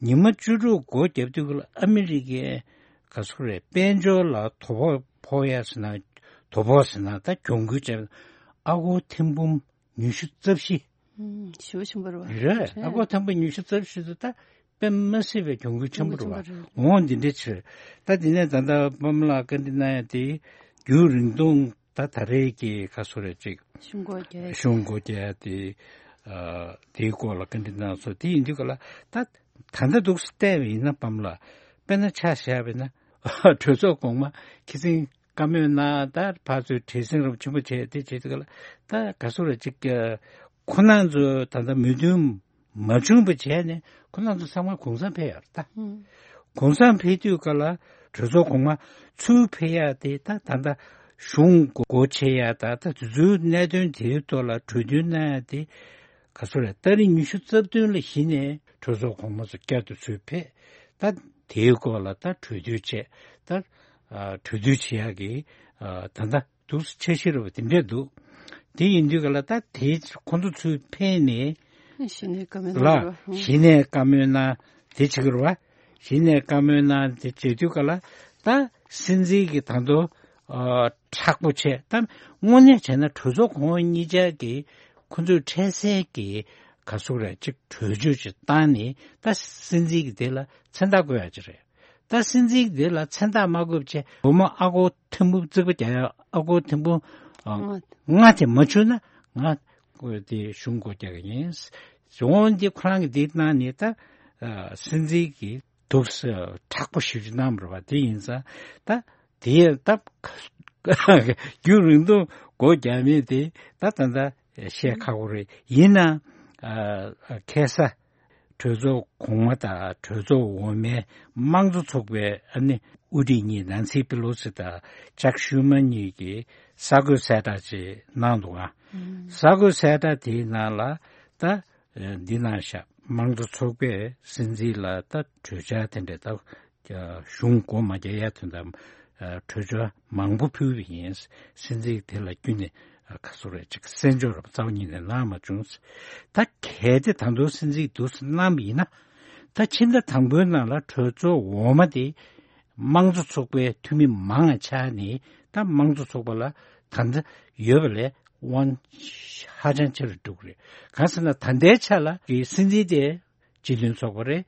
ཉི་མ་བཅུ་དྲུག་སྒོ་བརྒྱབ་དུས་ཨ་མི་རི་ཀའི་ག་ཚོད་རེད། དཔལ་འབྱོར་ལ་དོ་ཕོག་ཕོག་ཡ་ཟེར་ན་དོ་ཕོག་ཟེར་ན་ད་གྱོང་གུན་བྱས་ཨ་སྒོར་ཐེར་འབུམ་ཉི་ཤུ་རྩ་བཞི། ཞེ་པོ་ཆེན་པོ་རེད་བ། རེད། ཨ་སྒོར་ཐེར་འབུམ་ཉི་ཤུ་རྩ་བཞི་དེ་ད་དཔེ་མ་སྲིད་པའི་གྱོང་གུན་ཆེན་པོ་རེད་བ། འོང་འདི་འདྲའི་ཕྱིར་ད་དེ་ནས་ད་ལྟ་པཱ་ལགས་བཀའ་འདྲི་གནང་ཡ་དེ་རྒྱུན་རིང་ཐུང་ད་ད་རེས་ཀྱི་ག་ཚོད་རེད་ཅིག་གཞུང་སྒོ་བརྒྱབ་གཞུང་སྒོ་བརྒྱབ་དེ་ཨ་དེའི་སྐོར་ལ་བཀའ་འདྲི་གནང་སོང་། དེ་ཡིན་དུས་ག་ལ་ད་ད་ལྟ་འདུག་སེ་བལྟས་པ་ཡིན་ན་པཱ་ལགས་དཔེར་ན་ཆ་བཞག་པ་ཡིན་ན་གྲོས་ཚོགས་གོང་མ་ཁི་སིང་བཀའ་མོལ་གནང་། ད་ཕར་ཚུར་བྲེལ་ཟིང་རབ་ཆེན་པོ་བྱས་དེ་བྱེད་དུས་ག་ལ་ད་ག་ཚོད་རེད་ཅིག་ཁོ་རང་ཚོ་ད་ལྟ་མོས་མཐུན་མ་བྱུང་བ་བྱས་ནས་ཁོ་རང་ཚོ་ཚང་མ་གུང་སེང་ཕེབས་ཡོད་རེད་ད། གུང་སེང་ཕེབས་དུས་ག་ལ་གྲོས་ཚོགས་གོང་མ་ཚུར་ཕེབས་ཡ་དེ་ད་ད་ལྟ་གཞུང་སྒོ་ཕྱེ་ཡ་ད་ད་དེ་ཚོའི་གནད་དོན་དེའི་ཐོག་ལ་གྲོས་མཐུན་གནང་ཡ་དེ་ག་ཚོད་རེད། ཏ་རིག་ཉི་ཤུ་རྩ་བདུན་ལ་གཞི་ནས་གྲོས་ཚོགས་གོང་མ་ཚོ་བསྐྱར་དུ་ཚུར་ཕེབས། ད་དེའི་སྐོར་ལ་ད་གྲོས་བསྡུར་བྱས། ད་ཨ་གྲོས་བསྡུར་བྱེད་ཡག་གི་ཨ་ད་ལྟ་འདུག་འཆར་གཞི་རེད་བ་དེ་འདྲས་འདུག་དེ་ཡིན་དུས་ག་ལ་ད་དེ་ཁོང་ཚོ་ཚུར་ཕེབས་ནས་གཞི་ནས་བཀའ་མོལ་ལ་གནང་རེད་བ། གཞི་ནས་བཀའ་མོལ་གནང་དེ་བྱེད་ཀྱི་རེད་བ། གཞི་ནས་བཀའ་མོལ་གནང་དེ་བྱེད་དུས་ག་ལ་ད་སྲིད་འཛིན་གྱི་ད་དུང་ཨ་མཁྲེགས་པོ་བྱས། ད་དངོས་གནས་བྱས་ན་གྲོས་ཚོགས་གོང་འོག་གཉིས་ཆར་གྱི་ཁོ་ཚོས་འཕྲལ་སེལ་གྱི་ག་ཟེར་རེད་ཅིག་གྲོས་ཆོད་ཅིག་བཏང་ནས་ད་སྲིད་འཛིན་གྱི་དེ་ལ་མཚན་རྟགས་བཀོད་ཡག་ཅིག་རེད། ད་སྲིད་འཛིན་གྱི་དེ་ལ་མཚན་རྟགས་མ་བཀོད་བྱས་སྒོར་མོ་ཨ་སྒོར་ཐེར་འབུམ་རྩིག་པ་རྒྱག་ཡག་ཨ་སྒོར་ཐེར་འབུམ་ཨ་ལྔ་དེ་མ་བྱུང་ན་ང་ དེ་གཞུང་སྒོ་རྒྱག་གི་ཡིན། འོན་ཏེ་ཁོ་རང་གི་དེའི་ནང་ནས་ད་སྲིད་འཛིན་གྱི་འདུག་སེ་མཁྲེགས་པོ་ཞེ་པོ་ཅིག་གནང་བ་རེད་པ། དེ་ཡིན་ཙང་ད་དེ་ད་རྒྱུན་རིང་ཐུང་སྒོ་རྒྱག་མིན་དེ་ད་ད་ལྟ་བཤད་ཁག་པོ་རེད། ཡིན་ནའང་ཁ་སང་གྲོས་ཚོགས་གོང་མ་དང་གྲོས་ཚོགས་འོག་མའི་དམངས་གཙོ་ཚོགས་པའི་ཨ་ནི་དབུ་ཁྲིད་གཉིས་ནན་སི་པི་ལོ་སི་དང་ཅག་ཤུ་མ་གཉིས་ཀྱིས་གསར་འགོད་གསལ་བསྒྲགས་ཅིག་གནང་འདུག་ཨ། གསར་འགོད་གསལ་བསྒྲགས་དེའི་ནང་ལ་ད་འདི་གནང་ཤག་དམངས་གཙོ་ཚོགས་པས་སྲིད་འཛིན་ལ་ད་གྲོས་འཆར་དེ་འདྲ་ད་གཞུང་སྒོ་མ་རྒྱག་ཡ་དོན་དམ་གྲོས་ཆོད་མང་པོ་ཕུལ་བ་ཡིན། སྲིད་འཛིན་དེ་ལ་བརྒྱུད་ནས་ག་སོ་རེ་ཅིག་གསན་འཇོག་རབ་རྩ་བ་ཉིད་ནས་གནང་མ་བྱུང་། ད་གལ་ཏེ་ད་དུང་སྲིད་འཛིན་འདུག་སེ་གནང་བ་ཡིན་ན། ད་ཕྱི་ཟླ་དང་པོའི་ནང་ལ་གྲོས་ཚོགས་འོག་མ་དེ་དམངས་གཙོ་ཚོགས་པའི་འཐུས་མི་མང་ང་ཆགས་ནས་ད་དམངས་གཙོ་ཚོགས་པ་ལ་ད་ལྟ་ཡོད་པ་ལས་དབང་ཧ་ཅང་ཆེ་རུ་འགྲོ་གི་རེད། གང་ཟེར་ན་ད་ལྟའི་ཆ་ལ་གི་སྲིད་འཛིན་དེ་སྤྱི་མཐུན་ཚོགས་པ་རེད།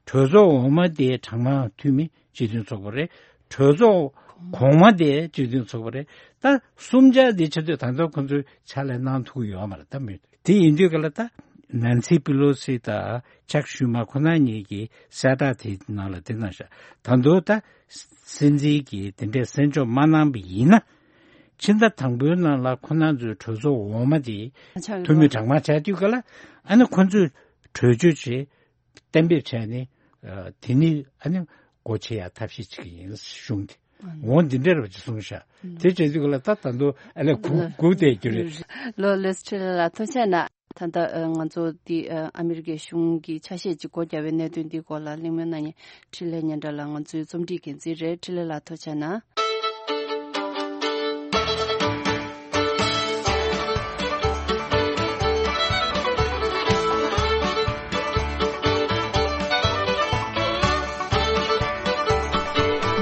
གྲོས་ཚོགས་འོག་མ་དེ་གྲངས་མང་འཐུས་མི་སྤྱི་མཐུན་ཚོགས་པ་རེད། གྲོས་ཚོགས་གོང་མ་དེ་སྤྱི་མཐུན་ཚོགས་པ་རེད། ད་གསུམ་ཆ་དེ་ཆ་དུས་ད་ལྟ་ཁོང་ཚོས་ཕྱག་ལས་གནང་ཐུབ་ཀྱི་ཡོད་མ་རེད། ད་མི་དེ་ཡིན་དུས་ག་ལ་ད་ནན་སི་པི་ལོ་སི་དང་ཅག་ཤུ་མ་ཁོ་ན་གཉིས་ཀྱིས་གསལ་བསྒྲགས་དེ་ནང་ལ་དེ་གནང་ཤག་ད་དུང་ད་སྲིད་འཛིན་གྱིས་དེ་འདྲའི་གསན་འཇོག་མ་གནང་པ་ཡིན་ན། ཕྱི་ཟླ་དང་པོའི་ནང་ལ་ཁོ་རང་ཚོའི་གྲོས་ཚོགས་འོག་མ་དེ་འཐུས་མི་གྲངས་མང་ཆགས་དུས་ག་ལ་ཨ་ནི་ཁོ་ཚོས་གྲོས་ཆོད་ཅིག་གཏན་འབེབས་བྱས་ནས་ཨ་དེ་ནི་ཨ་ནི་སྒོ་ཕྱེ་ཡ་ཐབས་ཤེས་བྱེད་ཀྱི་ཡིན་གཞུང་དེ། འོ་འདི་འདྲ་ར་བ་ཅིག་གསུངས་ཤག་དེ་བྱས་དུས་ག་ལ་ད་ད་དུང་ཨ་ལས་གུག་གུག་བསྡད་རྒྱུ་རེད། ལོ་ལོས་ཁྲི་ལ་ལ་ཐུགས་རྗེ་གནང་། ད་ལྟ་ང་ཚོ་འདི་ཨ་མི་རི་ཀའི་གཞུང་གི་ཆ་ཤས་ཅིག་སྒོ་བརྒྱབ་པའི་གནད་དོན་འདིའི་སྐོར་ལ་གླེང་མོལ་གནང་མཁན་འཕྲིན་ལས་སྙན་གྲགས་ལགས་ང་ཚོའི་རྩོམ་སྒྲིག་འགན་འཛིན་རེད། འཕྲིན་ལས་ལགས་ཐུགས་རྗེ་གནང་།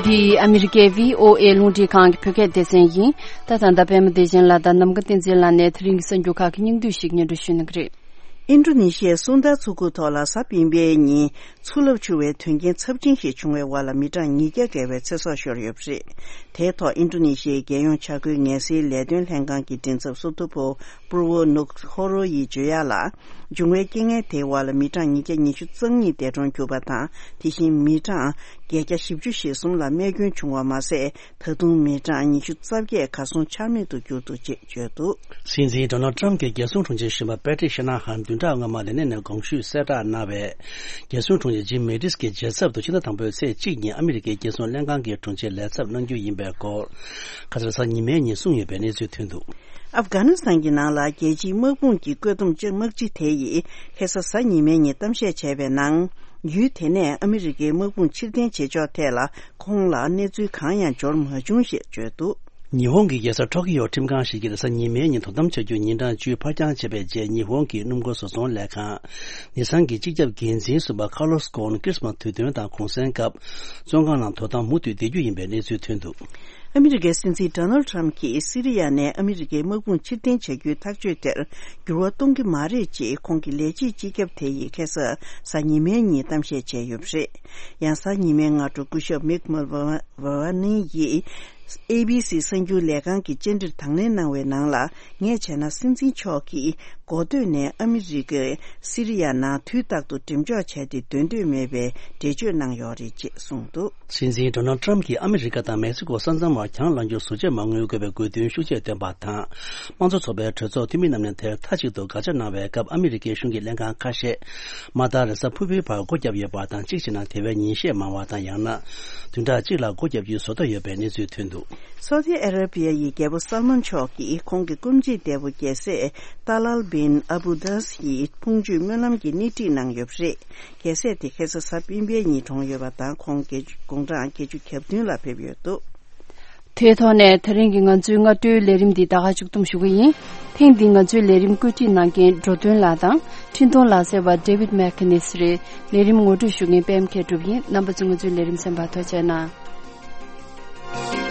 འདི་ཨ་མི་རི་ཀའི་བྷི་ཨོ་ཨེ་རླུང་འཕྲིན་ཁང་གི་བོད་སྐད་སྡེ་ཚན་ཡིན། ད་ད་ལྟ་པད་མ་བདེ་ཆེན་ལགས་དང་ནམ་མཁའ་བསྟན་འཛིན་ལགས་ནས་དེ་རིང་གི་གསར་འགྱུར་ཁག་གི་སྙིང་བསྡུས་ཤིག་སྙན་སྒྲོན་ཞུ་གནང་གི་རེད། ཨིན་ཌོ་ནེ་ཤི་ཡའི་སུང་ད་མཚོ་ཁུག་ཐོག་ལ་གཟའ་སྤེན་པའི་ཉིན་མཚོ་རླབས་འཕྱུར་བའི་དོན་རྐྱེན་ཚབས་ཆེན་ཞིག་བྱུང་བའི་འོག་ལ་མི་གྲངས་ཉིས་བརྒྱ་བརྒལ་བའི་ཚེ་སྲོག་ཤོར་ཡོད་པ་རེད། དེའི་ཐོག་ཨིན་ཌོ་ནེ་ཤི་ཡའི་རྒྱལ་ཡོངས་བྱ་རྒོད་ངལ་སེལ་ལས་དོན་ལྷན་ཁང་གི་མགྲིན་ཚབ་སུ་ཏོ་པོ་པུར་བོ་ནུག་ཧོ་རོ་ཡིས་བརྗོད་ཡག་ལ། འབྱུང་བའི་རྐྱེན་ངན་དེའི་འོག་ལ་མི་གྲངས་ཉིས་བརྒྱ་ཉི་ཤུ་རྩ་གཉིས་འདས་གྲོངས་གྱུར་པ་དང་། དེ་བཞིན་མི་གྲངས་བརྒྱད་བརྒྱ་བཞི་བཅུ་ཞེ་གསུམ་ལ་རྨས་སྐྱོན་བྱུང་བ་མ་ཟད། ད་དུང་མི་གྲངས་ཉི་ཤུ་རྩ་བརྒྱད་གར་སོང་ཆ་མེད་དུ་གྱུར་འདུག་ཅེས་བརྗོད་འདུག། སྲིད་འཛིན་ཌོ་ནལ་ཊམ་གྱི་རྒྱལ་སྲུང་དྲུང་ཆེ་གཞོན་པ་པེ་ཊི་ཤ་ན་ཧན་བདུན་ཕྲག་སྔོན་མ་ལས་གནས་ནས་དགོངས་ཞུས་གསལ་བསྒྲགས་གནང་བས། རྒྱལ་སྲུང་དྲུང་ཆེ་ཇིམ་མེ་ཏིས་ཀྱི་རྗེས་ཚབ་ཏུ་ཕྱི་ཟླ་དང་པོའི་ཚེས་གཅིག་ཉིན་ཨ་མི་རི་ཀའི་རྒྱལ་སྲུང་ལྷན་ཁང་གི་དྲུང་ཆེ་ལས་ཚབ་གནང་རྒྱུ་ཡིན་པའི་སྐོར། ཁ་སང་གཟའ་ཉི་མའི་ཉིན་གསུངས་ཡོད་པའི་གནས་ཚུལ་ཐོན་འདུག། ཨབ་གྷ་ནི་སི་ཐན་གྱི་ནང་ལ་རྒྱལ་སྤྱིའི་དམག་དཔུང་གི་བཀོད་འདོམས་དམག་སྤྱི་དེ་ཡིས་ཁ་སང་གཟའ་ཉི་མའི་ཉིན་གཏམ་བཤད་བྱས་པའི་ནང་། ཡུལ་དེ་ནས་ཨ་མི་རི་ཀའི་དམག་དཔུང་ཕྱིར་འཐེན་བྱེད་ཕྱོགས་ཐད་ལ་ཁོང་ལ་གནས་ཚུལ་གང་ཡང་འབྱོར་མ་བྱུང་ཞེས་བརྗོད་འདུག། ཉི་ཧོང་གི་རྒྱལ་ས་ཊོ་ཀི་ཡོ་ཁྲིམས་ཁང་ཞིག་གིས་རེས་གཟའ་ཉི་མའི་ཉིན་དོ་དམ་བྱ་རྒྱུའི་ཉིན་གྲངས་བཅུ་ཕར་འགྱངས་བྱས་པའི་རྗེས། ཉི་ཧོང་གི་སྣུམ་འཁོར་བཟོ་ཚོང་ལས་ཁང་ནི་སན་གྱི་སྤྱི་ཁྱབ་འགན་འཛིན་ཟུར་པ་ཁ་ལོ་སི་ཀོ་ཨོན་ཁྲི་སི་མ་སི་དུས་སྟོན་དང་གུང་སེང་སྐབས་བཙོན་ཁང་ནང་དོ་དམ་མུ་མཐུད་བསྡད་རྒྱུ་ཡིན་པའི་གནས་ཚུལ་ཐོན་འདུག། ཨ་མི་རི་ཀའི་སྲིད་འཛིན་ཌོ་ནལ་ཊམ་གྱིས་སི་རི་ཡ་ནས་ཨ་མི་རི་ཀའི་དམག་དཔུང་ཕྱིར་འཐེན་བྱ་རྒྱུའི་ཐག་གཅོད་དེར་འགྱུར་བ་གཏོང་གི་མ་རེད་ཅེས་ཁོང་གི་ལས་བྱེད་སྤྱི་ཁྱབ་དེ་ཡིས་ཁ་སང་གཟའ་ཉི་མའི་ཉིན་གཏམ་བཤད་བྱས་ཡོད་པ་རེད། ཡང་གཟའ་ཉི་མའི་སྔ་དྲོ་སྐུ་ཞབས་མིག་མལ་ཝ་ཝ་ནི་ཡིས་ཨེ་བི་སི་གསར་འགྱུར་ལས་ཁང་གི་བཅར་འདྲིར་དང་ལེན་གནང་བའི་ནང་ལ། ངས་བྱས་ན་སྲིད་འཛིན་མཆོག་གིས་འགོ་སྟོད་ནས་ཨ་མི་རི་ཀས་སི་རི་ཡ་ནང་དུས་རྟག་ཏུ་འགྲེམས་འཇོག་བྱས་ཏེ་སྡོད་འདོད་མེད་པའི་འགྲེལ་བརྗོད་གནང་ཡོད་རེད་ཅེས་གསུངས་འདུག། སྲིད་འཛིན་ཌོ་ནལ་ཊམ་གྱིས་ཨ་མི་རི་ཀ་དང་མེག་སི་ཀོ་ས་མཚམས་བར་གྱང་ལངས་རྒྱུར་ཟུར་བཅད་མ་དངུལ་དགོས་པའི་དགོས་འདུན་ཤུགས་ཆེར་བཏོན་པ་དང་། དམངས་གཙོ་ཚོགས་པའི་གྲོས་ཚོགས་འཐུས་མི་རྣམས་ནས་དེར་མཐའ་གཅིག་ཏུ་དགག་བྱ་གནང་བའི་སྐབས། ཨ་མི་རི་ཀའི་གཞུང་གི་ལྷན་ཁང་ཁ་ཤས་མ་མཐའ་རེས་གཟའ་ཕུར་བུའི་བར་སྒོ་བརྒྱབ་ཡོད་པ་དང་། གཅིག་བྱས་ན་དེ་བས་ཉིན་ཤས་མང་བ་དང་། ཡང་ན་བདུན་ཕྲག་གཅིག་ལ་སྒོ་བརྒྱབ་རྒྱུའི་བཟོ་འདྲ་ཡོད་པའི་གནས་ཚུལ་ཐོན་འདུག། སོ་ཏི་ཨ་ར་བི་ཡ་ཡི་རྒྱལ་པོ་སལ་མན་མཆོག་གིས་ཁོང་གི་སྐུ་མཆེད་འདས་པོ་རྒྱལ་སྲས་ཏཱ་ལཱལ་བིན་ཨ་བུ་དཱས་ཡི་ཕུང་མཆོད་སྨོན་ལམ་གྱི་སྣེ་ཁྲིད་གནང་ཡོད་པ་རེད། རྒྱལ་སྲས་དེ་ཁ་སང་གཟའ་སྤེན་པའི་ཉིན་གྲོངས་ཡོད་པ་དང་། ཁོང་དགུང་གྲངས་བརྒྱད་ཅུ་གྱ་བདུན་ལ་ཕེབས་ཡོད་འདུག། དེའི་ཐོག་ནས་དེ་རིང་གི་ང་ཚོའི་སྔ་དྲོའི་ལས་རིམ་འདི་ད་ག་མཇུག་བསྡོམས་ཞུ་གི་ཡིན། ཐེངས་འདིའི་ང་ཚོའི་ལས་རིམ་བཀོད་སྒྲིག་གནང་མཁན་འགྲོ་དོན་ལགས་དང་འཕྲིན་གཏོང་ལག་རྩལ་བ་ཌེ་ཝིད་མེག་ཁེ་ནིས་རེད། ལས་རིམ་ངོ་སྤྲོད་ཞུ་མཁན་པད་མ་མཁས་གྲུབ་ཡིན། རྣམ་པ་ཚོས་ང་ཚོའི་ལས་རིམ་གསན་པར་ཐུགས་རྗེ་གནང་།